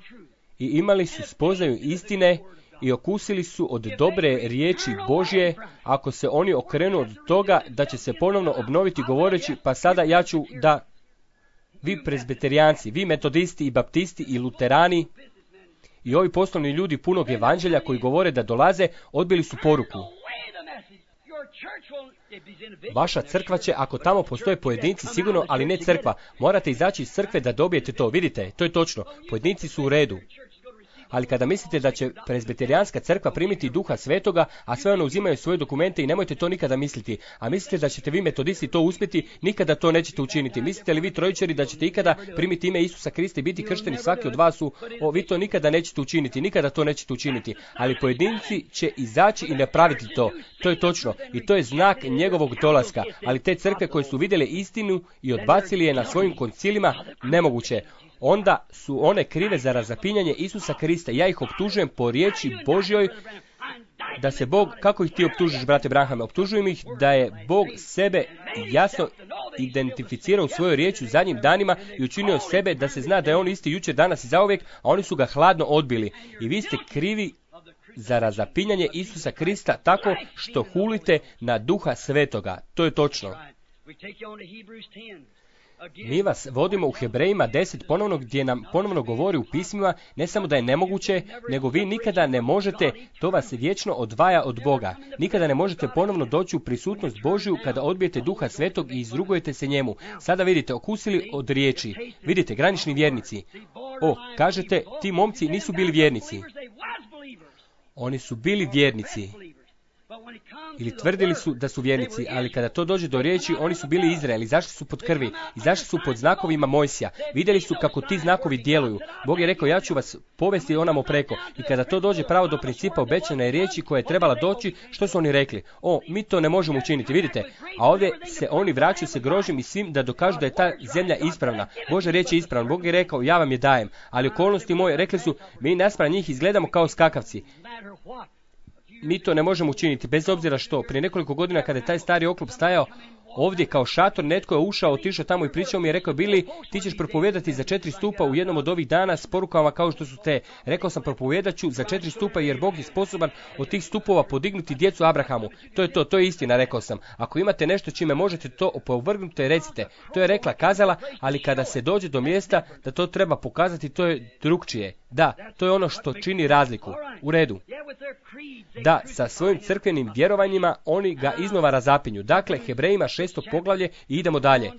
i imali su spoznaju istine i okusili su od dobre riječi Božje, ako se oni okrenu od toga da će se ponovno obnoviti govoreći, pa sada ja ću da... vi prezbiterijanci, vi metodisti i baptisti i luterani i ovi poslovni ljudi punog evanđelja koji govore da dolaze, odbili su poruku. Vaša crkva će, ako tamo postoje pojedinci, sigurno, ali ne crkva. Morate izaći iz crkve da dobijete to. Vidite, to je točno. Pojedinci su u redu. Ali kada mislite da će prezbiterijanska crkva primiti Duha Svetoga, a sve ono uzimaju svoje dokumente i nemojte to nikada misliti. A mislite da ćete vi metodisti to uspjeti, nikada to nećete učiniti. Mislite li vi trojičari da ćete ikada primiti ime Isusa Krista i biti kršteni svaki od vas u, o, vi to nikada nećete učiniti, nikada to nećete učiniti. Ali pojedinci će izaći i napraviti to. To je točno. I to je znak njegovog dolaska. Ali te crkve koje su vidjele istinu i odbacili je na svojim koncilima, nemoguće. Onda su one krive za razapinjanje Isusa Krista. Ja ih optužujem po riječi Božjoj da se Bog, kako ih ti optužiš, brate Branhame? Optužujem ih da je Bog sebe jasno identificirao u svojoj riječi u zadnjim danima i učinio sebe da se zna da je on isti jučer, danas i zauvijek, a oni su ga hladno odbili. I vi ste krivi za razapinjanje Isusa Krista tako što hulite na Duha Svetoga. To je točno. Mi vas vodimo u Hebrejima deset ponovno, gdje nam ponovno govori u pismima ne samo da je nemoguće, nego vi nikada ne možete, to vas vječno odvaja od Boga. Nikada ne možete ponovno doći u prisutnost Božju kada odbijete Duha Svetog i izrugujete se njemu. Sada vidite, okusili od riječi. Vidite, granični vjernici. O, kažete, ti momci nisu bili vjernici. Oni su bili vjernici. Ili tvrdili su da su vjernici, ali kada to dođe do riječi, oni su bili Izrael, izašli su pod krvi, izašli su pod znakovima Mojsija, vidjeli su kako ti znakovi djeluju. Bog je rekao, ja ću vas povesti onamo preko. I kada to dođe pravo do principa obećane riječi koja je trebala doći, što su oni rekli? O, mi to ne možemo učiniti, vidite. A ovdje se oni vraćaju se grožim i svim da dokažu da je ta zemlja ispravna. Božja riječ je ispravna. Bog je rekao, ja vam je dajem. Ali okolnosti moje, rekli su, mi naspram njih izgledamo kao skakavci. Mi to ne možemo učiniti, bez obzira što. Prije nekoliko godina kada je taj stari oklop stajao ovdje kao šator, netko je ušao, otišao tamo i pričao mi je, rekao, Bili, ti ćeš propovijedati za četiri stupa u jednom od ovih dana s porukama kao što su te. Rekao sam, propovijedat ću za četiri stupa jer Bog je sposoban od tih stupova podignuti djecu Abrahamu. To je to, to je istina, rekao sam. Ako imate nešto čime možete to opovrgnuti, recite. To je rekla, kazala, ali kada se dođe do mjesta da to treba pokazati, to je drukčije. Da, to je ono što čini razliku. U redu. Da, sa svojim crkvenim vjerovanjima oni ga iznova razapinju. Dakle, Hebrejima šesto poglavlje i idemo dalje.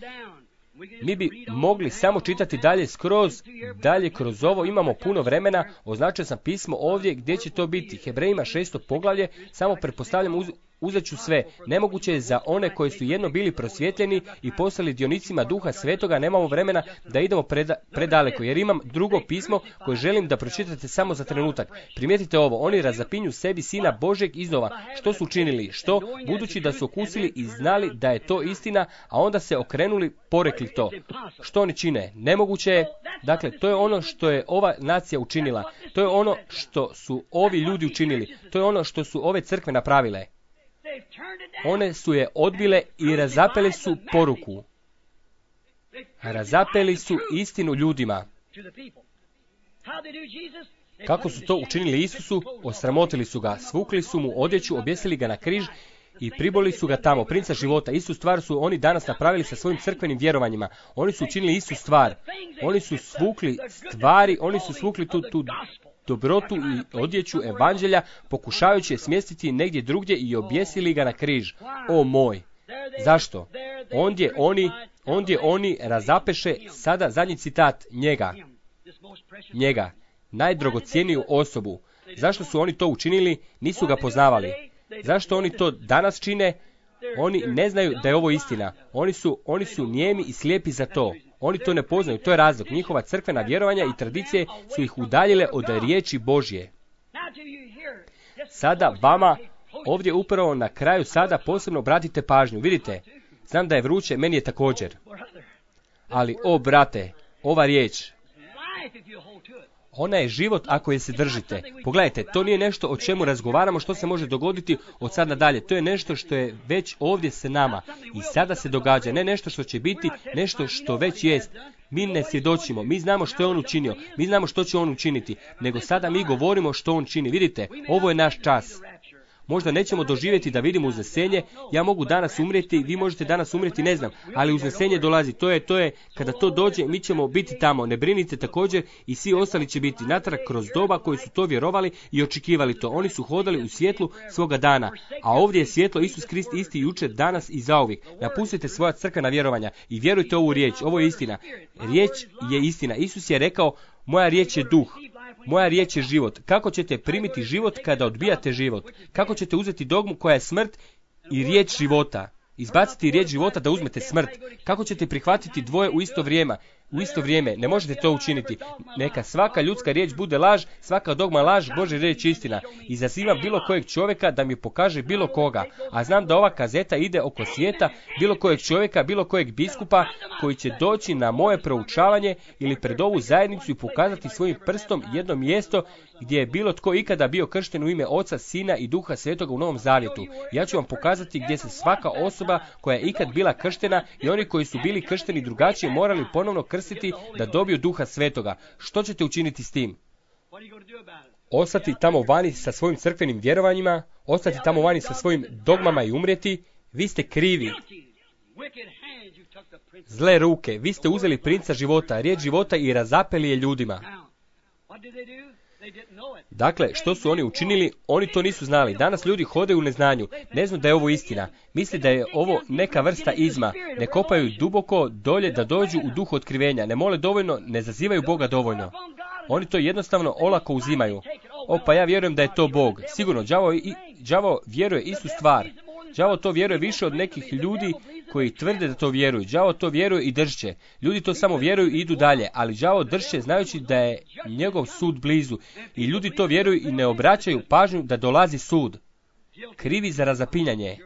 Mi bi mogli samo čitati dalje skroz, dalje kroz ovo, imamo puno vremena, označio sam pismo ovdje gdje će to biti. Hebrejima šesto poglavlje, samo pretpostavljam uz, uzet ću sve. Nemoguće je za one koji su jedno bili prosvjetljeni i postali dionicima Duha Svetoga, nemamo vremena da idemo preda, predaleko, jer imam drugo pismo koje želim da pročitate samo za trenutak. Primijetite ovo, oni razapinju sebi Sina Božeg iznova. Što su učinili? Što? Budući da su okusili i znali da je to istina, a onda se okrenuli, porekli to. Što oni čine? Nemoguće je. Dakle, to je ono što je ova nacija učinila. To je ono što su ovi ljudi učinili. To je ono što su ove crkve napravile. One su je odbile i razapeli su poruku. Razapeli su istinu ljudima. Kako su to učinili Isusu? Osramotili su ga, svukli su mu odjeću, objesili ga na križ i priboli su ga tamo, princa života. Istu stvar su oni danas napravili sa svojim crkvenim vjerovanjima. Oni su učinili istu stvar. Oni su svukli stvari, oni su svukli tu, tu dobrotu i odjeću evanđelja, pokušavajući je smjestiti negdje drugdje i objesili ga na križ. O moj! Zašto? Ondje oni, ondje oni razapeše, sada zadnji citat, njega. Njega. Najdrogocijeniju osobu. Zašto su oni to učinili? Nisu ga poznavali. Zašto oni to danas čine? Oni ne znaju da je ovo istina. Oni su, oni su nijemi i slijepi za to. Oni to ne poznaju, to je razlog. Njihova crkvena vjerovanja i tradicije su ih udaljile od riječi Božje. Sada vama, ovdje upravo na kraju sada posebno obratite pažnju. Vidite, znam da je vruće, meni je također. Ali, o brate, ova riječ, ona je život ako je se držite. Pogledajte, to nije nešto o čemu razgovaramo, što se može dogoditi od sad nadalje. To je nešto što je već ovdje sa nama i sada se događa. Ne nešto što će biti, nešto što već jest. Mi ne svjedočimo, mi znamo što je on učinio, mi znamo što će on učiniti, nego sada mi govorimo što on čini. Vidite, ovo je naš čas. Možda nećemo doživjeti da vidimo uznesenje, ja mogu danas umrijeti, vi možete danas umrijeti, ne znam, ali uznesenje dolazi, to je, to je, kada to dođe, mi ćemo biti tamo, ne brinite također i svi ostali će biti natrag kroz doba koji su to vjerovali i očekivali to. Oni su hodali u svjetlu svoga dana, a ovdje je svjetlo Isus Krist isti jučer, danas i zauvijek. Napustite svoja crkvena vjerovanja i vjerujte ovu riječ, ovo je istina. Riječ je istina. Isus je rekao, moja riječ je duh. Moja riječ je život. Kako ćete primiti život kada odbijate život? Kako ćete uzeti dogmu koja je smrt i riječ života? Izbaciti riječ života da uzmete smrt. Kako ćete prihvatiti dvoje u isto vrijeme? U isto vrijeme ne možete to učiniti. Neka svaka ljudska riječ bude laž, svaka dogma laž, Božja riječ istina. Izazivam bilo kojeg čovjeka da mi pokaže bilo koga. A znam da ova kazeta ide oko svijeta, bilo kojeg čovjeka, bilo kojeg biskupa koji će doći na moje proučavanje ili pred ovu zajednicu i pokazati svojim prstom jedno mjesto gdje je bilo tko ikada bio kršten u ime Oca, Sina i Duha Svetoga u Novom Zavjetu. Ja ću vam pokazati gdje se svaka osoba koja je ikad bila krštena i oni koji su bili kršteni drugačije morali ponovno krstiti da dobiju Duha Svetoga. Što ćete učiniti s tim? Ostati tamo vani sa svojim crkvenim vjerovanjima, ostati tamo vani sa svojim dogmama i umrijeti? Vi ste krivi. Zle ruke, vi ste uzeli princa života, riječ života i razapeli je ljudima. Dakle, što su oni učinili? Oni to nisu znali. Danas ljudi hodaju u neznanju. Ne znaju da je ovo istina. Misle da je ovo neka vrsta izma. Ne kopaju duboko dolje da dođu u duhu otkrivenja. Ne mole dovoljno, ne zazivaju Boga dovoljno. Oni to jednostavno olako uzimaju. O, pa ja vjerujem da je to Bog. Sigurno, đavo, i, đavo vjeruje istu stvar. Đavo to vjeruje više od nekih ljudi koji tvrde da to vjeruju. Đavo to vjeruje i drže. Ljudi to samo vjeruju i idu dalje, ali đavo drže znajući da je njegov sud blizu. I ljudi to vjeruju i ne obraćaju pažnju da dolazi sud. Krivi za razapinjanje.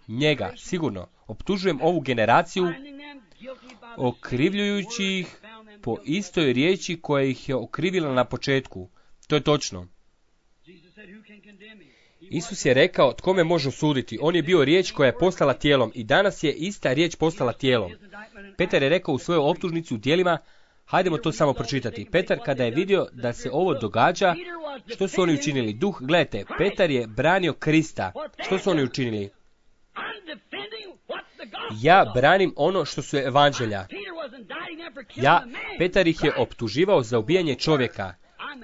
Njega, sigurno, optužujem ovu generaciju, okrivljujući ih po istoj riječi koja ih je okrivila na početku. To je točno. Isus je rekao, tko me može osuditi? On je bio riječ koja je postala tijelom i danas je ista riječ postala tijelom. Petar je rekao u svojoj optužnici u djelima, hajdemo to samo pročitati. Petar kada je vidio da se ovo događa, što su oni učinili? Duh, gledajte, Petar je branio Krista. Što su oni učinili? Ja branim ono što su evanđelja. Ja, Petar ih je optuživao za ubijanje čovjeka.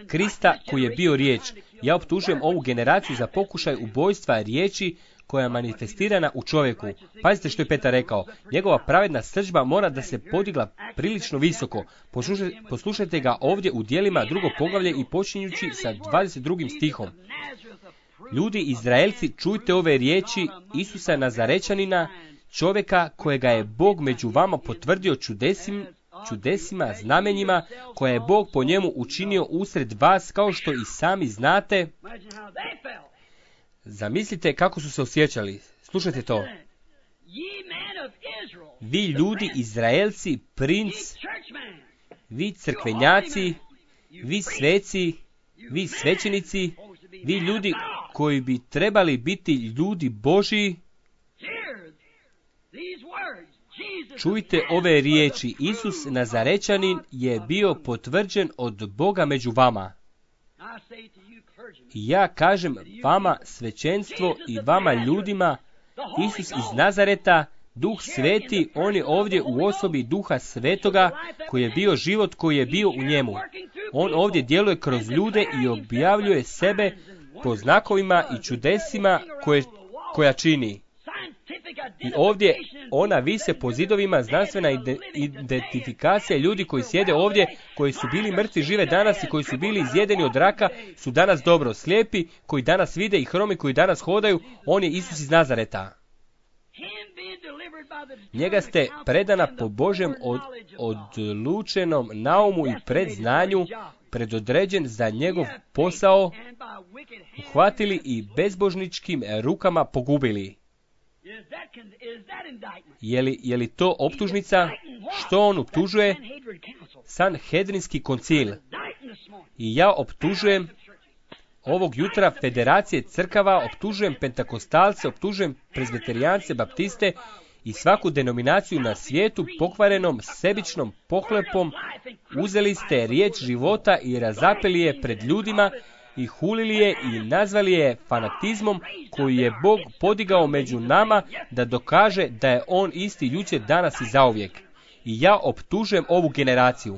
Krista koji je bio riječ. Ja optužujem ovu generaciju za pokušaj ubojstva riječi koja je manifestirana u čovjeku. Pazite što je Petar rekao. Njegova pravedna srdžba mora da se podigla prilično visoko. Poslušajte, poslušajte ga ovdje u djelima drugo poglavlje i počinjući sa dvadeset drugim stihom. Ljudi Izraelci, čujte ove riječi Isusa Nazarečanina, čovjeka kojega je Bog među vama potvrdio čudesim, čudesima, znamenjima, koje je Bog po njemu učinio usred vas, kao što i sami znate. Zamislite kako su se osjećali. Slušajte to. Vi ljudi Izraelci, princ, vi crkvenjaci, vi sveci, vi svećenici, vi ljudi koji bi trebali biti ljudi Božji, čujte ove riječi. Isus Nazarečanin je bio potvrđen od Boga među vama. I ja kažem vama svećenstvo i vama ljudima, Isus iz Nazareta, Duh Sveti, on je ovdje u osobi Duha Svetoga, koji je bio život, koji je bio u njemu. On ovdje djeluje kroz ljude i objavljuje sebe po znakovima i čudesima koje, koja čini. I ovdje ona vise po zidovima, znanstvena identifikacija ljudi koji sjede ovdje, koji su bili mrtvi žive danas i koji su bili izjedeni od raka, su danas dobro. Slijepi koji danas vide i hromi koji danas hodaju, on je Isus iz Nazareta. Njega ste predana po Božjem od, odlučenom naumu i predznanju, predodređen za njegov posao, uhvatili i bezbožničkim rukama pogubili. Je li, je li to optužnica? Što on optužuje? Sanhedrinski koncil. I ja optužujem ovog jutra federacije crkava, optužujem pentakostalce, optužujem prezbiterijance, baptiste i svaku denominaciju na svijetu pokvarenom sebičnom pohlepom. Uzeli ste riječ života i razapeli je pred ljudima i hulili je i nazvali je fanatizmom koji je Bog podigao među nama da dokaže da je on isti jučer, danas i zauvijek. I ja optužujem ovu generaciju.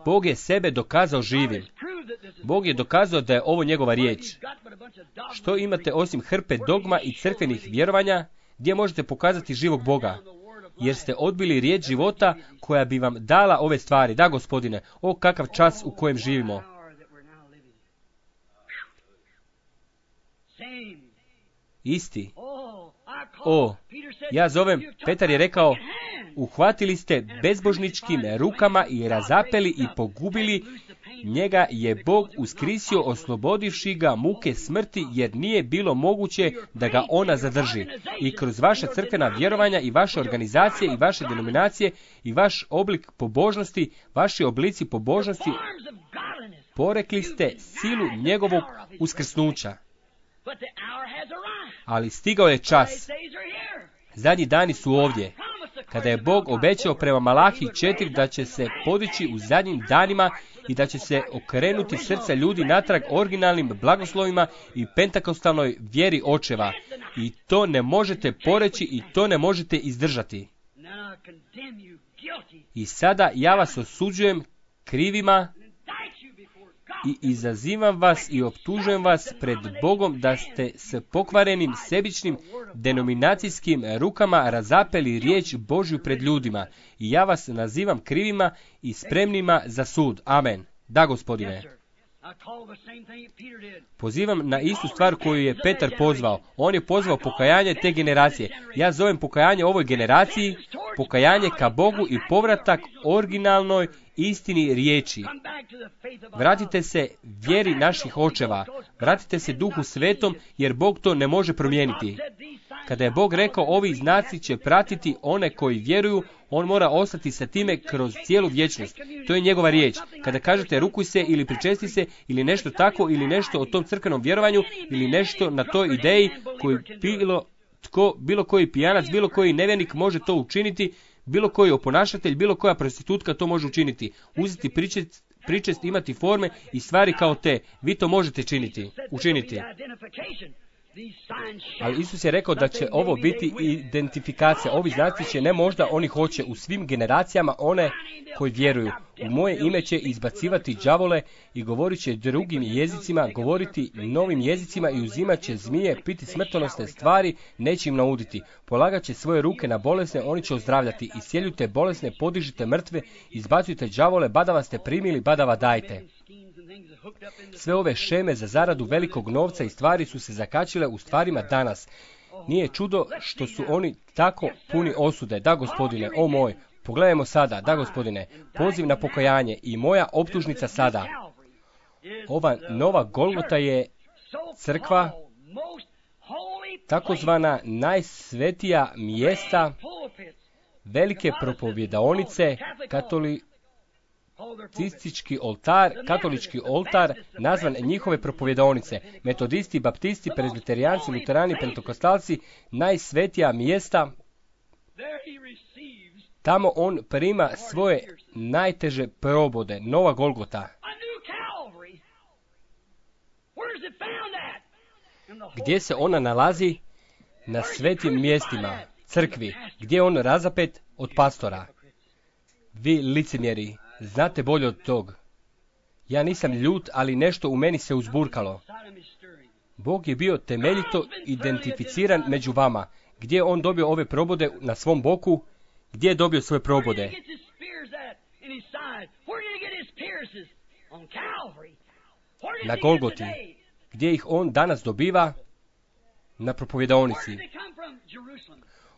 Bog je sebe dokazao živim. Bog je dokazao da je ovo njegova riječ. Što imate osim hrpe dogma i crkvenih vjerovanja, gdje možete pokazati živog Boga? Jer ste odbili riječ života koja bi vam dala ove stvari. Da, Gospodine, o kakav čas u kojem živimo. Isti. O, ja zovem, Petar je rekao, uhvatili ste bezbožničkim rukama i razapeli i pogubili. Njega je Bog uskrisio, oslobodivši ga muke smrti, jer nije bilo moguće da ga ona zadrži. I kroz vaša crkvena vjerovanja i vaše organizacije i vaše denominacije i vaš oblik pobožnosti, vaši oblici pobožnosti, porekli ste silu njegovog uskrsnuća. Ali stigao je čas. Zadnji dani su ovdje. Kada je Bog obećao prema Malahiji četiri da će se podići u zadnjim danima i da će se okrenuti srca ljudi natrag originalnim blagoslovima i pentakostalnoj vjeri očeva. I to ne možete poreći i to ne možete izdržati. I sada ja vas osuđujem krivima i izazivam vas i optužujem vas pred Bogom da ste s pokvarenim sebičnim denominacijskim rukama razapeli riječ Božju pred ljudima. I ja vas nazivam krivima i spremnima za sud. Amen. Da, Gospodine. Pozivam na istu stvar koju je Petar pozvao. On je pozvao pokajanje te generacije. Ja zovem pokajanje ovoj generaciji, pokajanje ka Bogu i povratak originalnoj istini riječi. Vratite se vjeri naših očeva. Vratite se Duhu Svetom, jer Bog to ne može promijeniti. Kada je Bog rekao ovi znaci će pratiti one koji vjeruju, on mora ostati sa time kroz cijelu vječnost. To je njegova riječ. Kada kažete rukuj se ili pričesti se ili nešto tako ili nešto o tom crkvenom vjerovanju ili nešto na toj ideji koju bilo tko, bilo koji pijanac, bilo koji nevjernik može to učiniti, bilo koji oponašatelj, bilo koja prostitutka to može učiniti. Uzeti pričest, pričest, imati forme i stvari kao te. Vi to možete činiti, učiniti. Ali Isus je rekao da će ovo biti identifikacija. Ovi znaci će, ne možda, oni hoće u svim generacijama one koji vjeruju. U moje ime će izbacivati đavole i govorit će drugim jezicima, govoriti novim jezicima i uzimat će zmije, piti smrtonosne stvari, neće im nauditi. Polagat će svoje ruke na bolesne, oni će ozdravljati. Iscijeljujte bolesne, podižite mrtve, izbacujte đavole, badava ste primili, badava dajte. Sve ove šeme za zaradu velikog novca i stvari su se zakačile u stvarima danas. Nije čudo što su oni tako puni osude. Da, Gospodine, o moj, pogledajmo sada, da, Gospodine, poziv na pokajanje i moja optužnica sada. Ova nova Golgota je crkva, takozvana najsvetija mjesta, velike propovjedaonice, katoli Cistički oltar, katolički oltar, nazvan njihove propovjedaonice, metodisti, baptisti, prezbiterijanci, luterani, pentekostalci, najsvetija mjesta. Tamo on prima svoje najteže probode, nova Golgota. Gdje se ona nalazi? Na svetim mjestima, crkvi, gdje je on razapet od pastora. Vi licemjeri, znate bolje od tog. Ja nisam ljut, ali nešto u meni se uzburkalo. Bog je bio temeljito identificiran među vama. Gdje je on dobio ove probode na svom boku? Gdje je dobio svoje probode? Na Golgoti. Gdje ih on danas dobiva? Na propovjedaonici.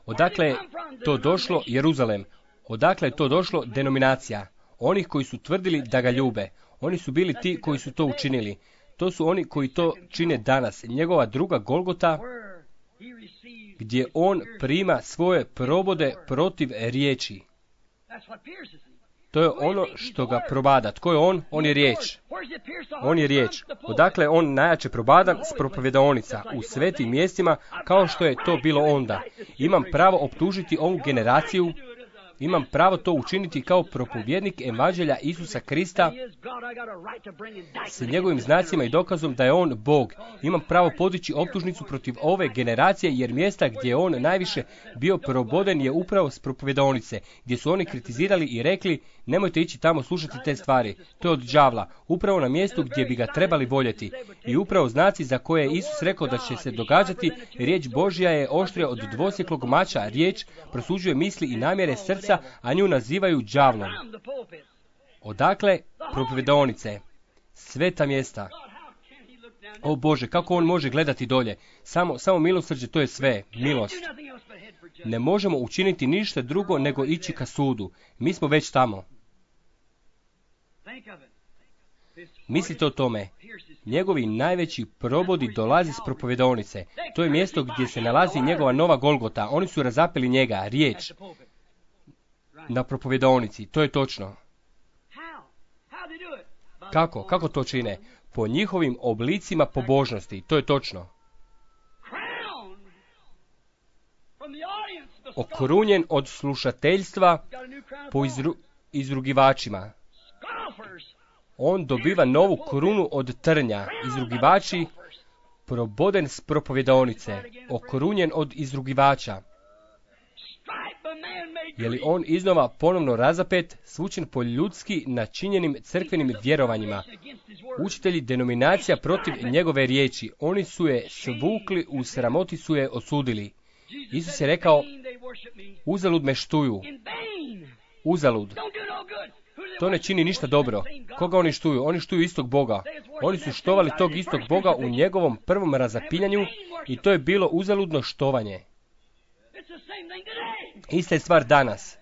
Odakle je to došlo? Jeruzalem. Odakle je to došlo? Denominacija. Onih koji su tvrdili da ga ljube. Oni su bili ti koji su to učinili. To su oni koji to čine danas. Njegova druga Golgota, gdje on prima svoje probode protiv riječi. To je ono što ga probada. Tko je on? On je riječ. On je riječ. Odakle je on najjače probadan? S propovjedaonica. U svetim mjestima, kao što je to bilo onda. Imam pravo optužiti ovu generaciju. Imam pravo to učiniti kao propovjednik evanđelja Isusa Krista s njegovim znacima i dokazom da je on Bog. Imam pravo podići optužnicu protiv ove generacije, jer mjesta gdje je on najviše bio proboden je upravo s propovjedaonice, gdje su oni kritizirali i rekli nemojte ići tamo slušati te stvari. To je od đavla, upravo na mjestu gdje bi ga trebali voljeti. I upravo znaci za koje je Isus rekao da će se događati, riječ Božja je oštrija od dvosjeklog mača, riječ prosuđuje misli i namjere srca, a nju nazivaju đavlom. Odakle? Propovjedaonice. Sveta mjesta. O Bože, kako on može gledati dolje? Samo, samo milosrđe, to je sve. Milost. Ne možemo učiniti ništa drugo nego ići ka sudu. Mi smo već tamo. Mislite o tome. Njegovi najveći probodi dolazi s propovjedaonice. To je mjesto gdje se nalazi njegova nova Golgota. Oni su razapeli njega, riječ, na propovjedaonici. To je točno. Kako? Kako to čine? Po njihovim oblicima pobožnosti. To je točno. Okrunjen od slušateljstva po izru, izrugivačima. On dobiva novu krunu od trnja. Izrugivači, proboden s propovjedaonice. Okrunjen od izrugivača. Je li on iznova ponovno razapet, svučen po ljudski načinjenim crkvenim vjerovanjima? Učitelji denominacija protiv njegove riječi. Oni su je svukli, u sramoti su je osudili. Isus je rekao, uzalud me štuju. Uzalud. To ne čini ništa dobro. Koga oni štuju? Oni štuju istog Boga. Oni su štovali tog istog Boga u njegovom prvom razapinjanju i to je bilo uzaludno štovanje. Ista je stvar danas.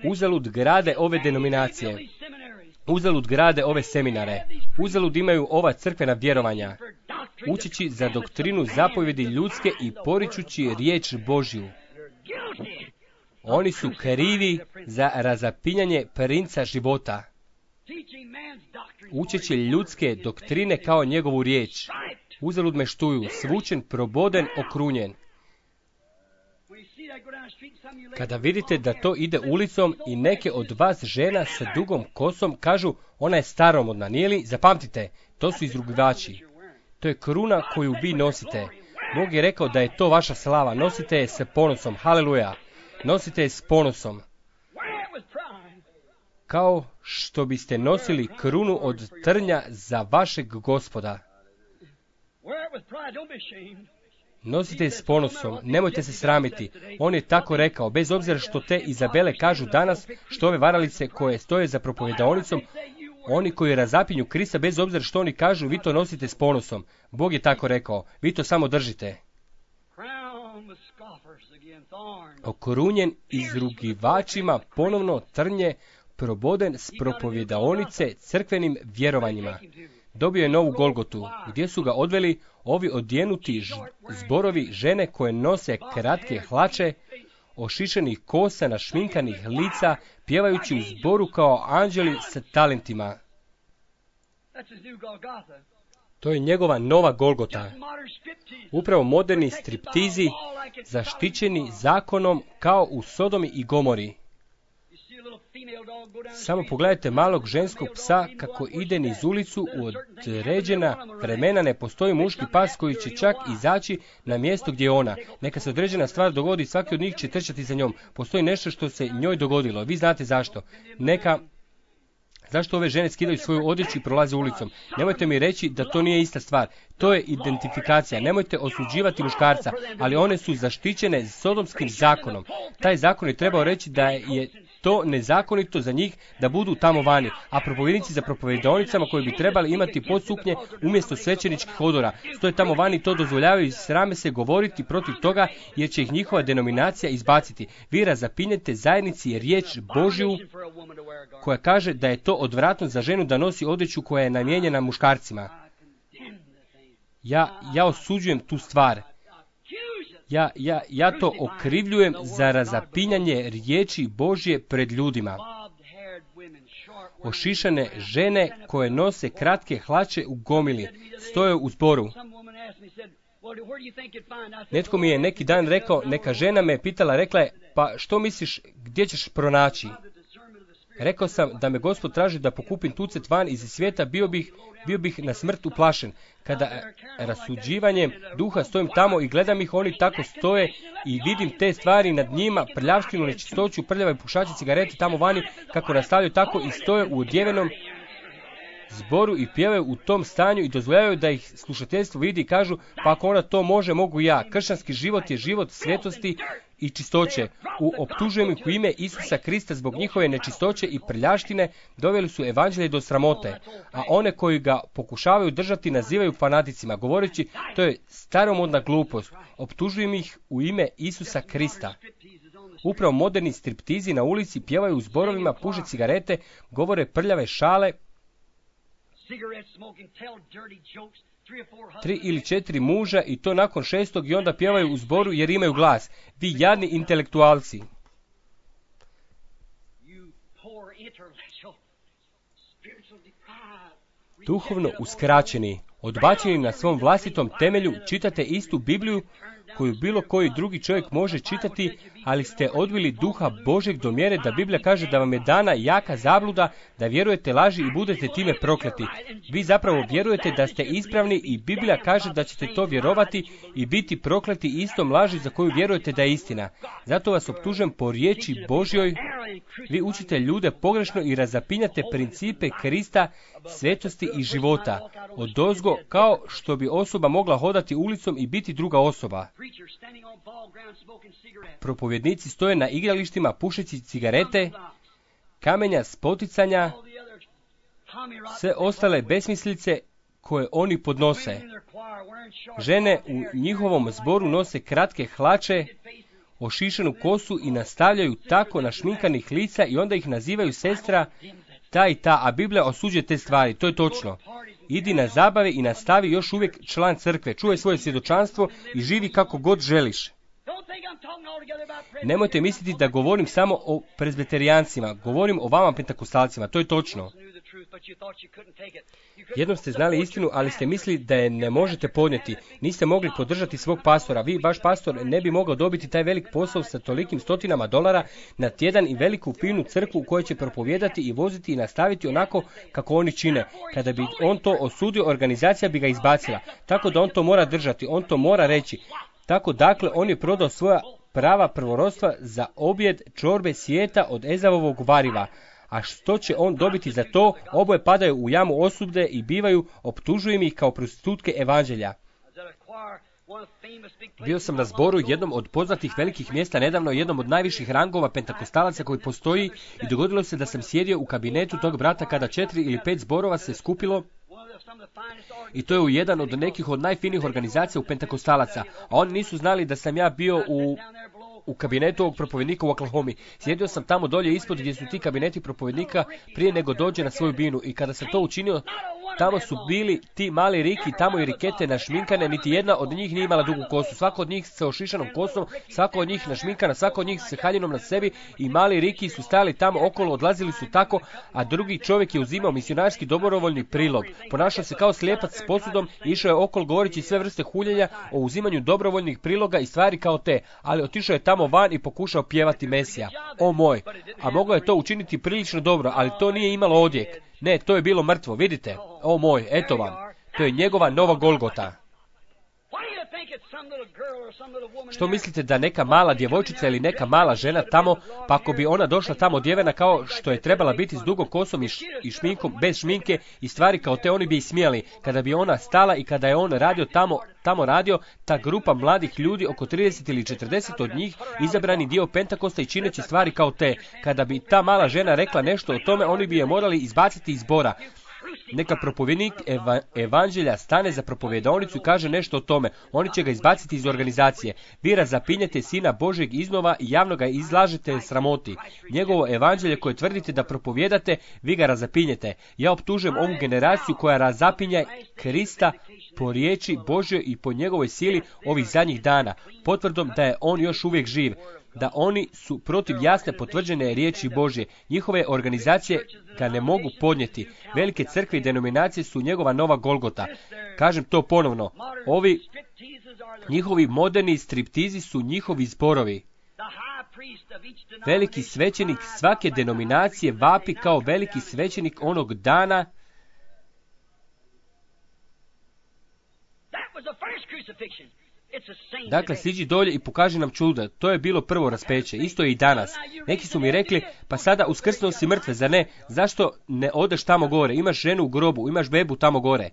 Uzalud grade ove denominacije. Uzalud grade ove seminare. Uzalud imaju ova crkvena vjerovanja. Učeći za doktrinu zapovjedi ljudske i poričući riječ Božju. Oni su krivi za razapinjanje princa života. Učeći ljudske doktrine kao njegovu riječ. Uzalud me štuju, svučen, proboden, okrunjen. Kada vidite da to ide ulicom i neke od vas žena sa dugom kosom kažu ona je staromodna, nije li? Zapamtite, to su izrugivači. To je kruna koju vi nosite. Bog je rekao da je to vaša slava, nosite je s ponosom, haleluja. Nosite je s ponosom. Kao što biste nosili krunu od trnja za vašeg Gospoda. Nosite je s ponosom, nemojte se sramiti. On je tako rekao, bez obzira što te Izabele kažu danas, što ove varalice koje stoje za propovjedaonicom, oni koji razapinju Krista, bez obzira što oni kažu, vi to nosite s ponosom. Bog je tako rekao, vi to samo držite. Okrunjen izrugivačima ponovno trnje, proboden s propovjedaonice crkvenim vjerovanjima. Dobio je novu Golgotu, gdje su ga odveli ovi odjenuti zborovi žene koje nose kratke hlače, ošišenih kosa, našminkanih lica, pjevajući u zboru kao anđeli sa talentima. To je njegova nova Golgota. Upravo moderni striptizi, zaštićeni zakonom kao u Sodomi i Gomori. Samo pogledajte malog ženskog psa kako ide niz ulicu, u određena vremena ne postoji muški pas koji će čak izaći na mjesto gdje je ona. Neka se određena stvar dogodi, svaki od njih će trčati za njom. Postoji nešto što se njoj dogodilo. Vi znate zašto. Neka... Zašto ove žene skidaju svoju odjeću i prolaze ulicom? Nemojte mi reći da to nije ista stvar. To je identifikacija. Nemojte osuđivati muškarca, ali one su zaštićene sodomskim zakonom. Taj zakon je trebao reći da je to nezakonito za njih da budu tamo vani, a propovjednici za propovjedaonicama koji bi trebali imati podsuknje umjesto svećeničkih odora stoje tamo vani, to dozvoljavaju i srame se govoriti protiv toga jer će ih njihova denominacija izbaciti. Vi razapinjete zajednici riječ Božju koja kaže da je to odvratno za ženu da nosi odjeću koja je namijenjena muškarcima. Ja, ja osuđujem tu stvar. Ja, ja, ja to okrivljujem za razapinjanje riječi Božje pred ljudima. Ošišane žene koje nose kratke hlače u gomili, stoje u zboru. Netko mi je neki dan rekao, neka žena me pitala, rekla je, pa što misliš, gdje ćeš pronaći? Rekao sam da me Gospod traži da pokupim tucet van iz svijeta, bio bih, bio bih na smrt uplašen. Kada rasuđivanjem duha stojim tamo i gledam ih, oni tako stoje i vidim te stvari nad njima, prljavštinu, nečistoću, prljave pušače, cigarete tamo vani, kako nastavljaju tako i stoje u odjevenom zboru i pjevaju u tom stanju i dozvoljavaju da ih slušateljstvo vidi i kažu, pa ako ona to može, mogu ja. Kršćanski život je život svetosti i čistoće. U optužujem ih u ime Isusa Krista zbog njihove nečistoće i prljaštine doveli su evanđelje do sramote, a one koji ga pokušavaju držati nazivaju fanaticima, govoreći to je staromodna glupost. Optužujem ih u ime Isusa Krista. Upravo moderni striptizi na ulici pjevaju u zborovima, puše cigarete, govore prljave šale, tri ili četiri muža i to nakon šestog i onda pjevaju u zboru jer imaju glas. Vi jadni intelektualci. Duhovno uskraćeni, odbačeni na svom vlastitom temelju, čitate istu Bibliju koju bilo koji drugi čovjek može čitati, ali ste odbili duha Božeg do mjere da Biblija kaže da vam je dana jaka zabluda, da vjerujete laži i budete time prokleti. Vi zapravo vjerujete da ste ispravni i Biblija kaže da ćete to vjerovati i biti prokleti istom laži za koju vjerujete da je istina. Zato vas optužujem po riječi Božjoj. Vi učite ljude pogrešno i razapinjate principe Krista, svetosti i života. Odozgo, kao što bi osoba mogla hodati ulicom i biti druga osoba. Propovjednici stoje na igralištima pušeći cigarete, kamenja spoticanja, sve ostale besmislice koje oni podnose. Žene u njihovom zboru nose kratke hlače, ošišanu kosu i nastavljaju tako našminkanih lica i onda ih nazivaju sestra ta i ta, a Biblija osuđuje te stvari, to je točno. Idi na zabave i nastavi još uvijek član crkve, čuvaj svoje svjedočanstvo i živi kako god želiš. Nemojte misliti da govorim samo o prezbiterijancima, govorim o vama pentakostalcima, to je točno. Jednom ste znali istinu, ali ste mislili da je ne možete podnijeti. Niste mogli podržati svog pastora. Vi, vaš pastor, ne bi mogao dobiti taj velik posao sa tolikim stotinama dolara na tjedan i veliku finu crkvu u kojoj će propovijedati i voziti i nastaviti onako kako oni čine. Kada bi on to osudio, organizacija bi ga izbacila. Tako da on to mora držati, on to mora reći. Tako dakle, on je prodao svoja prava prvorodstva za objed čorbe svijeta od Ezavovog variva. A što će on dobiti za to? Oboje padaju u jamu osude i bivaju optužujem ih kao prostitutke evanđelja. Bio sam na zboru jednom od poznatih velikih mjesta nedavno, jednom od najviših rangova pentakostalaca koji postoji i dogodilo se da sam sjedio u kabinetu tog brata kada četiri ili pet zborova se skupilo i to je u jedan od nekih od najfinijih organizacija u pentakostalaca, a oni nisu znali da sam ja bio u u kabinetu ovog propovjednika u Oklahomi. Sjedio sam tamo dolje ispod gdje su ti kabineti propovjednika prije nego dođe na svoju binu i kada sam to učinio, tamo su bili ti mali Riki, tamo i Rikete našminkane, niti jedna od njih nije imala dugu kosu. Svako od njih sa ošišanom kosom, svako od njih našminkana, svako od njih sa haljinom na sebi i mali Riki su stali tamo okolo, odlazili su tako, a drugi čovjek je uzimao misionarski dobrovoljni prilog. Ponašao se kao slijepac s posudom, išao je okolo govoreći sve vrste huljenja o uzimanju dobrovoljnih priloga i stvari kao te, ali otišao je tamo van i pokušao pjevati Mesija. O moj, a mogao je to učiniti prilično dobro, ali to nije imalo odjek. Ne, to je bilo mrtvo, vidite? O moj, eto vam. To je njegova nova Golgota. Što mislite da neka mala djevojčica ili neka mala žena tamo, pa ako bi ona došla tamo odjevena kao što je trebala biti s dugom kosom i, š, i šminkom, bez šminke i stvari kao te, oni bi ih smijali. Kada bi ona stala i kada je on radio tamo, tamo radio, ta grupa mladih ljudi, oko trideset ili četrdeset od njih, izabrani dio Pentakosta i čineći stvari kao te. Kada bi ta mala žena rekla nešto o tome, oni bi je morali izbaciti iz zbora. Neka propovjednik eva, evanđelja stane za propovjedaonicu i kaže nešto o tome. Oni će ga izbaciti iz organizacije. Vi razapinjete Sina Božeg iznova i javno ga izlažete sramoti. Njegovo evanđelje koje tvrdite da propovjedate, vi ga razapinjete. Ja optužujem ovu generaciju koja razapinja Krista po riječi Božjoj i po njegovoj sili ovih zadnjih dana, potvrdom da je on još uvijek živ. da oni su protiv jasne potvrđene riječi Božje. Njihove organizacije ga ne mogu podnijeti. Velike crkve i denominacije su njegova nova Golgota. Kažem to ponovno. Ovi njihovi moderni striptizi su njihovi zborovi. Veliki svećenik svake denominacije vapi kao veliki svećenik onog dana. Dakle, siđi dolje i pokaži nam čuda. To je bilo prvo raspeće. Isto je i danas. Neki su mi rekli, pa sada uskrsnuo si mrtve, zar ne? Zašto ne odeš tamo gore? Imaš ženu u grobu, imaš bebu tamo gore.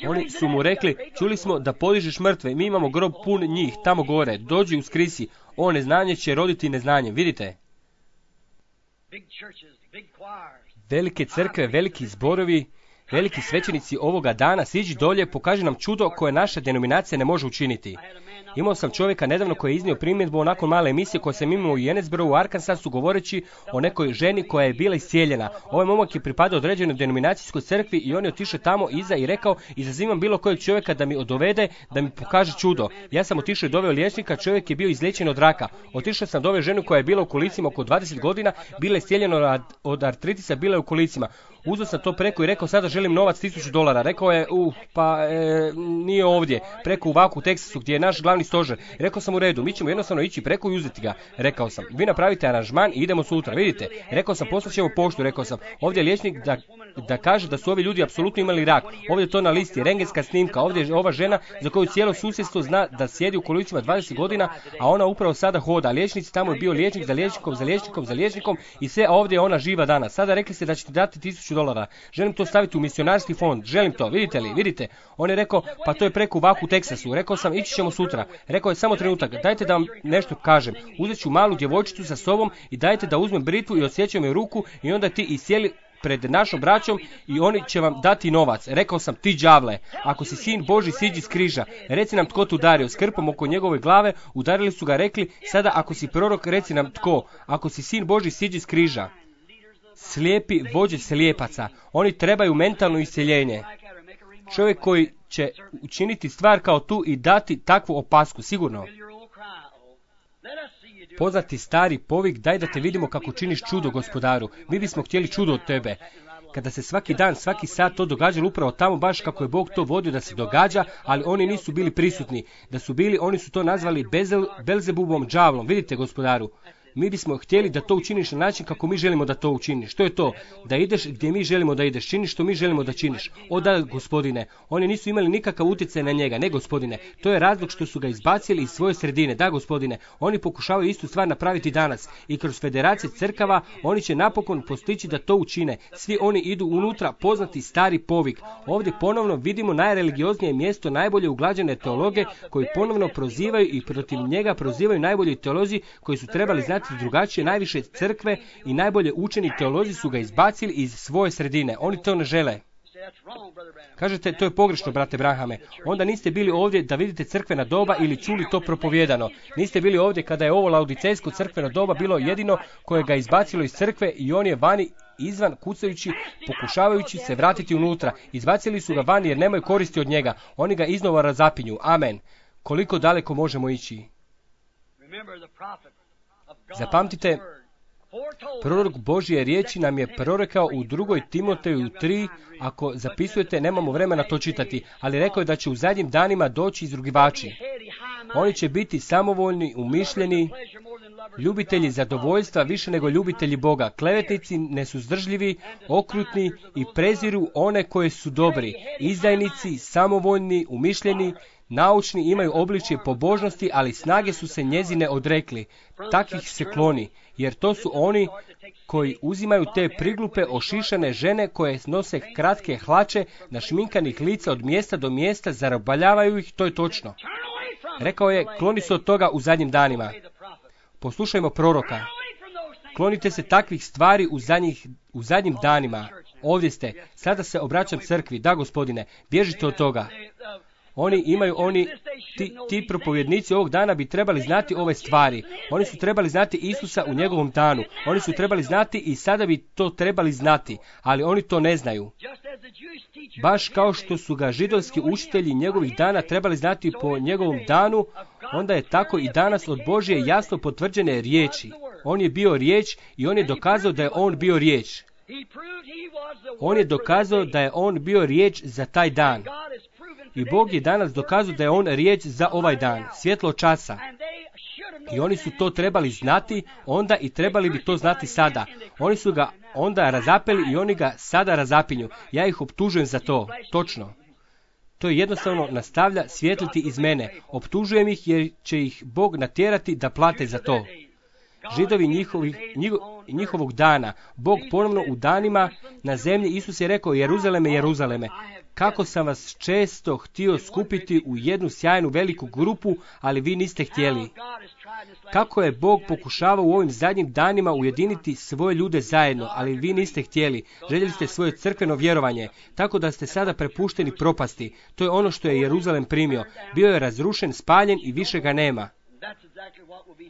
Oni su mu rekli, čuli smo da podižeš mrtve, mi imamo grob pun njih, tamo gore, dođi uskrisi. O, neznanje će roditi neznanje, vidite? Velike crkve, veliki zborovi, veliki svećenici ovoga dana, siđi dolje, pokaži nam čudo koje naša denominacija ne može učiniti. Imao sam čovjeka nedavno koji je iznio primjedbu nakon male emisije koje sam imao u Jenesboroughu u Arkansasu govoreći o nekoj ženi koja je bila iscijeljena. Ovaj momak je pripadao određenoj denominacijskoj crkvi i on je otišao tamo iza i rekao, izazivam bilo kojeg čovjeka da mi dovede, da mi pokaže čudo. Ja sam otišao i doveo liječnika, čovjek je bio izliječen od raka. Otišao sam doveo ženu koja je bila u kolicima oko dvadeset godina, bila je iscijeljena od artritisa, bila je u kolicima. Uzeo sam to preko i rekao, sada želim novac tisuću dolara. Rekao je, uh, pa e, nije ovdje, preko u Vaku, u Teksasu, gdje je naš glavni stožer. Rekao sam u redu, mi ćemo jednostavno ići preko i uzeti ga. Rekao sam, vi napravite aranžman i idemo sutra, vidite. Rekao sam, poslaćemo poštu, rekao sam, ovdje je liječnik da, da kaže da su ovi ljudi apsolutno imali rak. Ovdje je to na listi, rentgenska snimka, ovdje je ova žena za koju cijelo susjedstvo zna da sjedi u kolicima dvadeset godina, a ona upravo sada hoda. Liječnici, tamo je bio liječnik za liječnikom, za liječnikom, za liječnikom i sve, a ovdje je ona živa danas. Sada rekli ste da ćete dati tisuću dolara. Želim to staviti u misionarski fond. Želim to. Vidite li? Vidite? On je rekao, pa to je preko u Vaku, u Teksasu. Rekao sam, ići ćemo sutra. Rekao je, samo trenutak, dajte da vam nešto kažem. Uzet ću malu djevojčicu sa sobom i dajte da uzmem britvu i odsjećam joj ruku i onda ti i sjeli pred našom braćom i oni će vam dati novac. Rekao sam, ti đavle, ako si sin Boži, siđi s križa. Reci nam tko te udario. S krpom oko njegove glave udarili su ga, rekli, sada ako si prorok, reci nam tko. Ako si sin Boži, siđi s križa. Slijepi vođe slijepaca. Oni trebaju mentalno isceljenje. Čovjek koji će učiniti stvar kao tu i dati takvu opasku, sigurno. Poznati stari povik, daj da te vidimo kako činiš čudo, Gospodaru. Mi bismo htjeli čudo od tebe. Kada se svaki dan, svaki sat to događalo upravo tamo baš kako je Bog to vodio da se događa, ali oni nisu bili prisutni. Da su bili, oni su to nazvali Bezel, Belzebubom, đavlom. Vidite, Gospodaru. Mi bismo htjeli da to učiniš na način kako mi želimo da to učiniš. Što je to? Da ideš gdje mi želimo da ideš. Činiš što mi želimo da činiš. O da, Gospodine, oni nisu imali nikakav utjecaj na njega. Ne, Gospodine. To je razlog što su ga izbacili iz svoje sredine. Da, Gospodine, oni pokušavaju istu stvar napraviti danas. I kroz federacije crkava oni će napokon postići da to učine. Svi oni idu unutra, poznati stari povik. Ovdje ponovno vidimo najreligioznije mjesto najbolje uglađene teologe koji ponovno prozivaju i protiv njega prozivaju najbolji teolozi koji su trebali znati drugačije. Najviše crkve i najbolje učeni teolozi su ga izbacili iz svoje sredine. Oni to ne žele. Kažete, to je pogrešno, brate Branhame. Onda niste bili ovdje da vidite crkvena doba ili čuli to propovjedano. Niste bili ovdje kada je ovo laodicejsko crkveno doba bilo jedino koje ga izbacilo iz crkve i on je vani izvan kucajući, pokušavajući se vratiti unutra. Izbacili su ga vani jer nemaju koristi od njega. Oni ga iznova razapinju. Amen. Koliko daleko možemo ići? Zapamtite, prorok Božje riječi nam je prorekao u drugoj Timoteju tri, ako zapisujete, nemamo vremena to čitati, ali rekao je da će u zadnjim danima doći izrugivači. Oni će biti samovoljni, umišljeni, ljubitelji zadovoljstva više nego ljubitelji Boga, klevetnici, nesuzdržljivi, okrutni i preziru one koje su dobri, izdajnici, samovoljni, umišljeni, naučni, imaju obličje pobožnosti, ali snage su se njezine odrekli. Takvih se kloni, jer to su oni koji uzimaju te priglupe ošišane žene koje nose kratke hlače našminkanih lica od mjesta do mjesta, zarobaljavaju ih, to je točno. Rekao je, kloni se od toga u zadnjim danima. Poslušajmo proroka. Klonite se takvih stvari u, zadnjih, u zadnjim danima. Ovdje ste. Sada se obraćam crkvi. Da, Gospodine, bježite od toga. Oni imaju, oni, ti, ti propovjednici ovog dana bi trebali znati ove stvari. Oni su trebali znati Isusa u njegovom danu. Oni su trebali znati i sada bi to trebali znati, ali oni to ne znaju. Baš kao što su ga židovski učitelji njegovih dana trebali znati po njegovom danu, onda je tako i danas od Božje jasno potvrđene riječi. On je bio riječ i on je dokazao da je on bio riječ. On je dokazao da je on bio riječ za taj dan. I Bog je danas dokazao da je on riječ za ovaj dan, svjetlo časa. I oni su to trebali znati onda i trebali bi to znati sada. Oni su ga onda razapeli i oni ga sada razapinju. Ja ih optužujem za to, točno. To je jednostavno nastavlja svijetliti iz mene. Optužujem ih jer će ih Bog natjerati da plate za to. Židovi njihovih, njiho, njihovog dana, Bog ponovno u danima na zemlji, Isus je rekao, Jeruzaleme, Jeruzaleme, kako sam vas često htio skupiti u jednu sjajnu veliku grupu, ali vi niste htjeli. Kako je Bog pokušavao u ovim zadnjim danima ujediniti svoje ljude zajedno, ali vi niste htjeli. Željeli ste svoje crkveno vjerovanje, tako da ste sada prepušteni propasti. To je ono što je Jeruzalem primio. Bio je razrušen, spaljen i više ga nema.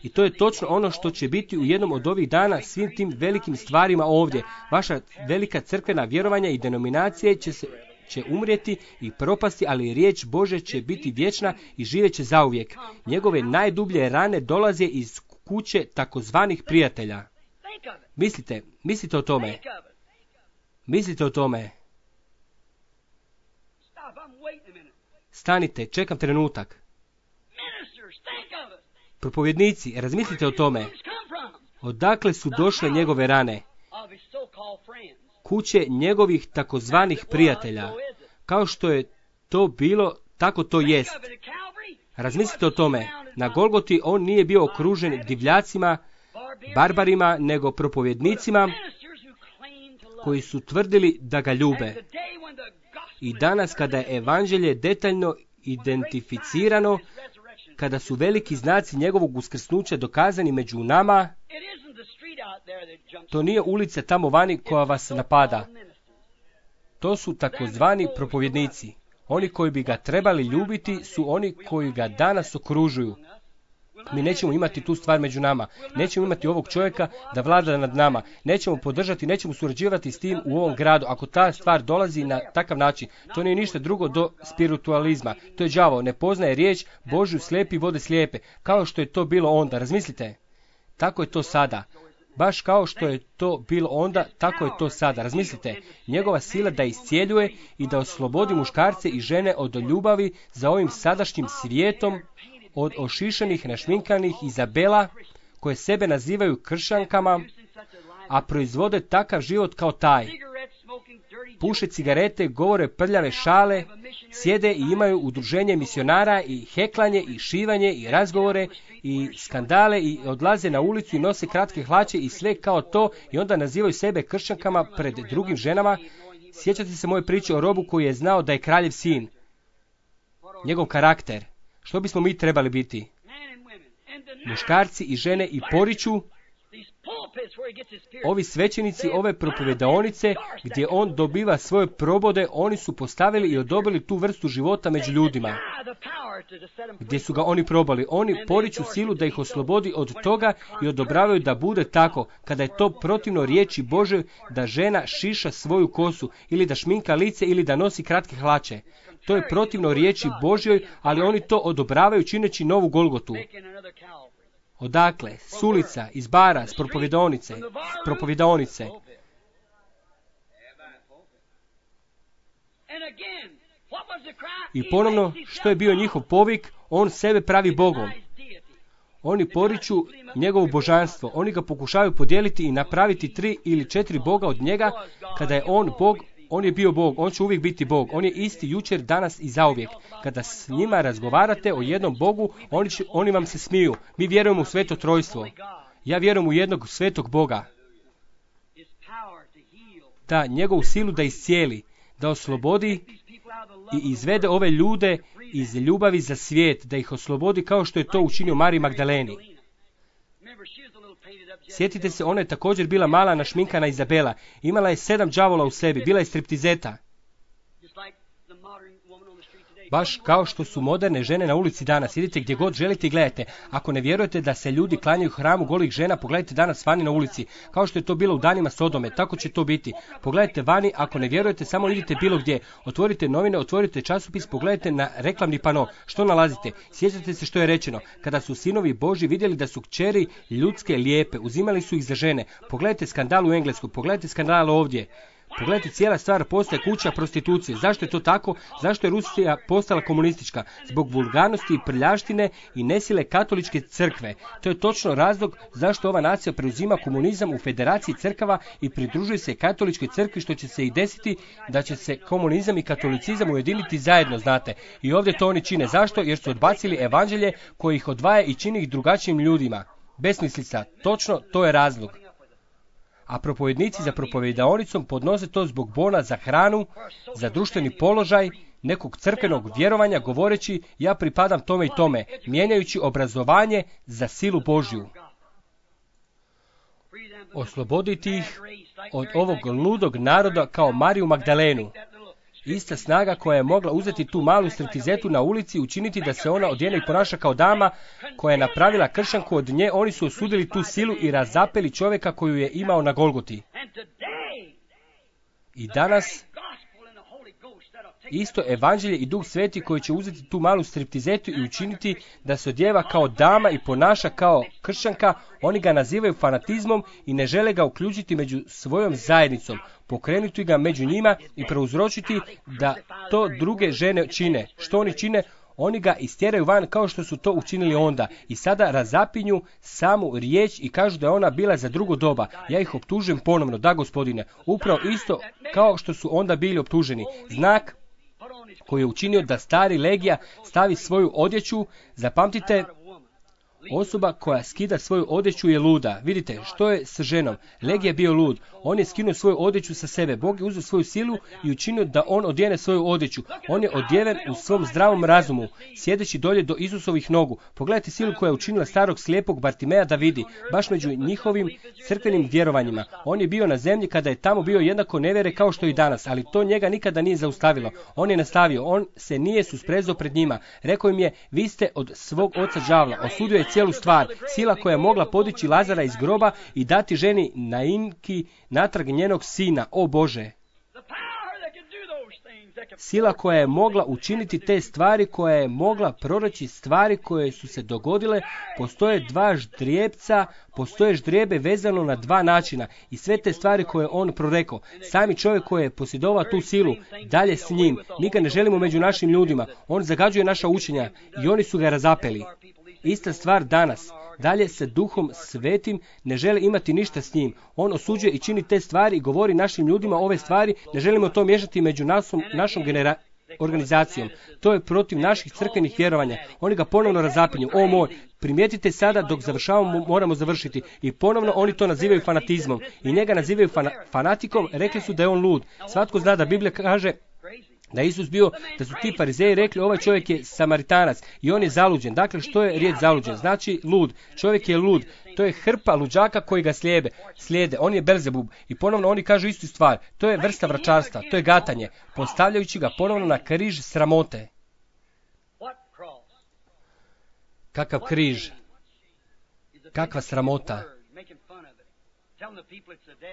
I to je točno ono što će biti u jednom od ovih dana svim tim velikim stvarima ovdje. Vaša velika crkvena vjerovanja i denominacije će se će umrijeti i propasti, ali riječ Bože će biti vječna i živeće zauvijek. Njegove najdublje rane dolaze iz kuće takozvanih prijatelja. Mislite, mislite o tome. Mislite o tome. Stanite, čekam trenutak. Propovjednici, razmislite o tome. Odakle su došle njegove rane? Kuće njegovih takozvanih prijatelja. Kao što je to bilo, tako to jest. Razmislite o tome. Na Golgoti on nije bio okružen divljacima, barbarima, nego propovjednicima koji su tvrdili da ga ljube. I danas kada je evanđelje detaljno identificirano, kada su veliki znaci njegovog uskrsnuća dokazani među nama, to nije ulica tamo vani koja vas napada. To su takozvani propovjednici. Oni koji bi ga trebali ljubiti su oni koji ga danas okružuju. Mi nećemo imati tu stvar među nama. Nećemo imati ovog čovjeka da vlada nad nama. Nećemo podržati, nećemo surađivati s tim u ovom gradu. Ako ta stvar dolazi na takav način, to nije ništa drugo do spiritualizma. To je đavo, ne poznaje riječ Božju, slijepi vode slijepe. Kao što je to bilo onda. Razmislite. Tako je to sada. Baš kao što je to bilo onda, tako je to sada. Razmislite, njegova sila da iscijeljuje i da oslobodi muškarce i žene od ljubavi za ovim sadašnjim svijetom, od ošišanih, našminkanih Izabela, koje sebe nazivaju kršćankama, a proizvode takav život kao taj. Puše cigarete, govore prljave šale, sjede i imaju udruženje misionara i heklanje i šivanje i razgovore i skandale i odlaze na ulicu i nose kratke hlače i sve kao to i onda nazivaju sebe kršćankama pred drugim ženama. Sjećate se moje priče o robu koji je znao da je kraljev sin. Njegov karakter. Što bismo mi trebali biti? Muškarci i žene i poriču. Ovi svećenici, ove propovedaonice, gdje on dobiva svoje probode, oni su postavili i odobili tu vrstu života među ljudima. Gdje su ga oni probali. Oni poriču silu da ih oslobodi od toga i odobravaju da bude tako, kada je to protivno riječi Bože da žena šiša svoju kosu, ili da šminka lice, ili da nosi kratke hlače. To je protivno riječi Božjoj, ali oni to odobravaju čineći novu Golgotu. Odakle? S ulica, iz bara, s propovedonice, s propovedonice. I ponovno, što je bio njihov povik, on sebe pravi Bogom. Oni poriču njegovo božanstvo, oni ga pokušavaju podijeliti i napraviti tri ili četiri Boga od njega, kada je on Bog. On je bio Bog, on će uvijek biti Bog. On je isti jučer, danas i zauvijek. Kada s njima razgovarate o jednom Bogu, oni, će, oni vam se smiju. Mi vjerujemo u sveto trojstvo. Ja vjerujem u jednog svetog Boga. Da, njegovu silu da iscijeli, da oslobodi i izvede ove ljude iz ljubavi za svijet, da ih oslobodi kao što je to učinio Mariji Magdaleni. Sjetite se, ona je također bila mala našminkana Izabela. Imala je sedam đavola u sebi, bila je striptizeta. baš kao što su moderne žene na ulici danas. Idite gdje god želite i gledajte. Ako ne vjerujete da se ljudi klanjaju hramu golih žena, pogledajte danas vani na ulici. Kao što je to bilo u danima Sodome, tako će to biti. Pogledajte vani, ako ne vjerujete, samo idite bilo gdje. Otvorite novine, otvorite časopis, pogledajte na reklamni pano. Što nalazite? Sjećate se što je rečeno. Kada su sinovi Božji vidjeli da su kćeri ljudske lijepe, uzimali su ih za žene. Pogledajte skandal u Englesku, pogledajte skandal ovdje. Pogledajte, cijela stvar postaje kuća prostitucije. Zašto je to tako? Zašto je Rusija postala komunistička? Zbog vulgarnosti i prljaštine i nesile katoličke crkve. To je točno razlog zašto ova nacija preuzima komunizam u federaciji crkava i pridružuje se katoličkoj crkvi, što će se i desiti da će se komunizam i katolicizam ujediniti zajedno, znate. I ovdje to oni čine. Zašto? Jer su odbacili evanđelje koje ih odvaja i čini ih drugačijim ljudima. Besmislica. Točno, to je razlog. A propovednici za propovedaonicom podnose to zbog bona za hranu, za društveni položaj, nekog crkvenog vjerovanja, govoreći ja pripadam tome i tome, mijenjajući obrazovanje za silu Božju. Osloboditi ih od ovog ludog naroda kao Mariju Magdalenu. Ista snaga koja je mogla uzeti tu malu striptizetu na ulici, učiniti da se ona odjene i ponaša kao dama koja je napravila kršanku od nje, oni su osudili tu silu i razapeli čovjeka koju je imao na Golgoti. I danas isto evanđelje i Duh Sveti koji će uzeti tu malu striptizetu i učiniti da se odjeva kao dama i ponaša kao kršćanka, oni ga nazivaju fanatizmom i ne žele ga uključiti među svojom zajednicom, pokrenuti ga među njima i prouzročiti da to druge žene čine. Što oni čine? Oni ga istjeraju van kao što su to učinili onda i sada razapinju samu riječ i kažu da je ona bila za drugo doba. Ja ih optužujem ponovno, da gospodine, upravo isto kao što su onda bili optuženi. Znak koji je učinio da stari Legija stavi svoju odjeću, zapamtite, osoba koja skida svoju odjeću je luda. Vidite, što je s ženom? Legija je bio lud. On je skinuo svoju odjeću sa sebe. Bog je uzeo svoju silu i učinio da on odjene svoju odjeću. On je odjeven u svom zdravom razumu, sjedeći dolje do Isusovih nogu. Pogledajte silu koja je učinila starog slijepog Bartimeja da vidi, baš među njihovim crkvenim vjerovanjima. On je bio na zemlji kada je tamo bio jednako nevjere kao što i danas, ali to njega nikada nije zaustavilo. On je nastavio, on se nije susprezao pred njima. Rekao im je, vi ste od svog oca đavla. Osudio je cijelu stvar, sila koja je mogla podići Lazara iz groba i dati ženi Nainki natrag njenog sina. O Bože! Sila koja je mogla učiniti te stvari, koja je mogla proreći stvari koje su se dogodile. Postoje dva ždrijebca, postoje ždrijebe vezano na dva načina i sve te stvari koje on prorekao. Sami čovjek koji je posjedovao tu silu, dalje s njim. Mi ga ne želimo među našim ljudima. On zagađuje naša učenja i oni su ga razapeli. Ista stvar danas. Dalje se Duhom Svetim ne žele imati ništa s njim. On osuđuje i čini te stvari i govori našim ljudima ove stvari. Ne želimo to miješati među nasom, našom genera- organizacijom. To je protiv naših crkvenih vjerovanja. Oni ga ponovno razapinju. O moj, primijetite sada dok završavamo, moramo završiti. I ponovno oni to nazivaju fanatizmom. I njega nazivaju fana- fanatikom. Rekli su da je on lud. Svatko zna da Biblija kaže da je Isus bio, da su ti farizeji rekli ovaj čovjek je Samaritanac i on je zaluđen. Dakle, što je riječ zaluđen? Znači lud. Čovjek je lud. To je hrpa luđaka koji ga slijede. slijede. On je Belzebub. I ponovno oni kažu istu stvar. To je vrsta vračarstva. To je gatanje. Postavljajući ga ponovno na križ sramote. Kakav križ? Kakva sramota?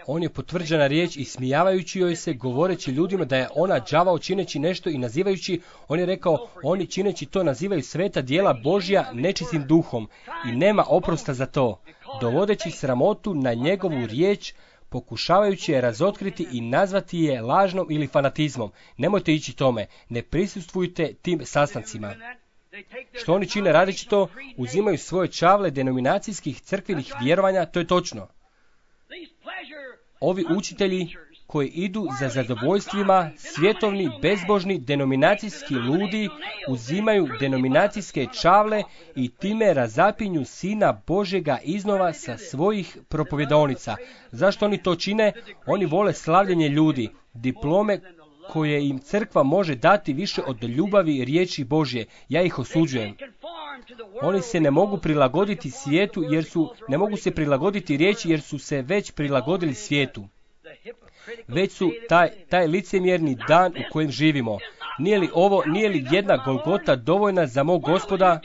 On je potvrđena riječ i smijavajući joj se, govoreći ljudima da je ona đavao čineći nešto i nazivajući, on je rekao, oni čineći to nazivaju sveta djela Božja nečistim duhom i nema oprosta za to, dovodeći sramotu na njegovu riječ, pokušavajući je razotkriti i nazvati je lažnom ili fanatizmom. Nemojte ići tome, ne prisustvujte tim sastancima. Što oni čine radeći to? Uzimaju svoje čavle denominacijskih crkvenih vjerovanja, to je točno. Ovi učitelji koji idu za zadovoljstvima, svjetovni, bezbožni, denominacijski ludi, uzimaju denominacijske čavle i time razapinju Sina Božjega iznova sa svojih propovjedaonica. Zašto oni to čine? Oni vole slavljenje ljudi, diplome koje im crkva može dati više od ljubavi riječi Božje. Ja ih osuđujem. Oni se ne mogu prilagoditi svijetu jer su, ne mogu se prilagoditi riječi jer su se već prilagodili svijetu. već su taj, taj licemjerni dan u kojem živimo. Nije li ovo, nije li jedna Golgota dovoljna za mog Gospoda?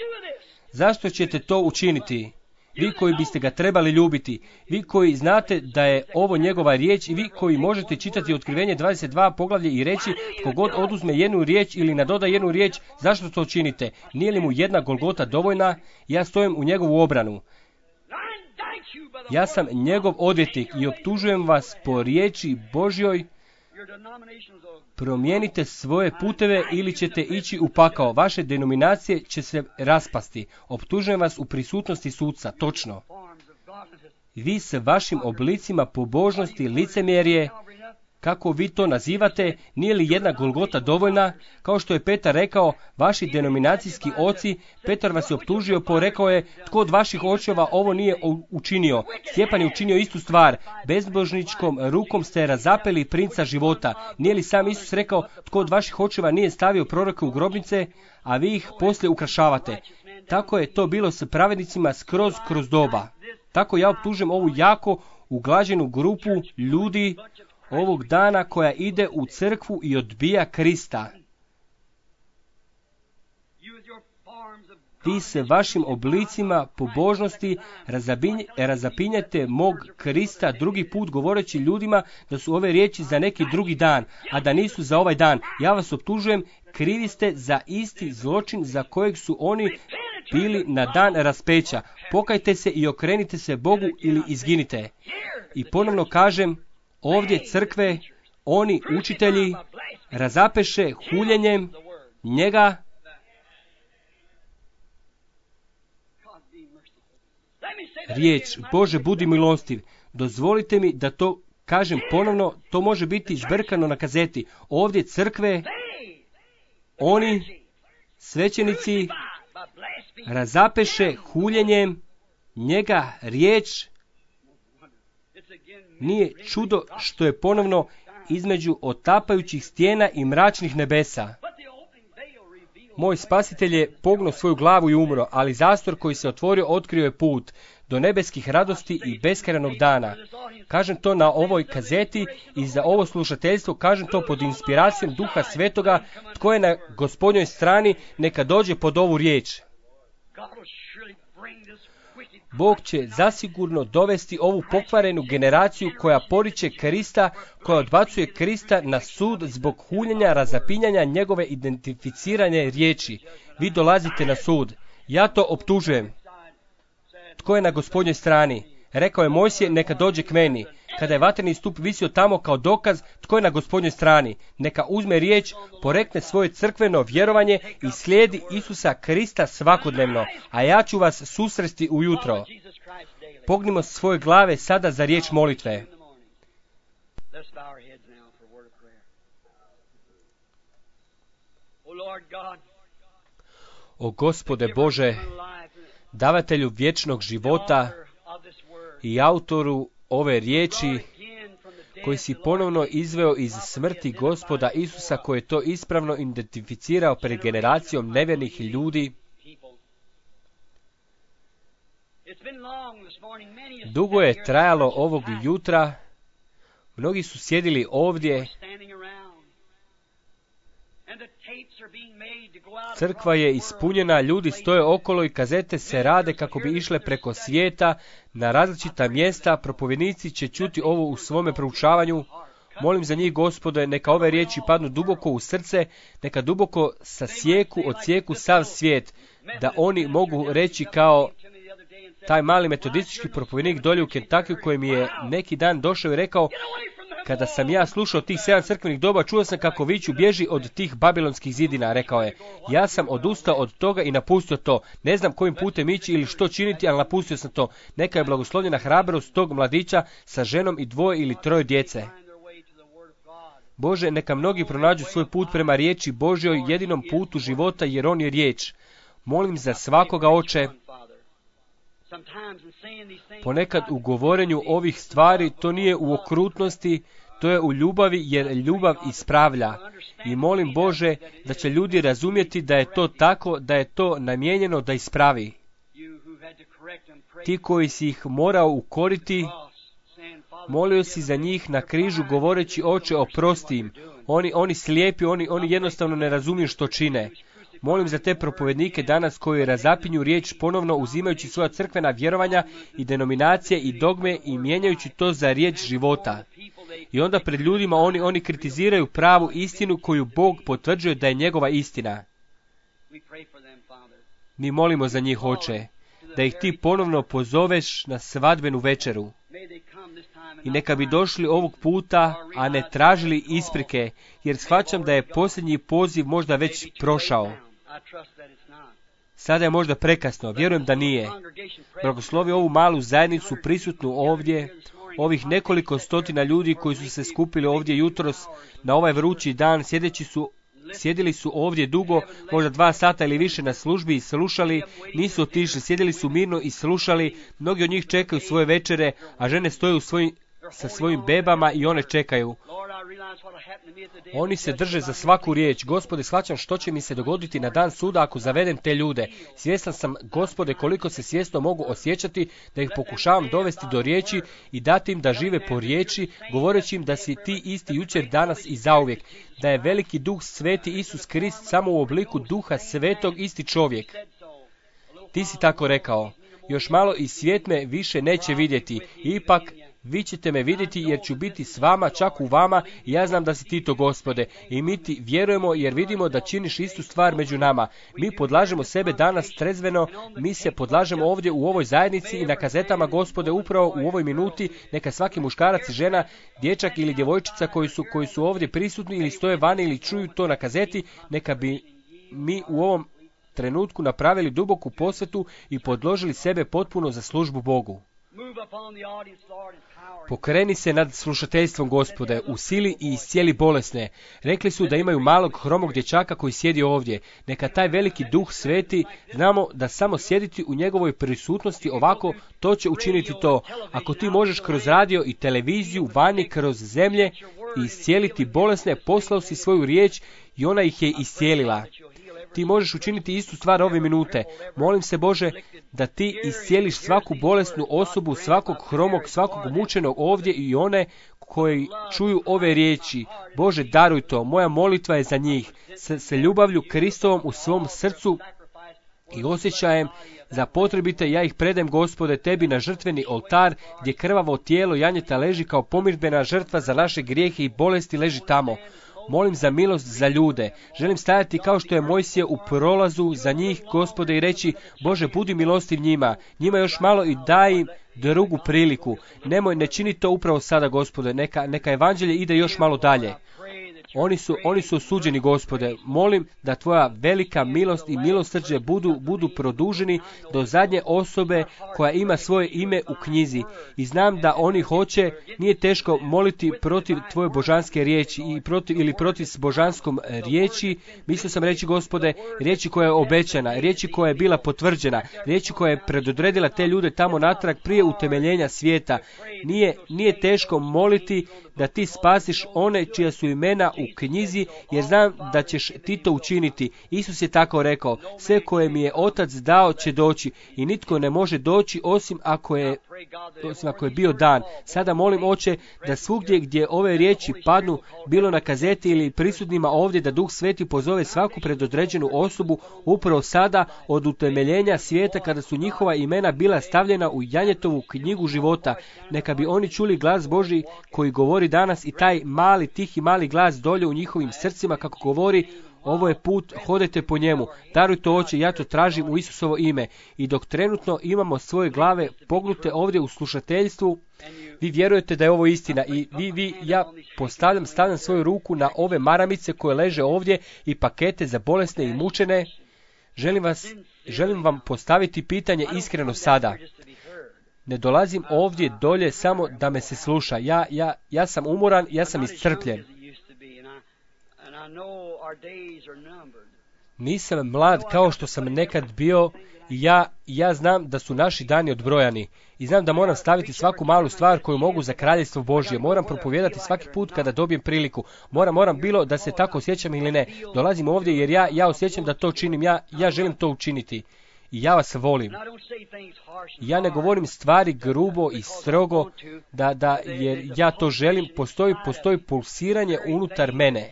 Zašto ćete to učiniti? Vi koji biste ga trebali ljubiti, vi koji znate da je ovo njegova riječ i vi koji možete čitati Otkrivenje dvadeset dva poglavlje i reći tko god oduzme jednu riječ ili nadoda jednu riječ, zašto to činite? Nije li mu jedna Golgota dovoljna? Ja stojim u njegovu obranu. Ja sam njegov odvjetnik i optužujem vas po riječi Božjoj. Promijenite svoje puteve ili ćete ići u pakao. Vaše denominacije će se raspasti. Optužujem vas u prisutnosti suca, točno. Vi s vašim oblicima pobožnosti, licemjerje, kako vi to nazivate, nije li jedna Golgota dovoljna? Kao što je Petar rekao, vaši denominacijski oci, Petar vas je optužio, po rekao je, tko od vaših očeva ovo nije učinio? Stjepan je učinio istu stvar, bezbožničkom rukom ste razapeli princa života. Nije li sam Isus rekao, tko od vaših očeva nije stavio proroke u grobnice, a vi ih poslije ukrašavate? Tako je to bilo s pravednicima skroz kroz doba. Tako ja optužujem ovu jako uglađenu grupu ljudi ovog dana koja ide u crkvu i odbija Krista. Vi se vašim oblicima pobožnosti razabinj, razapinjete mog Krista drugi put govoreći ljudima da su ove riječi za neki drugi dan, a da nisu za ovaj dan. Ja vas optužujem, krivi ste za isti zločin za kojeg su oni bili na dan raspeća. Pokajte se i okrenite se Bogu ili izginite. I ponovno kažem, ovdje crkve, oni učitelji, razapeše huljenjem njega. Riječ, Bože, budi milostiv. Dozvolite mi da to kažem ponovno, to može biti zbrkano na kazeti. Ovdje crkve, oni, svećenici, razapeše huljenjem njega riječ. Nije čudo što je ponovno između otapajućih stijena i mračnih nebesa. Moj spasitelj je pognuo svoju glavu i umro, ali zastor koji se otvorio otkrio je put do nebeskih radosti i beskrajnog dana. Kažem to na ovoj kazeti i za ovo slušateljstvo kažem to pod inspiracijom Duha Svetoga. Tko je na Gospodnjoj strani, neka dođe pod ovu riječ. Bog će zasigurno dovesti ovu pokvarenu generaciju koja poriče Krista, koja odbacuje Krista na sud zbog huljenja, razapinjanja njegove identificirane riječi. Vi dolazite na sud. Ja to optužujem. Tko je na Gospodnjoj strani? Rekao je Mojsije, neka dođe k meni. Kada je vatreni stup visio tamo kao dokaz, tko je na Gospodnjoj strani? Neka uzme riječ, porekne svoje crkveno vjerovanje i slijedi Isusa Krista svakodnevno, a ja ću vas susresti ujutro. Pognimo svoje glave sada za riječ molitve. O Gospode Bože, davatelju vječnog života i autoru ove riječi, koji si ponovno izveo iz smrti Gospoda Isusa, koji je to ispravno identificirao pred generacijom nevjernih ljudi. Dugo je trajalo ovog jutra, mnogi su sjedili ovdje, crkva je ispunjena, ljudi stoje okolo i kazete se rade kako bi išle preko svijeta na različita mjesta, propovjednici će čuti ovo u svome proučavanju. Molim za njih, Gospode, neka ove riječi padnu duboko u srce, neka duboko sasjeku, odsjeku sav svijet, da oni mogu reći kao taj mali metodistički propovjednik dolje u Kentuckyu koji mi je neki dan došao i rekao, kada sam ja slušao tih sedam crkvenih doba, čuo sam kako viču bježi od tih babilonskih zidina, rekao je. Ja sam odustao od toga i napustio to. Ne znam kojim putem ići ili što činiti, ali napustio sam to. Neka je blagoslovljena hrabrost tog mladića sa ženom i dvoje ili troje djece. Bože, neka mnogi pronađu svoj put prema riječi Božjoj, jedinom putu života, jer on je riječ. Molim za svakoga, Oče. Ponekad u govorenju ovih stvari to nije u okrutnosti, to je u ljubavi, jer ljubav ispravlja. I molim, Bože, da će ljudi razumjeti da je to tako, da je to namijenjeno da ispravi. Ti koji si ih morao ukoriti, Molio si za njih na križu govoreći, Oče, oprosti im. Oni, oni slijepi, oni, oni jednostavno ne razumiju što čine. Molim za te propovednike danas koji razapinju riječ ponovno uzimajući svoja crkvena vjerovanja i denominacije i dogme i mijenjajući to za riječ života. I onda pred ljudima oni, oni kritiziraju pravu istinu koju Bog potvrđuje da je njegova istina. Mi molimo za njih, Oče, da ih ti ponovno pozoveš na svadbenu večeru. I neka bi došli ovog puta, a ne tražili isprike, jer shvaćam da je posljednji poziv možda već prošao. Sada je možda prekasno, vjerujem da nije. Blagoslovi ovu malu zajednicu prisutnu ovdje, ovih nekoliko stotina ljudi koji su se skupili ovdje jutros na ovaj vrući dan, sjedeći su Sjedili su ovdje dugo, možda dva sata ili više na službi i slušali, nisu otišli, sjedili su mirno i slušali, mnogi od njih čekaju svoje večere, a žene stoje u svojim, sa svojim bebama i one čekaju. Oni se drže za svaku riječ. Gospode, shvaćam što će mi se dogoditi na dan suda ako zavedem te ljude. Svjestan sam, Gospode, koliko se svjesno mogu osjećati da ih pokušavam dovesti do riječi i dati im da žive po riječi, govoreći im da si ti isti jučer, danas i zauvijek. Da je veliki duh sveti Isus Krist samo u obliku duha svetog isti čovjek. Ti si tako rekao. Još malo i svijet me više neće vidjeti. Ipak, vi ćete me vidjeti jer ću biti s vama, čak u vama, i ja znam da si ti to, Gospode. I mi ti vjerujemo jer vidimo da činiš istu stvar među nama. Mi podlažemo sebe danas trezveno, mi se podlažemo ovdje u ovoj zajednici i na kazetama, Gospode, upravo u ovoj minuti, neka svaki muškarac i žena, dječak ili djevojčica koji su, koji su ovdje prisutni ili stoje vani ili čuju to na kazeti, neka bi mi u ovom trenutku napravili duboku posvetu i podložili sebe potpuno za službu Bogu. Pokreni se nad slušateljstvom, Gospode, u sili i iscijeli bolesne. Rekli su da imaju malog hromog dječaka koji sjedi ovdje. Neka taj veliki duh sveti, znamo da samo sjediti u njegovoj prisutnosti ovako, to će učiniti to. Ako ti možeš kroz radio i televiziju, vani, kroz zemlje i iscijeliti bolesne, poslao si svoju riječ i ona ih je iscijelila. Ti možeš učiniti istu stvar ove minute. Molim se, Bože, da ti iscijeliš svaku bolesnu osobu, svakog hromog, svakog mučenog ovdje i one koji čuju ove riječi. Bože, daruj to. Moja molitva je za njih. S, s ljubavlju Kristovom u svom srcu i osjećajem za potrebite, ja ih predajem, Gospode, tebi na žrtveni oltar, gdje krvavo tijelo janjeta leži kao pomirbena žrtva za naše grijehe i bolesti leži tamo. Molim za milost za ljude. Želim stajati kao što je Mojsije u prolazu za njih, Gospode, i reći, Bože, budi milostiv njima. Njima još malo i daj im drugu priliku. Nemoj, ne čini to upravo sada, Gospode. Neka, neka evanđelje ide još malo dalje. Oni su, oni su osuđeni, Gospode. Molim da tvoja velika milost i milosrđe budu, budu produženi do zadnje osobe koja ima svoje ime u knjizi. I znam da oni hoće, nije teško moliti protiv tvoje božanske riječi i protiv, ili protiv s božanskom riječi. Mislio sam reći, Gospode, riječi koja je obećana, riječi koja je bila potvrđena, riječi koja je predodredila te ljude tamo natrag prije utemeljenja svijeta. Nije, nije teško moliti da ti spasiš one čija su imena u knjizi, jer znam da ćeš ti to učiniti. Isus je tako rekao, sve koje mi je Otac dao će doći i nitko ne može doći osim ako je, osim ako je bio dan. Sada molim, Oče, da svugdje gdje ove riječi padnu, bilo na kazeti ili prisutnima ovdje, da Duh Sveti pozove svaku predodređenu osobu upravo sada od utemeljenja svijeta kada su njihova imena bila stavljena u Janjetovu knjigu života. Neka bi oni čuli glas Božji koji govori danas i taj mali, tihi mali glas dolje u njihovim srcima kako govori, ovo je put, hodajte po njemu. Daruj to, Oče, ja to tražim u Isusovo ime. I dok trenutno imamo svoje glave pognute ovdje u slušateljstvu, vi vjerujete da je ovo istina i vi, vi, ja postavljam, stavljam svoju ruku na ove maramice koje leže ovdje i pakete za bolesne i mučene. Želim vas, želim vam postaviti pitanje iskreno sada. Ne dolazim ovdje dolje samo da me se sluša. Ja, ja, ja sam umoran, ja sam iscrpljen. Nisam mlad kao što sam nekad bio i ja, ja znam da su naši dani odbrojani. I znam da moram staviti svaku malu stvar koju mogu za kraljevstvo Božje. Moram propovijedati svaki put kada dobijem priliku. Moram, moram bilo da se tako osjećam ili ne. Dolazim ovdje jer ja, ja osjećam da to činim. Ja, ja želim to učiniti. i ja vas volim. Ja ne govorim stvari grubo i strogo, da, da, jer ja to želim, postoji, postoji pulsiranje unutar mene.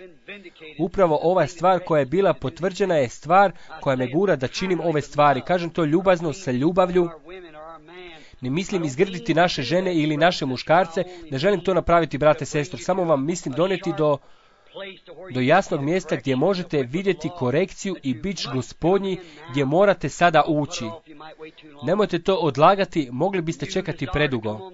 Upravo ova stvar koja je bila potvrđena je stvar koja me gura da činim ove stvari. Kažem to ljubazno, sa ljubavlju. Ne mislim izgrditi naše žene ili naše muškarce, ne želim to napraviti, brate, sestro. Samo vam mislim donijeti do, do jasnog mjesta gdje možete vidjeti korekciju i bič Gospodnji, gdje morate sada ući. Nemojte to odlagati, mogli biste čekati predugo.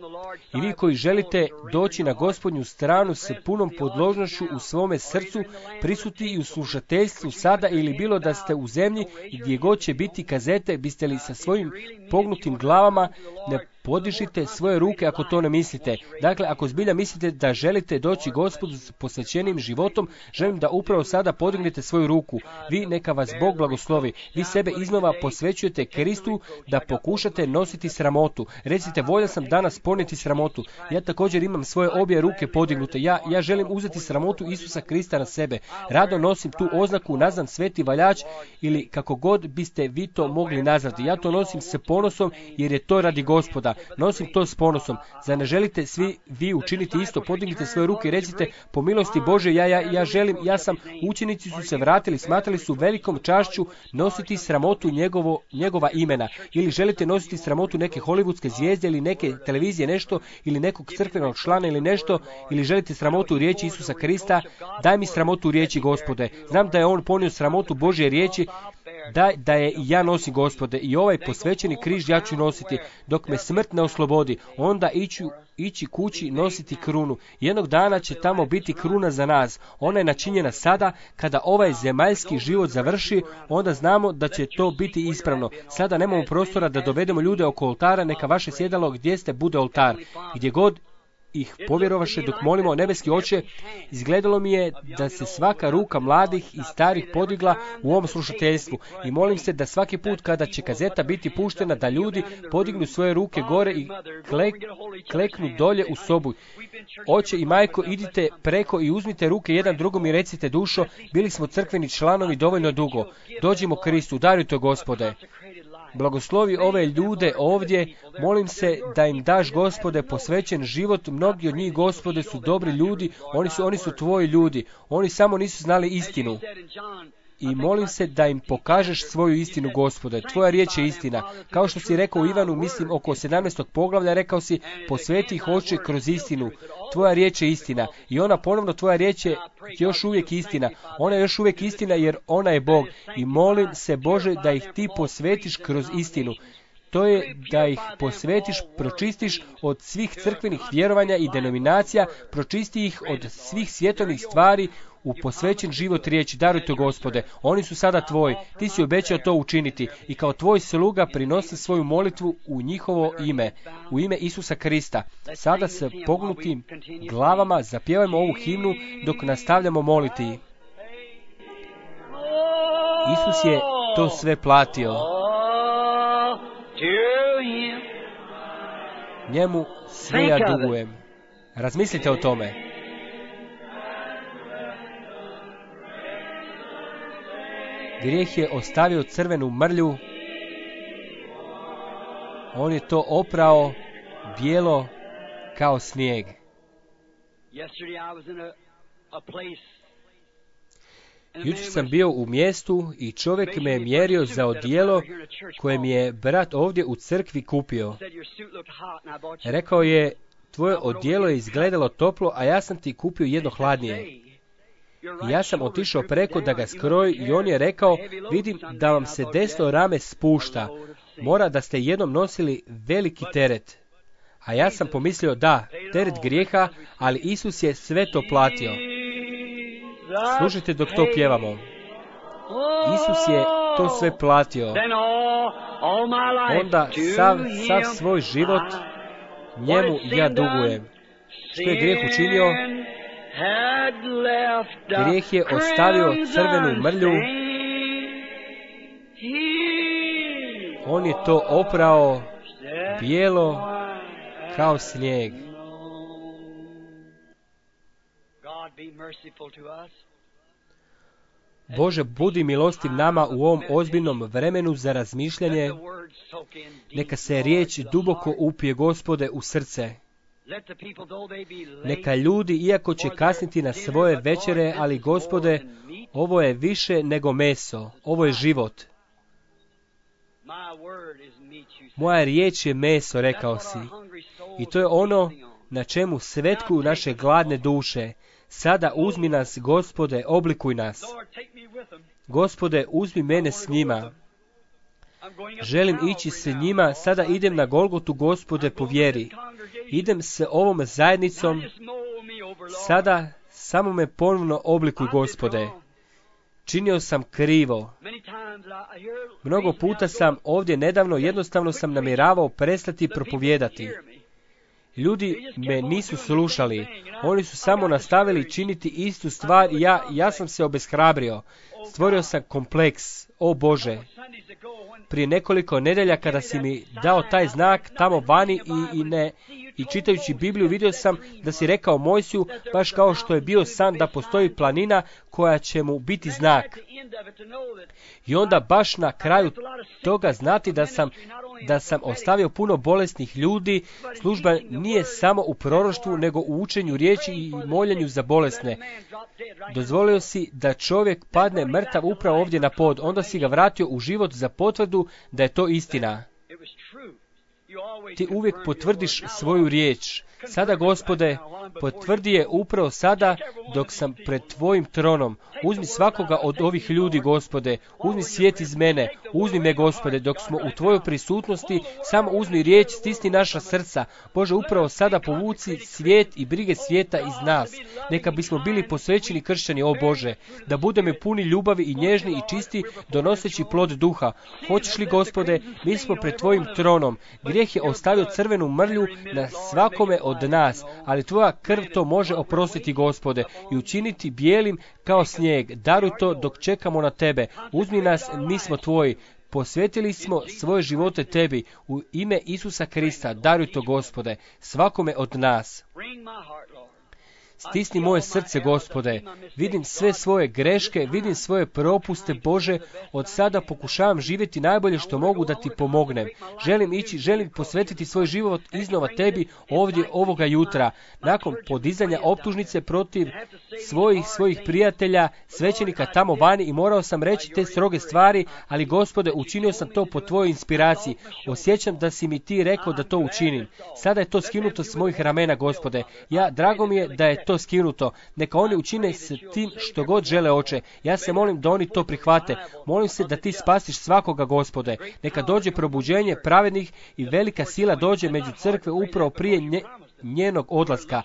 I vi koji želite doći na Gospodnju stranu s punom podložnošću u svome srcu, prisutni i u slušateljstvu sada ili bilo da ste u zemlji gdje god će biti kazete, biste li sa svojim pognutim glavama ne podižite svoje ruke ako to ne mislite. Dakle, ako zbilja mislite da želite doći Gospodu s posvećenim životom, želim da upravo sada podignete svoju ruku. Vi neka vas Bog blagoslovi. Vi sebe iznova posvećujete Kristu da pokušate nositi sramotu. Recite, voljan sam danas ponijeti sramotu. Ja također imam svoje obje ruke podignute. Ja, ja želim uzeti sramotu Isusa Krista na sebe. Rado nosim tu oznaku, nazvan sveti valjač ili kako god biste vi to mogli nazvati. Ja to nosim s ponosom jer je to radi Gospoda. Nosim to s ponosom. Zar ne želite svi vi učiniti isto? Podignite svoje ruke i recite, po milosti Bože, ja, ja, ja želim, ja sam, učenici su se vratili, smatrali su velikom čašću nositi sramotu njegovo, njegova imena. Ili želite nositi sramotu neke hollywoodske zvijezde ili neke televizije nešto, ili nekog crkvenog člana ili nešto, ili želite sramotu riječi Isusa Krista, daj mi sramotu riječi Gospode. Znam da je on ponio sramotu Božje riječi, da, da je i ja nosim, Gospode, i ovaj posvećeni križ ja ću nositi, dok me smrt ne oslobodi, onda iću ići kući nositi krunu. Jednog dana će tamo biti kruna za nas. Ona je načinjena sada, kada ovaj zemaljski život završi, onda znamo da će to biti ispravno. Sada nemamo prostora da dovedemo ljude oko oltara, neka vaše sjedalo gdje ste bude oltar. Gdje god ih povjerovaše dok molimo, nebeski Oče, izgledalo mi je da se svaka ruka mladih i starih podigla u ovom slušateljstvu i molim se da svaki put kada će kazeta biti puštena da ljudi podignu svoje ruke gore i klek, kleknu dolje u sobu. Oče i majko, idite preko i uzmite ruke jedan drugom i recite, dušo, bili smo crkveni članovi dovoljno dugo. Dođimo Kristu, darujte, Gospode. Blagoslovi ove ljude ovdje, molim se da im daš, Gospode, posvećen život. Mnogi od njih, Gospode, su dobri ljudi, oni su, oni su tvoji ljudi, oni samo nisu znali istinu. I molim se da im pokažeš svoju istinu, Gospode. Tvoja riječ je istina. Kao što si rekao u Ivanu, mislim oko sedamnaestog poglavlja, rekao si, posveti ih, Oče, kroz istinu. Tvoja riječ je istina. I ona ponovno, tvoja riječ je još uvijek istina. Ona je još uvijek istina jer ona je Bog. I molim se, Bože, da ih ti posvetiš kroz istinu. To je da ih posvetiš, pročistiš od svih crkvenih vjerovanja i denominacija, pročisti ih od svih svjetovnih stvari u posvećen život riječi. Darujte, Gospode, oni su sada tvoji, ti si obećao to učiniti i kao tvoj sluga prinosi svoju molitvu u njihovo ime, u ime Isusa Krista. Sada se pognutim glavama zapjevajmo ovu himnu dok nastavljamo moliti. Isus je to sve platio. Njemu sve ja dugujem. Razmislite o tome. Grijeh je ostavio crvenu mrlju. On je to oprao bijelo kao snijeg. Jučer sam bio u mjestu i čovjek me je mjerio za odijelo koje mi je brat ovdje u crkvi kupio. Rekao je, tvoje odijelo je izgledalo toplo, a ja sam ti kupio jedno hladnije. I ja sam otišao preko da ga skroji i on je rekao, vidim da vam se desno rame spušta. Mora da ste jednom nosili veliki teret. A ja sam pomislio, da, teret grijeha, ali Isus je sve to platio. Slušajte dok to pjevamo. Isus je to sve platio. Onda sav, sav svoj život njemu ja dugujem. Što je grijeh učinio? Grijeh je ostavio crvenu mrlju. On je to oprao bijelo kao snijeg. Bože, budi milostiv nama u ovom ozbiljnom vremenu za razmišljanje. Neka se riječ duboko upije, Gospode, u srce. Neka ljudi, iako će kasniti na svoje večere, ali Gospode, ovo je više nego meso, ovo je život. Moja riječ je meso, rekao si. I to je ono na čemu svetkuju naše gladne duše. Sada uzmi nas, Gospode, oblikuj nas. Gospode, uzmi mene s njima. Želim ići s njima, sada idem na Golgotu, Gospode, po vjeri. Idem s ovom zajednicom, sada samo me ponovno oblikuj, Gospode. Činio sam krivo. Mnogo puta sam ovdje nedavno, jednostavno sam namjeravao prestati propovijedati. Ljudi me nisu slušali. Oni su samo nastavili činiti istu stvar i ja, ja sam se obeshrabrio. Stvorio sam kompleks. O Bože, prije nekoliko nedelja kada si mi dao taj znak tamo vani i, i ne i čitajući Bibliju vidio sam da si rekao Mojsiju, baš kao što je bio san, da postoji planina koja će mu biti znak. I onda baš na kraju toga znati da sam da sam ostavio puno bolesnih ljudi. Služba nije samo u proroštvu, nego u učenju riječi i moljenju za bolesne. Dozvolio si da čovjek padne mrtav upravo ovdje na pod, onda si ga vratio u život za potvrdu da je to istina. Ti uvijek potvrdiš svoju riječ. Sada, Gospode, potvrdi je upravo sada dok sam pred Tvojim tronom. Uzmi svakoga od ovih ljudi, Gospode. Uzmi svijet iz mene. Uzmi me, Gospode, dok smo u Tvojoj prisutnosti. Samo uzmi riječ, stisni naša srca. Bože, upravo sada povuci svijet i brige svijeta iz nas. Neka bismo bili posvećeni kršćani, o Bože. Da budemo puni ljubavi i nježni i čisti, donoseći plod duha. Hoćeš li, Gospode, mi smo pred Tvojim tronom. Grijeh je ostavio crvenu mrlju na svakome od nas, ali Tvoja krv to može oprostiti, Gospode, i učiniti bijelim kao snijeg. Daruj to dok čekamo na Tebe. Uzmi nas, mi smo Tvoji. Posvetili smo svoje živote Tebi. U ime Isusa Krista, daruj to, Gospode, svakome od nas. Stisni moje srce, Gospode. Vidim sve svoje greške, vidim svoje propuste, Bože. Od sada pokušavam živjeti najbolje što mogu da Ti pomognem. Želim ići, želim posvetiti svoj život iznova Tebi ovdje ovoga jutra. Nakon podizanja optužnice protiv svojih svojih prijatelja, svećenika tamo vani, i morao sam reći te stroge stvari, ali, Gospode, učinio sam to po Tvojoj inspiraciji. Osjećam da si mi Ti rekao da to učinim. Sada je to skinuto s mojih ramena, Gospode. Ja, drago mi je da je to skinuto. Neka oni učine s tim što god žele, Oče. Ja se molim da oni to prihvate. Molim se da Ti spasiš svakoga, Gospode. Neka dođe probuđenje pravednih i velika sila dođe među crkve upravo prije nje, njenog odlaska.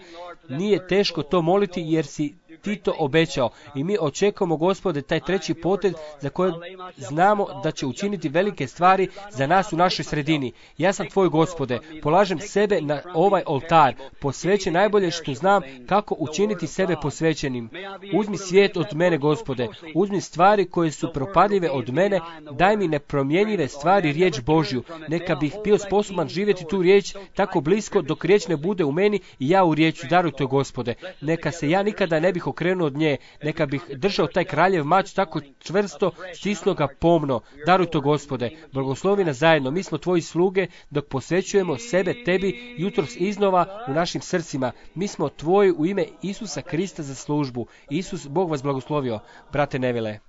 Nije teško to moliti jer si Ti to obećao i mi očekujemo, Gospode, taj treći potez za koji znamo da će učiniti velike stvari za nas u našoj sredini. Ja sam Tvoj, Gospode, polažem sebe na ovaj oltar, posvećen najbolje što znam kako učiniti sebe posvećenim. Uzmi svijet od mene, Gospode, uzmi stvari koje su propadljive od mene, daj mi nepromjenjive stvari, riječ Božju. Neka bih bio sposoban živjeti tu riječ tako blisko dok riječ ne bude u meni i ja u riječi. Daruj to, Gospode. Neka se ja nikada ne bih okrenuo od nje, neka bih držao taj kraljev mač tako čvrsto, stisnuo ga pomno. Daruj to, Gospode. Blagoslovi nas zajedno. Mi smo Tvoji sluge dok posvećujemo sebe Tebi jutros iznova u našim srcima. Mi smo Tvoji u ime Isusa Krista za službu. Isus, Bog vas blagoslovio. Brate Nevile.